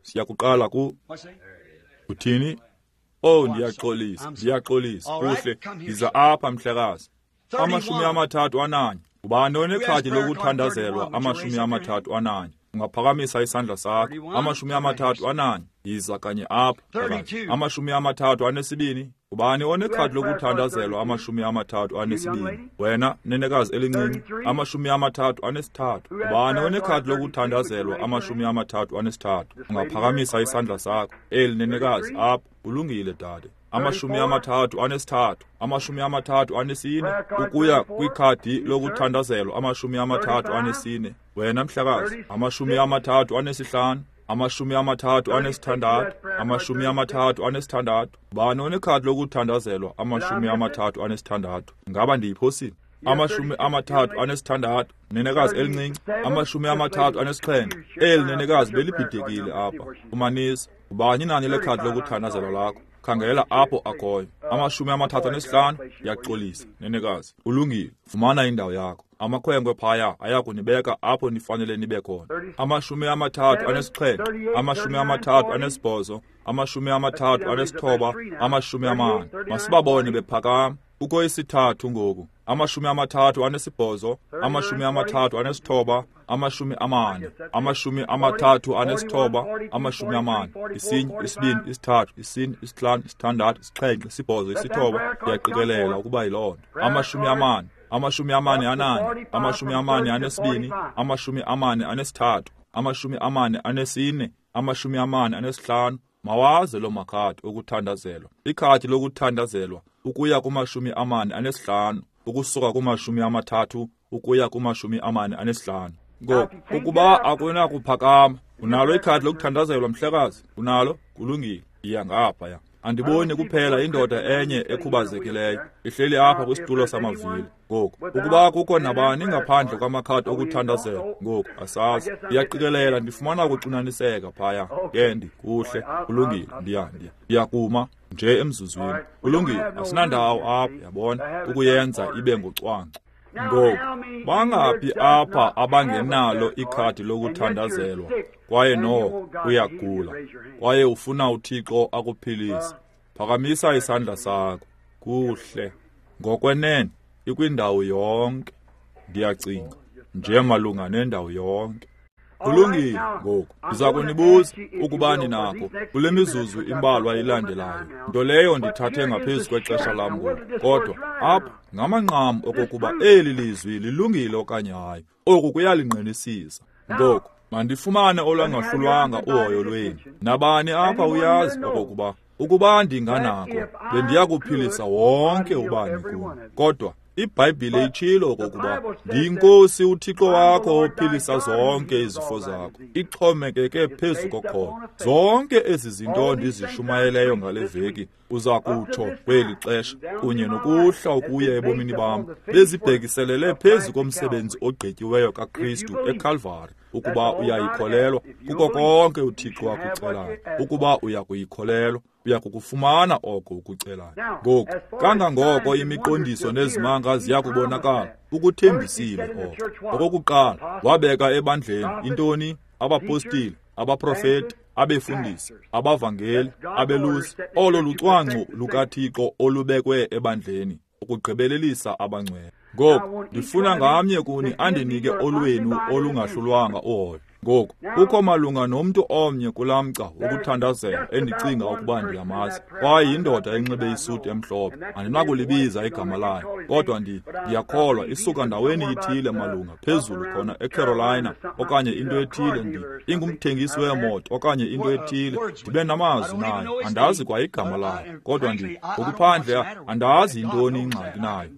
Speaker 1: Siyakuqala ku uthini? Oh, ndiyaxolisa, ndiyaxolisa. Kuhle, yiza apha mhlekazi. 31. Ubani onekhadi lokuthandazelwa 31? Ungaphakamisa isandla sakho. 31. Yiza kanye apha. 32. Ubani onekhadi lokuthandazelwa 32? Wena nenekazi elincinci. 33. Ubani onekhadi lokuthandazelwa 33? Ungaphakamisa isandla sakho. Eli nenekazi apha. Ulungile dade. 33, 34 ukuya kwikhadi lokuthandazelwa 34. Wena mhlekazi. 35, 36, 36. Ubani onekhadi lokuthandazelwa 36? Ngaba ndiyiphosile? 36, nenekazi elincinci. 37. Eli nenekazi belibhidekile apha. Umanisa. Ubani inani lekhadi lokuthandazelwa lakho? Khangela apho akhoyo. 35. Ndiyaxolisa, nenekazi. Ulungile, fumana indawo yakho. Amakhwenkwe phaya ayakunibeka apho nifanele nibe khona. 37, 38, 39, 40. Masibabone bephakama. Kukho isithathu ngoku. 38, 39, 40, 39, 40. 1, 2, 3, 4, 5, 6, 7, 8. Ndiyaqikelela ukuba yiloo nto. 40, 44, 42, 43, 44, 45. Mawaze loo makhadi okuthandazelwa. Ikhadi lokuthandazelwa ukuya ku-45, ukusuka ku-30 ukuya ku-45. Ngoku ukuba akunakuphakama, unalo ikhadi lokuthandazelwa mhlekazi? Unalo? Kulungile, iya ngaphaya. Andiboni kuphela indoda enye ekhubazekileyo ihleli apha kwisitulo samavili. Ngoku ukuba kukho nabani ngaphandle kwamakhadi okuthandazela, ngoku asazi. Ndiyaqikelela ndifumana ukuxinaniseka phaya. Ke ndikuhle, kulungile, ndiyakuma nje emzuzwini. Kulungile, asinandawo apha, yabona, ukuyenza ibe ngocwangco. Ngoku, bangaphi apha abangenalo ikhadi lokuthandazelwa, kwaye noko uyagula, kwaye ufuna uThixo akuphilise? Phakamisa isandla sakho. Kuhle. Ngokwenene, ikwindawo yonke. Ndiyacinga, nje malunga nendawo yonke. Kulungile ngoku, ndiza kunibuza ukuba ninako kule mizuzu imbalwa ilandelayo, nto leyo ndithathe ngaphezu kwexesha lam ngoku. Kodwa apha ngamanqam okokuba eli lizwi lilungile okanye hayi, oku kuyalingqinisisa. Ngoku mandifumane olwangahlulwanga uhoyo lwenu. Nabani apha uyazi okokuba ukuba ndinganako bendiya kuphilisa wonke ubani kuni. Kodwa iBhayibhile itshilo okokuba ndiyinkosi uThixo wakho ophilisa zonke izifo zakho. Ixhomekeke phezu kokholo. Zonke ezi zinto ndizishumayeleyo ngale veki uza kutsho kweli xesha kunye nokuhla ukuya ebomini bam bezibhekiselele phezu komsebenzi ogqityiweyo kaKristu eKalvari. Ukuba uyayikholelwa kuko konke uThixo akucelayo, ukuba uyakuyikholelwa, uyakukufumana oko ukucelayo. Ngoku, kangangoko imiqondiso nezimanga ziyakubonakala, ukuthembisile oko. Okokuqala, wabeka ebandleni intoni? Abapostile, abaprofeti, abefundisi, abavangeli, abelusi. Olo lucwangco lukaThixo olubekwe ebandleni ukugqibelelisa abangcwele. Ngoku, ndifuna ngamnye kuni andinike olwenu olungahlulwanga uhoyo. Ngoku, kukho malunga nomntu omnye kulaa mgca wokuthandazela endicinga ukuba ndiyamazi, kwaye yindoda enxibe isuti emhlophe. Andinakulibiza igama layo, kodwa ndiyakholwa isuka ndaweni ithile malunga phezulu khona eCarolina okanye into ethile, ingumthengisi weemoto okanye into ethile. Ndibe namazwi nayo, andazi kwa igama layo, kodwa ngokuphandle andazi yintoni ingxaki nayo.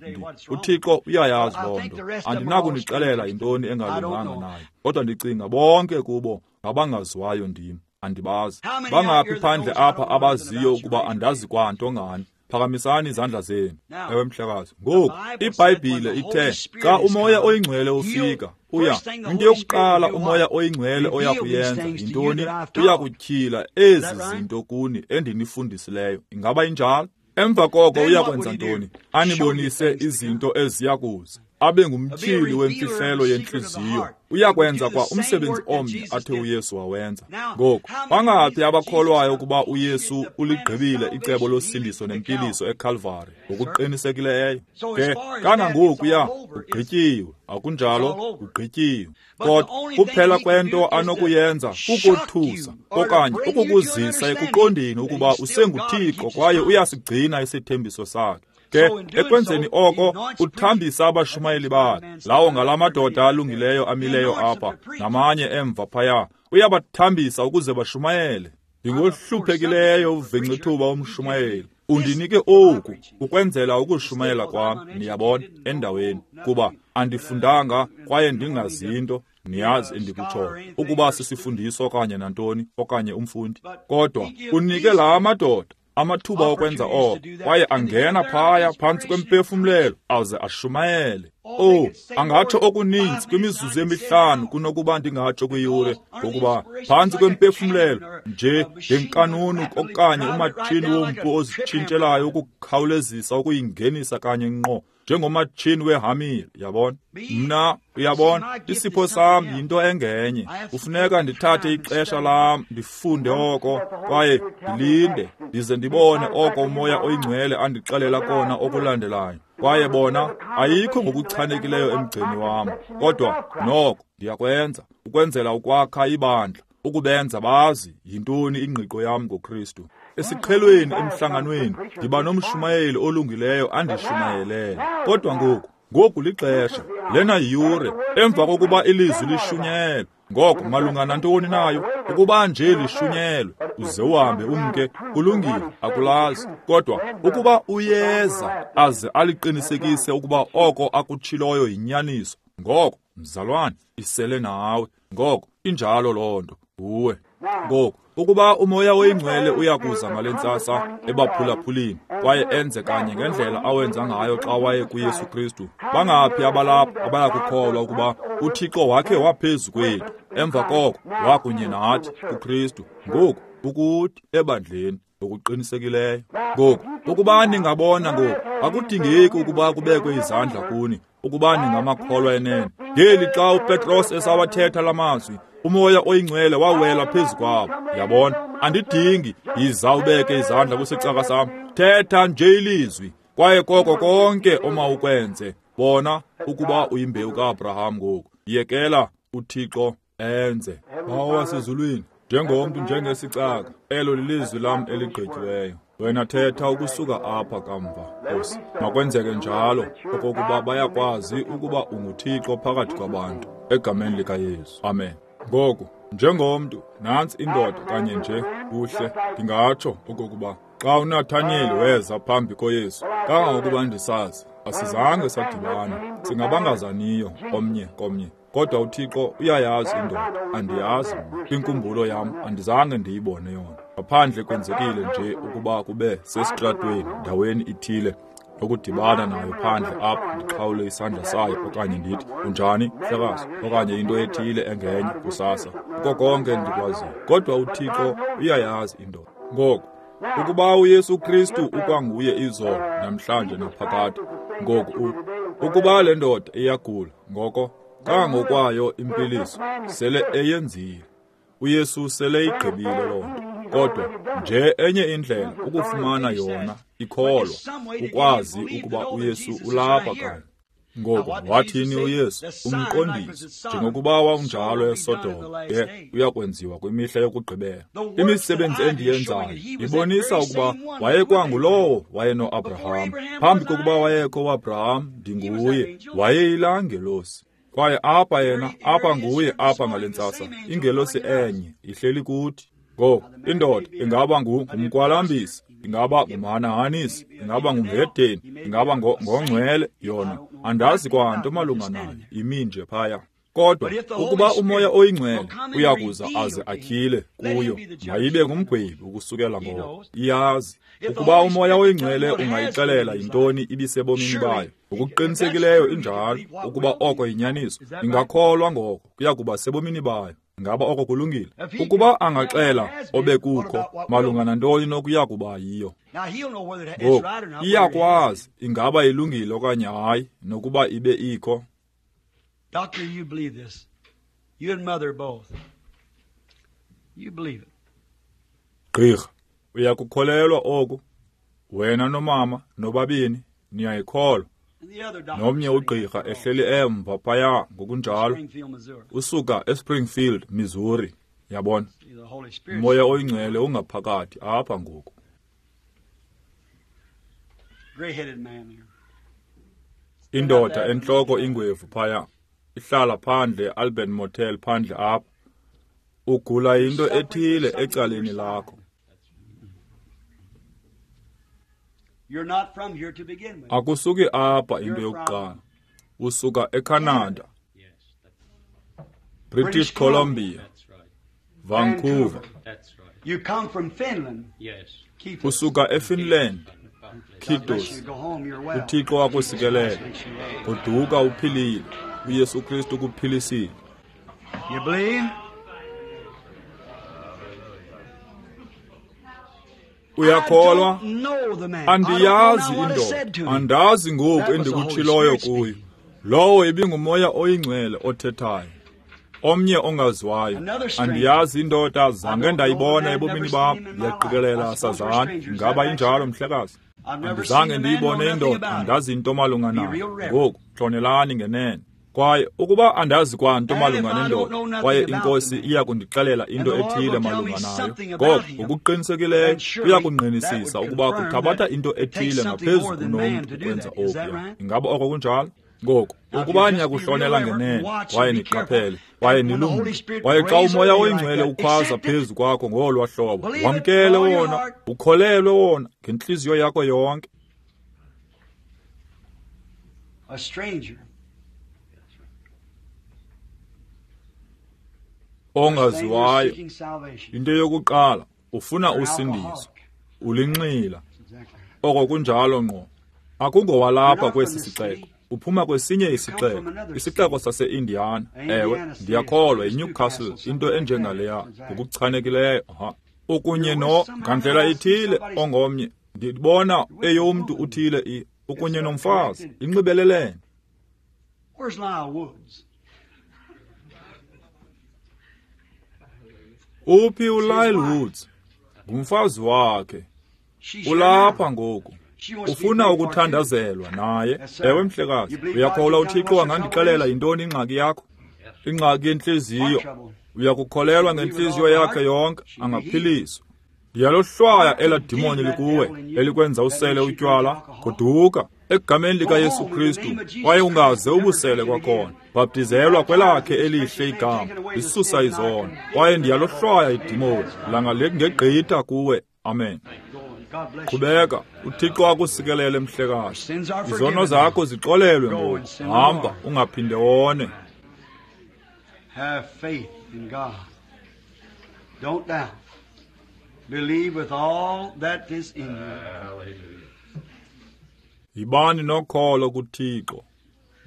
Speaker 1: UThixo uyayazi loo nto. Andinakunixelela yintoni engalunganga nayo, kodwa ndicinga bonke kubo ngabangaziwayo ndim, andibazi. Bangaphi phandle apha abaziyo ukuba andazi kwanto ngani? Phakamisani izandla zenu. Ewe, mhlekazi. Ngoku, iBhayibhile ithe xa uMoya oyiNgcwele ufika, uya into yokuqala uMoya oyiNgcwele oya kuyenza yintoni? Uya kutyhila ezi zinto kuni endinifundisileyo. Ingaba injalo? Emva koko uya kwenza ntoni? Anibonise izinto eziya kuza, abe ngumtyhili wemfihlelo yentliziyo. Uyakwenza kwa umsebenzi omnye athe uYesu wawenza. Ngoku, bangaphi abakholwayo ukuba uYesu uligqibile icebo losindiso nempiliso eKalvari? Ngokuqinisekileyo. Ke kangangokuya ugqityiwe, akunjalo? Ugqityiwe. Kodwa kuphela kwento anokuyenza kukothusa okanye ukukuzisa ekuqondeni ukuba usenguThixo kwaye uyasigcina isithembiso sakhe. Ke ekwenzeni oko uthambisa abashumayeli bakhe, lawo ngala madoda alungileyo amileyo apha namanye emva phaya, uyabathambisa ukuze bashumayele. Ndingohluphekileyo uvincithuba umshumayeli, undinike oku ukwenzela ukushumayela kwam, niyabona, endaweni, kuba andifundanga kwaye ndingazinto, niyazi endikutshoyo, ukuba sisifundiso okanye nantoni okanye umfundi. Kodwa unike la madoda amathuba okwenza oko, kwaye angena phaya phantsi kwempefumlelo aze ashumayele. Oh, angatsho okuninzi kwimizuzu emihlanu kunokuba ndingatsho kwiyure, ngokuba phantsi kwempefumlelo nje ngenkanunu okanye umatshini wompu ozitshintshelayo ukukhawulezisa ukuyingenisa kanye ngqo njengomatshini wehamile, yabona. Mna, uyabona, isipho sam yinto engenye. Kufuneka ndithathe ixesha lam ndifunde oko kwaye ndilinde ndize ndibone oko uMoya oyiNgcwele andixelela kona okulandelayo. Kwaye bona ayikho ngokuchanekileyo emgceni wam, kodwa noko ndiyakwenza ukwenzela ukwakha ibandla, ukubenza bazi yintoni ingqiqo yam ngoKristu. Esiqhelweni emhlanganweni ndiba nomshumayeli olungileyo andishumayelele. Kodwa ngoku lixesha, lena yiyure, emva kokuba ilizwi lishunyelwe. Ngoko malunga nantoni nayo? Ukuba nje lishunyelwe uze uhambe umke, kulungile, akulazi. Kodwa ukuba uyeza aze aliqinisekise ukuba oko akutshiloyo yinyaniso, ngoko mzalwane, isele nawe. Ngoko injalo loo nto nguwe. Ngoku, ukuba uMoya oyiNgcwele uyakuza ngale ntsasa ebaphulaphulini kwaye enze kanye ngendlela awenza ngayo xa waye kuYesu Kristu, bangaphi abalapha abayakukholwa ukuba uThixo wakhe waphezu kwethu, emva koko wakunye nathi kuKristu, ngoku ukuthi ebandleni? Ngokuqinisekileyo. Ngoku, ukuba ningabona ngoku, akudingeki ukuba kubekwe izandla kuni, ukuba ningamakholwa enene. Ngeli xa uPetros esawathetha lamazwi, uMoya oyiNgcwele wawela phezu kwabo. Yabona, andidingi yiza ubeke izandla kwisicaka sam. Thetha nje ilizwi, kwaye koko konke omawukwenze. Bona ukuba uyimbewu kaAbraham ngoku. Yekela uThixo enze. Bawo wasezulwini, njengomntu njengesicaka, elo lilizwi lam eligqityiweyo. Wena thetha ukusuka apha kamva, Nkosi. Makwenzeke njalo okokuba bayakwazi ukuba unguThixo phakathi kwabantu. Egameni likaYesu. Amen. Ngoku, njengomntu, nantsi indoda kanye nje, kuhle, ndingatsho okokuba xa uNathaniyeli weza phambi koYesu, kangangokuba ndisazi, asizange sadibana, singabangazaniyo omnye komnye. Kodwa uThixo uyayazi indoda, andiyazi mna. Kwinkumbulo yam andizange ndiyibone yona. Ngaphandle kwenzekile nje ukuba kube sesitratweni ndaweni ithile nokudibana nayo phandle apha, ndiqhawule isandla sayo okanye ndithi unjani mhlekazi, okanye into ethile engenye kusasa. Kuko konke ndikwaziyo. Kodwa uThixo uyayazi indoda. Ngoku, ukuba uYesu Kristu ukwanguye izolo, namhlanje naphakade, ngoku ukuba le ndoda iyagula, ngoko kangangokwayo impiliso sele eyenzile. uYesu sele igqibile loo nto. Kodwa nje enye indlela ukufumana yona ikholwa, ukwazi ukuba uYesu ulapha kanye. Ngoku wathini uYesu? Umqondiso, njengokuba wawunjalo eSodoma, ke uyakwenziwa kwimihla yokugqibela. Imisebenzi endiyenzayo ibonisa ukuba wayekwangulowo wayenoAbraham. Phambi kokuba wayekho uAbraham, ndinguye. Wayeyilaa ngelosi. Kwaye apha yena, apha nguye apha ngale ntsasa, ingelosi enye ihleli kuthi. Ngoku, indoda ingaba ngumkwalambisi, ingaba ngumhanahanisi, ingaba ngumhedeni, ingaba ngongcwele yona. Andazi kwanto malunga nayo, imi nje phaya. Kodwa ukuba uMoya oyiNgcwele uyakuza aze atyhile kuyo, mayibe ngumgwebi ukusukela ngoko. Iyazi. Ukuba uMoya oyiNgcwele ungayixelela yintoni ibisebomini bayo, ngokuqinisekileyo injalo, ukuba oko yinyaniso, ingakholwa ngoko kuya kuba sebomini bayo. Ngaba oko kulungile? Ukuba angaxela obekukho malunga nantoni nokuya kuba yiyo, ngoku iyakwazi ingaba ilungile okanye hayi, nokuba ibe ikho.
Speaker 2: Doctor, you believe this. You and mother both. You believe it.
Speaker 1: Gqirha, uyakukholelwa oku? Wena nomama nobabini niyayikholwa. Nomnye ugqirha ehleli emva phaya ngokunjalo, usuka eSpringfield, Missouri. Yabona, uMoya oyiNgcwele ungaphakathi apha ngoku. Indoda entloko ingwevu phaya, ihlala phandle eAlban Motel phandle apha. Ugula into ethile ecaleni lakho. Akusuki apha into yokuqala. Usuka eCanada, British Columbia, Vancouver. Usuka eFinland, Kitos. uThixo akusikelela. Goduka uphilile. uYesu Kristu ukuphilisile.
Speaker 2: You believe?
Speaker 1: Uyakholwa? Andiyazi indoda, andazi ngoku endikutshiloyo kuyo. Lowo ibinguMoya oyiNgcwele othethayo, omnye ongaziwayo. Andiyazi indoda, zange ndayibona ebomini bam. Ndiyaqikelela sazana. Ingaba injalo, mhlekazi? Andizange ndiyibone indoda, andazi into malunga nayo. Ngoku hlonelani ngenene. Kwaye ukuba andazi kwanto malunga nendoda, kwaye iNkosi iya kundixelela into ethile malunga nayo, ngoko ngokuqinisekileyo kuyakungqinisisa ukuba kuthabatha into ethile ngaphezu kunomntu ukwenza okuya. Ingaba oko kunjalo? Ngoku, ukuba niyakuhlonela ngenene, kwaye niqaphele, kwaye nilumke, kwaye xa uMoya oyiNgcwele ukhwaza phezu kwakho ngolwa hlobo, wamkele wona, ukholelwe wona ngentliziyo yakho yonke.
Speaker 2: A stranger.
Speaker 1: Ongaziwayo. Into yokuqala, ufuna usindiso. Ulinxila. Oko kunjalo ngqo. Akungowalapha kwesi sixeko. Uphuma kwesinye isixeko, isixeko sase-Indiana. Ewe, ndiyakholwa yiNewcastle, into enjengaleya, ngokuchanekileyo. Aha. Ukunye no ngandlela ithile ongomnye. Ndibona eyomntu uthile ukunye nomfazi. Inxibelelene.
Speaker 2: Where's Lyle Woods?
Speaker 1: Uphi uLyle Woods? Ngumfazi wakhe. Ulapha ngoku. Ufuna ukuthandazelwa naye. Ewe mhlekazi, uyakholwa uThixo angandixelela yintoni ingxaki yakho? Ingxaki yentliziyo. Uyakukholelwa ngentliziyo yakhe yonke, angaphiliswa. Ndiyalohlwaya elaa dimoni likuwe elikwenza usele utywala. Goduka egameni likaYesu Kristu, kwaye ungaze ubusele kwakhona. Bhaptizelwa kwelakhe elihle igama, lisusa izono. Kwaye ndiyalohlwaya idimoni langa lingegqitha kuwe. Amen. Qhubeka, uThixo akusikelele mhlekazi. Izono zakho zixolelwe ngoku. Hamba ungaphinde wone.
Speaker 2: Have faith in God. Don't doubt. Believe with all that is in you.
Speaker 1: Yibani nokholo kuThixo.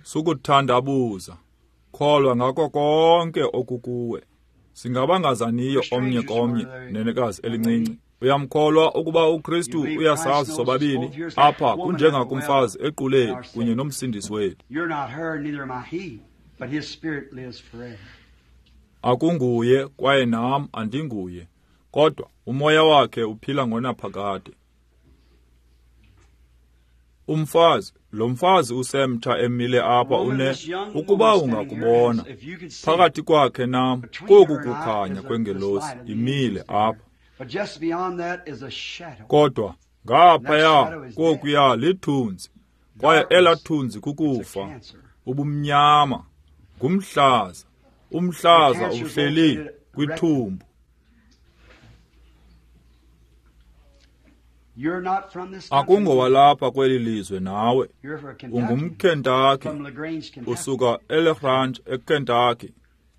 Speaker 1: Sukuthandabuza. Kholwa ngako konke okukuwe. Singabangazaniyo omnye komnye, nenekazi elincinci. Uyamkholwa ukuba uKristu uyasazi sobabini? Apha kunjengakumfazi equleni kunye nomsindisi wethu.
Speaker 2: You're not her, neither am I he, but his spirit lives forever.
Speaker 1: Akunguye kwaye nam andinguye, kodwa umoya wakhe uphila ngonaphakade. Umfazi, lo mfazi usemtsha emile apha une, ukuba ungakubona phakathi kwakhe nam koku kukhanya kwengelosi imile apha.
Speaker 2: But just beyond that is a shadow.
Speaker 1: Kodwa ngaphaya kokuya lithunzi, kwaye elaa thunzi kukufa, ubumnyama, ngumhlaza. Umhlaza uhleli kwithumbu.
Speaker 2: You're not from this country.
Speaker 1: Akungowalapha kweli lizwe nawe.
Speaker 2: You're from Kentucky.
Speaker 1: UngumKentucky,
Speaker 2: From LaGrange, Kentucky.
Speaker 1: usuka eLagrange eKentucky.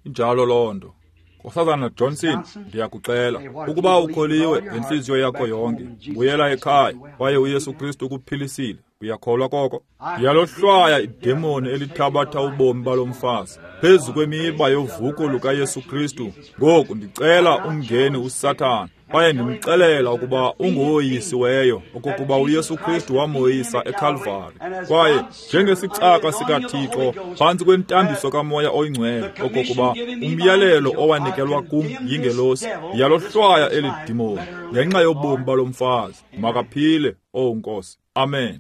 Speaker 1: Injalo loo nto. Nkosazana Johnson, ndiyakucela ukuba ukholiwe ngentliziyo yakho yonke, buyela ekhaya kwaye uYesu Kristu ukuphilisile. Uyakholwa koko? Ndiyalohlwaya idemoni elithabatha ubomi balo mfazi phezu kwemiba yovuko lukaYesu Kristu. Ngoku ndicela umngeni uSathana, kwaye ndimxelela ukuba ungoyisiweyo, okokuba uYesu Kristu wamoyisa eKalvari. Kwaye njengesicaka sikaThixo phantsi kwentambiso kaMoya oyiNgcwele, okokuba umyalelo owanikelwa kum yingelosi, ndiyalohlwaya eli dimoni ngenxa yobomi balo mfazi. Makaphile, owu Nkosi. Amen.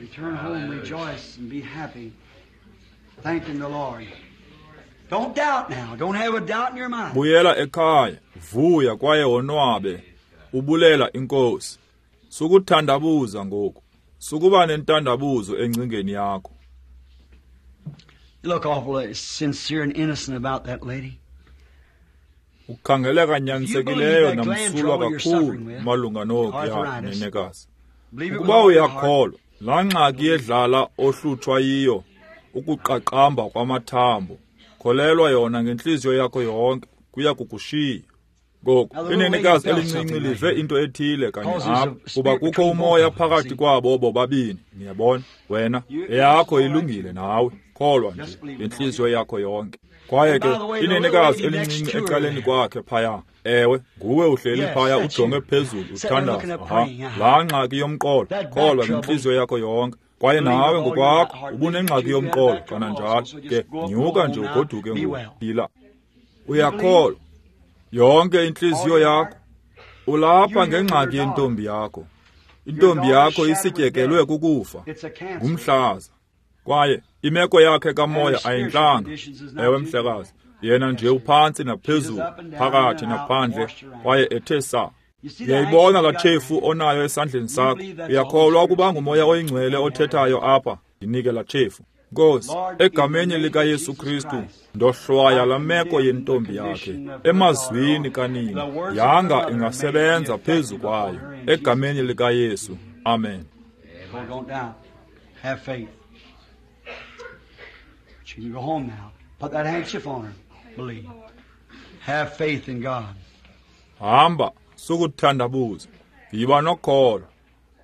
Speaker 2: Return home, rejoice, and be happy, thanking the Lord. Don't doubt now. Don't have a doubt in your mind.
Speaker 1: Buyela ekhaya, vuya kwaye wonwabe, ubulela iNkosi. Sukuthandabuza ngoku. Sukuba nentandabuzo engcingeni yakho.
Speaker 2: You look awful sincere and innocent about that lady.
Speaker 1: Ukhangeleka nyanisekileyo namsulwa kakhulu malunga nokuya nenekazi. Ukuba uyakholwa, laa ngxaki yedlala ohlutshwa yiyo, ukuqaqamba kwamathambo, kholelwa yona ngentliziyo yakho yonke, kuya kukushiya. Ngoku inenekazi elincinci live into ethile kanye apha, kuba kukho umoya phakathi kwabo bobabini. Niyabona, wena eyakho ilungile nawe, kholwa nje ngentliziyo yakho yonke. Kwaye ke inenekazi elincinci ecaleni kwakhe phaya, ewe, nguwe uhleli phaya ujonge phezulu uthandaza. Aha, laa ngxaki yomqolo, kholwa ngentliziyo yakho yonke. Kwaye nawe ngokwakho ubunengxaki yomqolo kananjalo. Ke nyuka nje ugoduke ngoku, phila. Uyakholwa yonke intliziyo yakho. Ulapha ngengxaki yentombi yakho. Intombi yakho isityekelwe kukufa, ngumhlaza. Kwaye imeko yakhe kamoya ayintlanga. Ewe mhlekazi, yena nje uphantsi naphezulu, phakathi naphandle, kwaye ethe saa. Uyayibona laa tshefu onayo esandleni sakho? Uyakholwa ukuba nguMoya oyiNgcwele othethayo apha? Ndinike laa tshefu. Nkosi, egameni likaYesu Kristu, ndohlwaya laa meko yentombi yakhe emazwini kanina, yanga ingasebenza phezu kwayo, egameni likaYesu. Amen.
Speaker 2: Go, don't doubt. Have faith. But you can go home now. Put that handkerchief on her. Believe. Have faith in God.
Speaker 1: Hamba, sukuthandabuza. Yiba nokholo.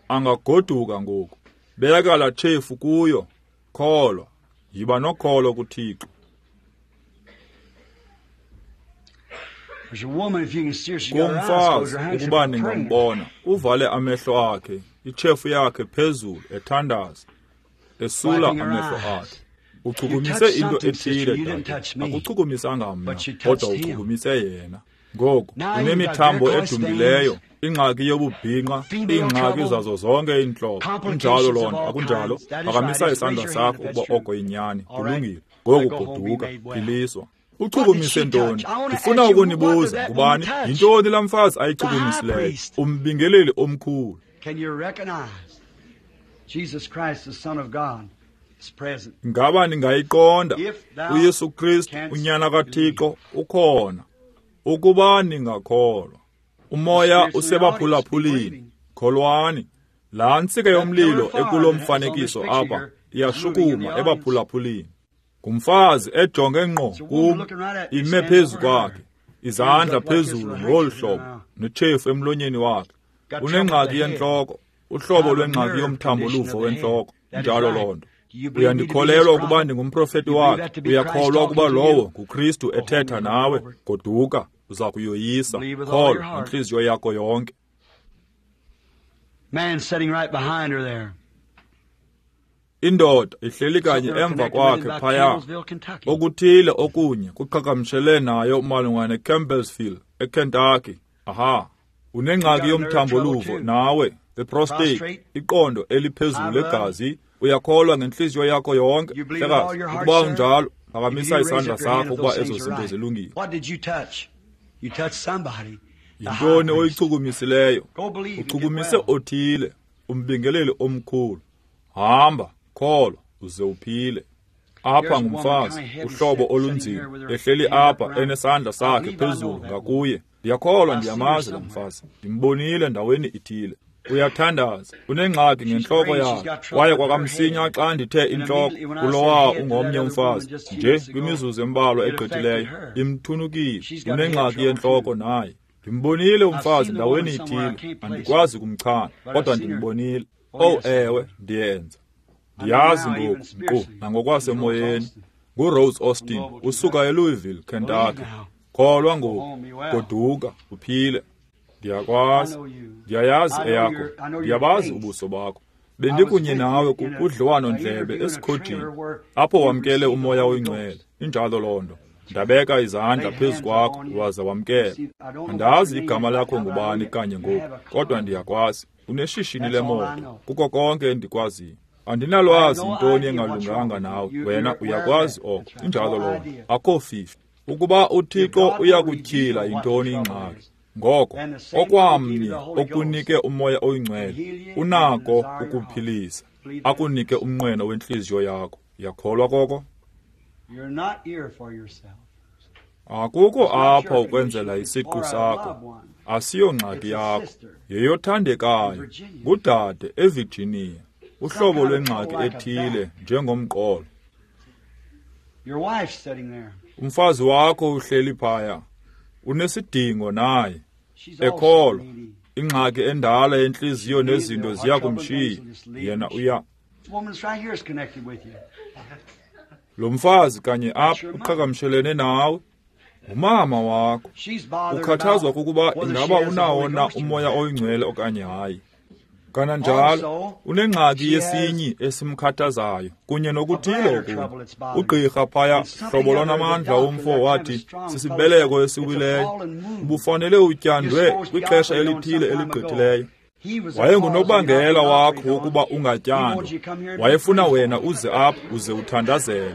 Speaker 1: Angagoduka ngoku. Beka laa tshefu kuyo. Kholwa. Yiba nokholo kuThixo. Kumfazi, ukuba ningambona, uvale amehlo akhe, itshefu yakhe phezulu, ethandaza, esula amehlo akhe. Uchukumise into ethile, dade. Akuchukumisanga mna, kodwa uchukumise yena. Ngoku unemithambo edumbileyo, ingxaki yobubhinqa, iingxaki zazo zonke iintlobo. Injalo loo nto, akunjalo? Phakamisa isandla sakho ukuba oko yinyani. Kulungile. Ngoku goduka, philiswa. Uchukumise ntoni? Ndifuna ukunibuza, ngubani? Yintoni laa mfazi ayichukumisileyo? Umbingeleli omkhulu. Ngaba ningayiqonda? uYesu Kristu, uNyana kaThixo, ukhona. Ukuba ningakholwa. Umoya usebaphulaphulini. Kholwani. Laa ntsika yomlilo ekulo mfanekiso apha iyashukuma ebaphulaphulini. Ngumfazi ejonge ngqo kum, ime phezu kwakhe, izandla phezulu ngolu hlobo, netshefu emlonyeni wakhe. Unengxaki yentloko, uhlobo lwengxaki yomthambo-luvo wentloko. Injalo loo nto. Uyandikholelwa ukuba ndingumprofeti wakhe? Uyakholwa ukuba lowo nguKristu ethetha nawe? Goduka, uza kuyoyisa. Kholwa ngentliziyo yakho yonke. Indoda ihleli kanye emva kwakhe phaya. Okuthile okunye kuqhagamshele nayo malunga neCampbellsville, eKentucky. Aha. Unengxaki yomthambo-luvo nawe, the prostate, iqondo eliphezulu legazi. Uyakholwa ngentliziyo yakho yonke, mhlekazi? Ukuba unjalo, phakamisa isandla sakho ukuba ezo zinto zilungile. Yintoni oyichukumisileyo? Uchukumise othile, umbingeleli omkhulu. Hamba, kholwa, uze uphile. Apha ngumfazi, uhlobo olunzima, ehleli apha enesandla sakhe phezulu ngakuye. Ndiyakholwa ndiyamazi lo mfazi. Ndimbonile ndaweni ithile. Uyathandaza, unengxaki ngentloko yakhe. Kwaye kwakamsinya xa ndithe intloko, kulowa ungomnye umfazi, nje kwimizuzu embalwa egqithileyo, imthunukile. Unengxaki yentloko naye. Ndimbonile umfazi ndaweni ithile, andikwazi kumchana, kodwa ndimbonile. Oh ewe, ndiyenza. Ndiyazi ngoku, nkqu nangokwasemoyeni. NguRose Austin, usuka eLouisville, Kentucky. Kholwa ngoku, goduka, uphile. Ndiyakwazi, ndiyayazi eyakho, ndiyabazi ubuso bakho. Bendikunye nawe kudliwano-ndlebe esikhojini, apho wamkele uMoya oyiNgcwele. Injalo loo nto. Ndabeka izandla phezu kwakho waza wamkela. Andazi igama lakho ngubani kanye ngoku, kodwa ndiyakwazi. Uneshishini lemoto, kuko konke endikwaziyo. Andinalwazi intoni engalunganga nawe, wena uyakwazi oko. Injalo loo nto. Akho fifi. Ukuba uThixo uyakutyhila yintoni ingxaki, ngoko okwamnye okunike uMoya oyiNgcwele unako ukuphilisa, akunike umnqweno wentliziyo yakho. Uyakholwa koko? Akukho apha ukwenzela isiqu sakho. Asiyongxaki yakho, yeyothandekayo. Ngudade eVirginia, uhlobo lwengxaki ethile njengomqolo. Umfazi wakho uhleli phaya, unesidingo naye, ekholwa. Ingxaki endala yentliziyo nezinto ziya kumshiya. Yena uya. Lo mfazi kanye apha uqhagamshelene nawe. Ngumama wakho. Ukhathazwa kukuba ingaba unawo na uMoya oyiNgcwele okanye hayi. Kananjalo unengxaki yesinyi esimkhathazayo kunye nokuthile okunye. Ugqirha phaya, hlobo lwanamandla womfo, wathi sisibeleko esiwileyo. Ubufanele utyandwe kwixesha elithile eligqithileyo. Wayengunobangela wakho wokuba ungatyandwa. Wayefuna wena uze apha uze uthandazelwe.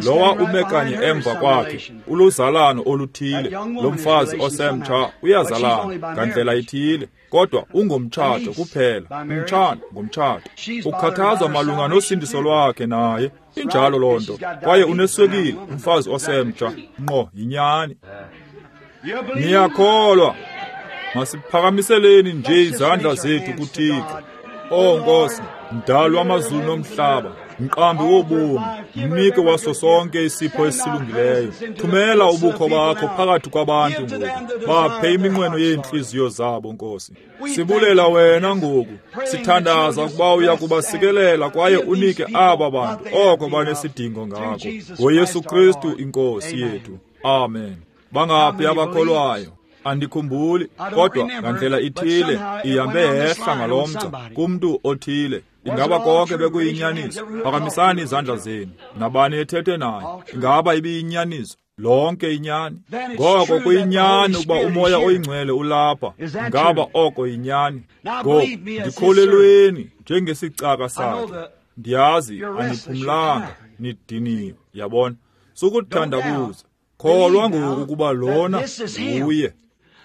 Speaker 1: Lowa ume kanye emva kwakhe uluzalano oluthile. Lo mfazi osemtsha uyazalana ngandlela ithile, kodwa ungomtshato kuphela. Umtshana ngomtshato. Ukhathazwa malunga nosindiso lwakhe naye. Injalo loo nto. Kwaye uneswekile, umfazi osemtsha. Ngqo, yinyani. Niyakholwa. Masiphakamiseleni nje izandla zethu kuThixo. O Nkosi, mdali wamazulu nomhlaba, mqambi wobomi, mnike waso sonke isipho esilungileyo. Thumela ubukho bakho phakathi kwabantu ngoku. Baphe iminqweno yeentliziyo zabo, Nkosi. Sibulela wena ngoku. Sithandaza ukuba uya kubasikelela kwaye unike aba bantu oko banesidingo ngako. NgoYesu Kristu iNkosi yethu. Amen. Bangaphi abakholwayo? Andikhumbuli, kodwa ngandlela ithile ihambe yehla ngalomgca kumntu othile. Ingaba konke bekuyinyaniso? Phakamisani izandla zenu. Nabani ethethe naye? Ingaba ibiyinyaniso? Lonke inyani. Ngoko kuyinyani ukuba uMoya oyiNgcwele ulapha. Ingaba oko yinyani? Ngoku ndikholelweni njengesicaka sakhe. Ndiyazi aniphumlanga, nidiniwe, yabona. Sukuthandabuza. Kholwa ngoku ukuba lona nguye.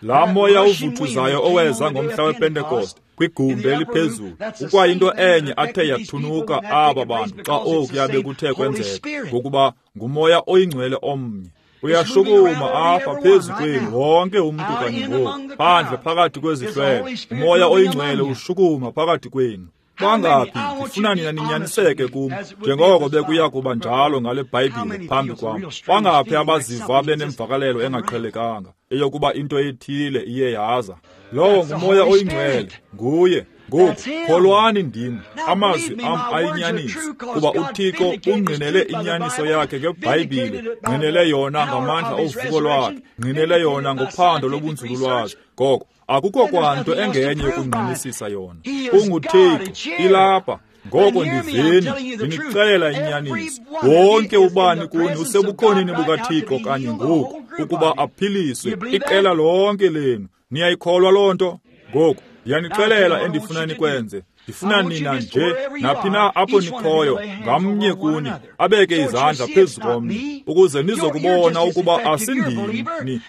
Speaker 1: Laa moya uvuthuzayo oweza ngomhla wePentekoste kwigumbi eliphezulu ukwayinto enye athe yathunuka aba bantu xa okuya bekuthe kwenzeka, ngokuba nguMoya oyiNgcwele omnye. Uyashukuma apha phezu kwenu wonke umntu kanye ngoku, phandle phakathi kwezihlwele. UMoya oyiNgcwele ushukuma phakathi kwenu. Bangaphi? Ndifuna nina ninyaniseke kum, njengoko bekuya kuba njalo ngale Bhayibhile phambi kwam. Bangaphi abaziva benemvakalelo engaqhelekanga eyokuba into ethile iye yaza? Lowo nguMoya oyiNgcwele, nguye. Ngoku kholwani ndim, amazwi am ayinyaniso, kuba uThixo ungqinele inyaniso yakhe ngeBhayibhile, ngqinele yona ngamandla ovuko lwakhe, ngqinele yona ngophando lobunzululwazi. Ngoko akukho kwanto engenye yokungqinisisa yona. UnguThixo, ilapha. Ngoko ndiveni, ndinixelela inyaniso. Wonke ubani kuni usebukhoneni bukaThixo kanye ngoku, ukuba aphiliswe iqela lonke lenu. Niyayikholwa loo nto? Ngoku ndiyanixelela endifuna nikwenze. Ndifuna nina nje, naphi na apho nikhoyo, ngamnye kuni abeke izandla phezu komnye, ukuze nizokubona ukuba asindimi.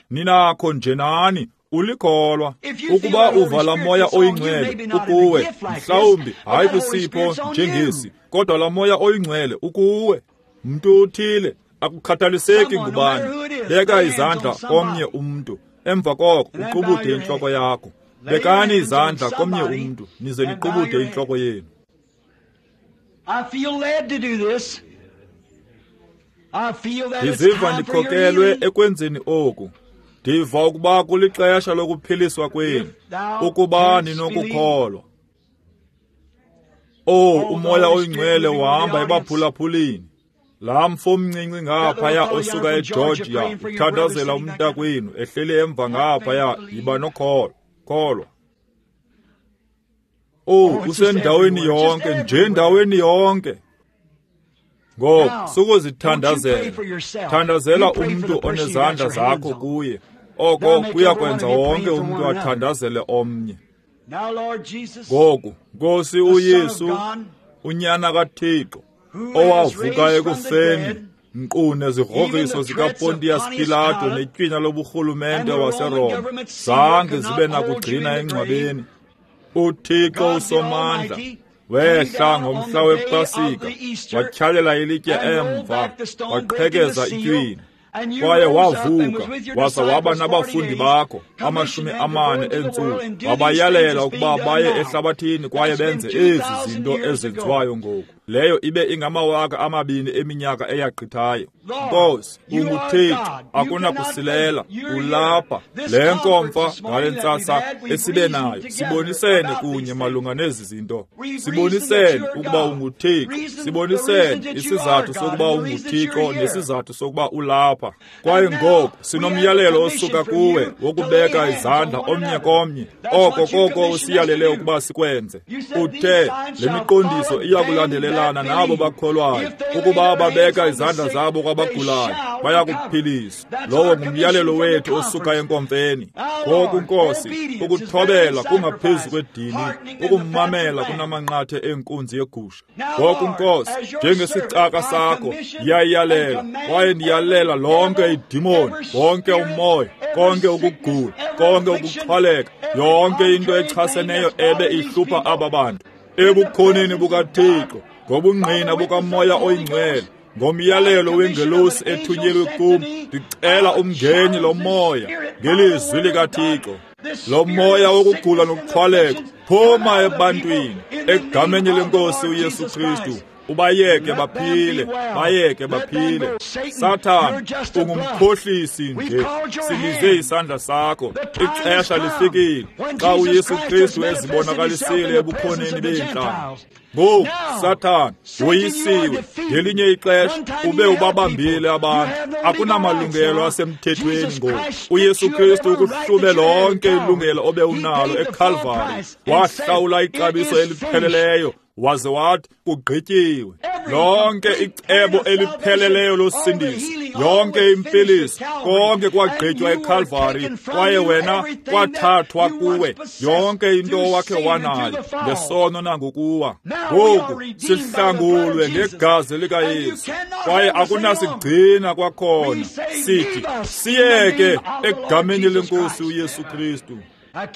Speaker 1: Ninakho nje nani. Ulikholwa. Ukuba uva laa Moya oyiNgcwele ukuwe, mhlawumbi hayi kwisipho njengesi, kodwa laa Moya oyiNgcwele ukuwe. Mntu uthile, akukhathaliseki ngubani, beka izandla komnye umntu, emva koko uqubude intloko yakho. Bekani izandla komnye umntu, nize niqubude intloko yenu. Ndiziva ndikhokelwe ekwenzeni oku. Ndiva ukuba kulixesha lokuphiliswa kwenu, ukuba ninokukholwa. Oh, uMoya oyiNgcwele uhamba ebaphulaphulini. Laa mfo mncinci ngaphaya osuka eGeorgia uthandazela umntakwenu ehleli emva ngaphaya, yiba nokholo, kholwa. Oh, usendaweni yonke, nje ndaweni yonke. Ngoku sukuzithandazela, thandazela umntu onezandla zakho kuye. Oko kuyakwenza wonke umntu athandazele omnye. Ngoku, Nkosi uYesu, uNyana kaThixo, owavuka ekufeni, nkqu nezigrogriso zikaPontius Pilato netywina loburhulumente waseRoma zange zibe nakugcina engcwabeni. uThixo uSomandla wehla ngomhla wePasika, watyhalela ilitye emva, waqhekeza itywina. Kwaye wavuka, waza waba nabafundi bakho 40 eentsuku, wabayalela ukuba baye ehlabathini kwaye benze ezi zinto ezenziwayo ngoku. Leyo ibe ingama 2000 eminyaka eyagqithayo. Nkosi, unguThixo, akunakusilela, ulapha. Le nkomfa ngale ntsasa esibe nayo, sibonisene kunye malunga nezi zinto. Sibonisene ukuba unguThixo, sibonisene isizathu sokuba unguThixo nesizathu sokuba ulapha. Kwaye ngoku sinomyalelo osuka kuwe wokubeka izandla omnye komnye. Oko koko usiyalele ukuba sikwenze. Uthe le miqondiso iya kulandelelana nabo bakholwayo, ukuba babeka izandla zabo kwabagulayo bayakuphiliswa. Lowo ngumyalelo wethu osuka enkomfeni. Ngoku Nkosi, ukuthobela kungaphezu kwedini, ukumamela kunamanqathe enkunzi yegusha. Ngoku Nkosi, njengesicaka sakho ndiyayalela kwaye ndiyalela lonke idimoni, wonke umoya, konke ukugula, konke ukuxhwaleka, yonke into echaseneyo ebe ihlupha aba bantu. Ebukhoneni bukaThixo, ngobungqina bukaMoya oyiNgcwele, ngomyalelo wengelosi ethunyelwe kum, ndicela umngeni lo moya ngelizwi likaThixo. Lo moya wokugula nokuxhwaleka, phuma ebantwini egameni lenkosi uYesu Kristu. Ubayeke baphile, bayeke baphile. Sathana, ungumkhohlisi nje. Sibize isandla sakho. Ixesha lifikile xa uYesu Kristu ezibonakalisile ebukhoneni beentlanga. Ngoku, Sathana, woyisiwe. Ngelinye ixesha ube ubabambile abantu. Akunamalungelo asemthethweni ngoku. uYesu Kristu ukuhlube lonke ilungelo obe unalo eKalvari. Wahlawula ixabiso elipheleleyo, waze wathi kugqityiwe. Lonke icebo elipheleleyo losindiso, yonke impiliso, konke kwagqitywa eKalvari, kwaye wena kwathathwa kuwe yonke into owakhe wanayo ngesono nangokuwa. Ngoku sihlangulwe ngegazi likaYesu, kwaye akunasigcina kwakhona. Sithi siyeke egameni lenkosi uYesu Kristu.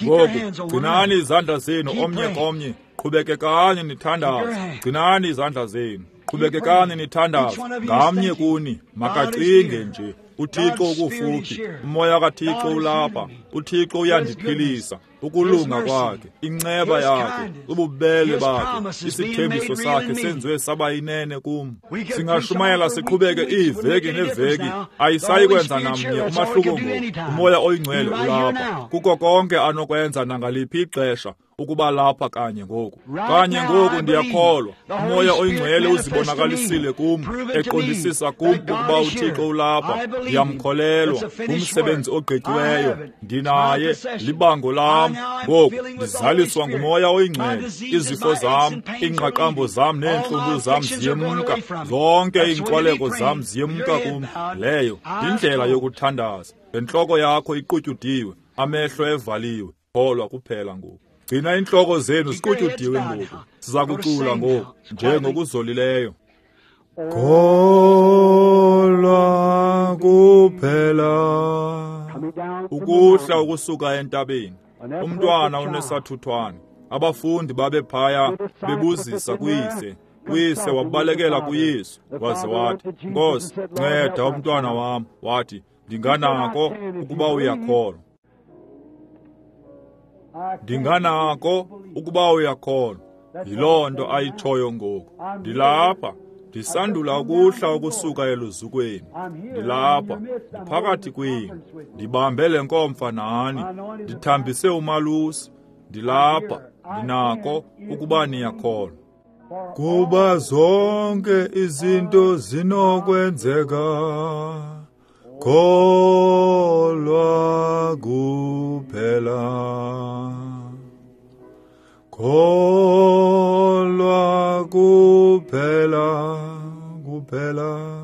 Speaker 1: Ngoku gcinani izandla zenu omnye komnye, qhubekekani nithandaze. Gcinani izandla zenu, qhubekekani nithandaze. Ngamnye kuni makacinge nje, uThixo ukufuphi, umoya kaThixo ulapha, uThixo uyandiphilisa. Ukulunga kwakhe, inceba yakhe, ububele bakhe, isithembiso sakhe senziwe saba yinene kum. Singashumayela siqhubeke iiveki neeveki, ayisayi kwenza namnye umahluko ngoku. Umoya oyingcwele ulapha, kuko konke anokwenza nangaliphi ixesha ukuba lapha kanye ngoku. Kanye ngoku ndiyakholwa umoya oyingcwele uzibonakalisile kum, eqondisisa kum ukuba uThixo ulapha. Ndiyamkholelwa, umsebenzi ogqityiweyo ndinaye, libango lam. Ngoku ndizaliswa ngumoya oyingcwele. Izifo zam, iingqaqambo zam neentlungu zam ziyemka, zonke iinkoleko zam ziyemka kum. Leyo yindlela yokuthandaza. Ngentloko yakho iqutyudiwe, amehlo evaliwe, kholwa kuphela ngoku. Gcina iintloko zenu ziqutyudiwe ngoku. Siza kucula ngoku njengokuzolileyo. Kholwa kuphela. Ukuhla ukusuka entabeni, umntwana unesathuthwane. Abafundi babephaya bebuzisa kuyise. Uyise wabalekela kuYesu waze wathi, Nkosi, nceda umntwana wam. Wathi, ndinganako ukuba uyakholwa. Ndinganako ukuba uyakholwa. Yiloo nto ayitshoyo ngoku. Ndilapha, ndisandula ukuhla ukusuka eluzukweni. Ndilapha, ndiphakathi kwenu. Ndibambe le nkomfa nani. Ndithambise umalusi. Ndilapha, ndinako ukuba niyakholwa. Kuba zonke izinto zinokwenzeka, kholwa kuphela. Kholwa kuphela, kuphela.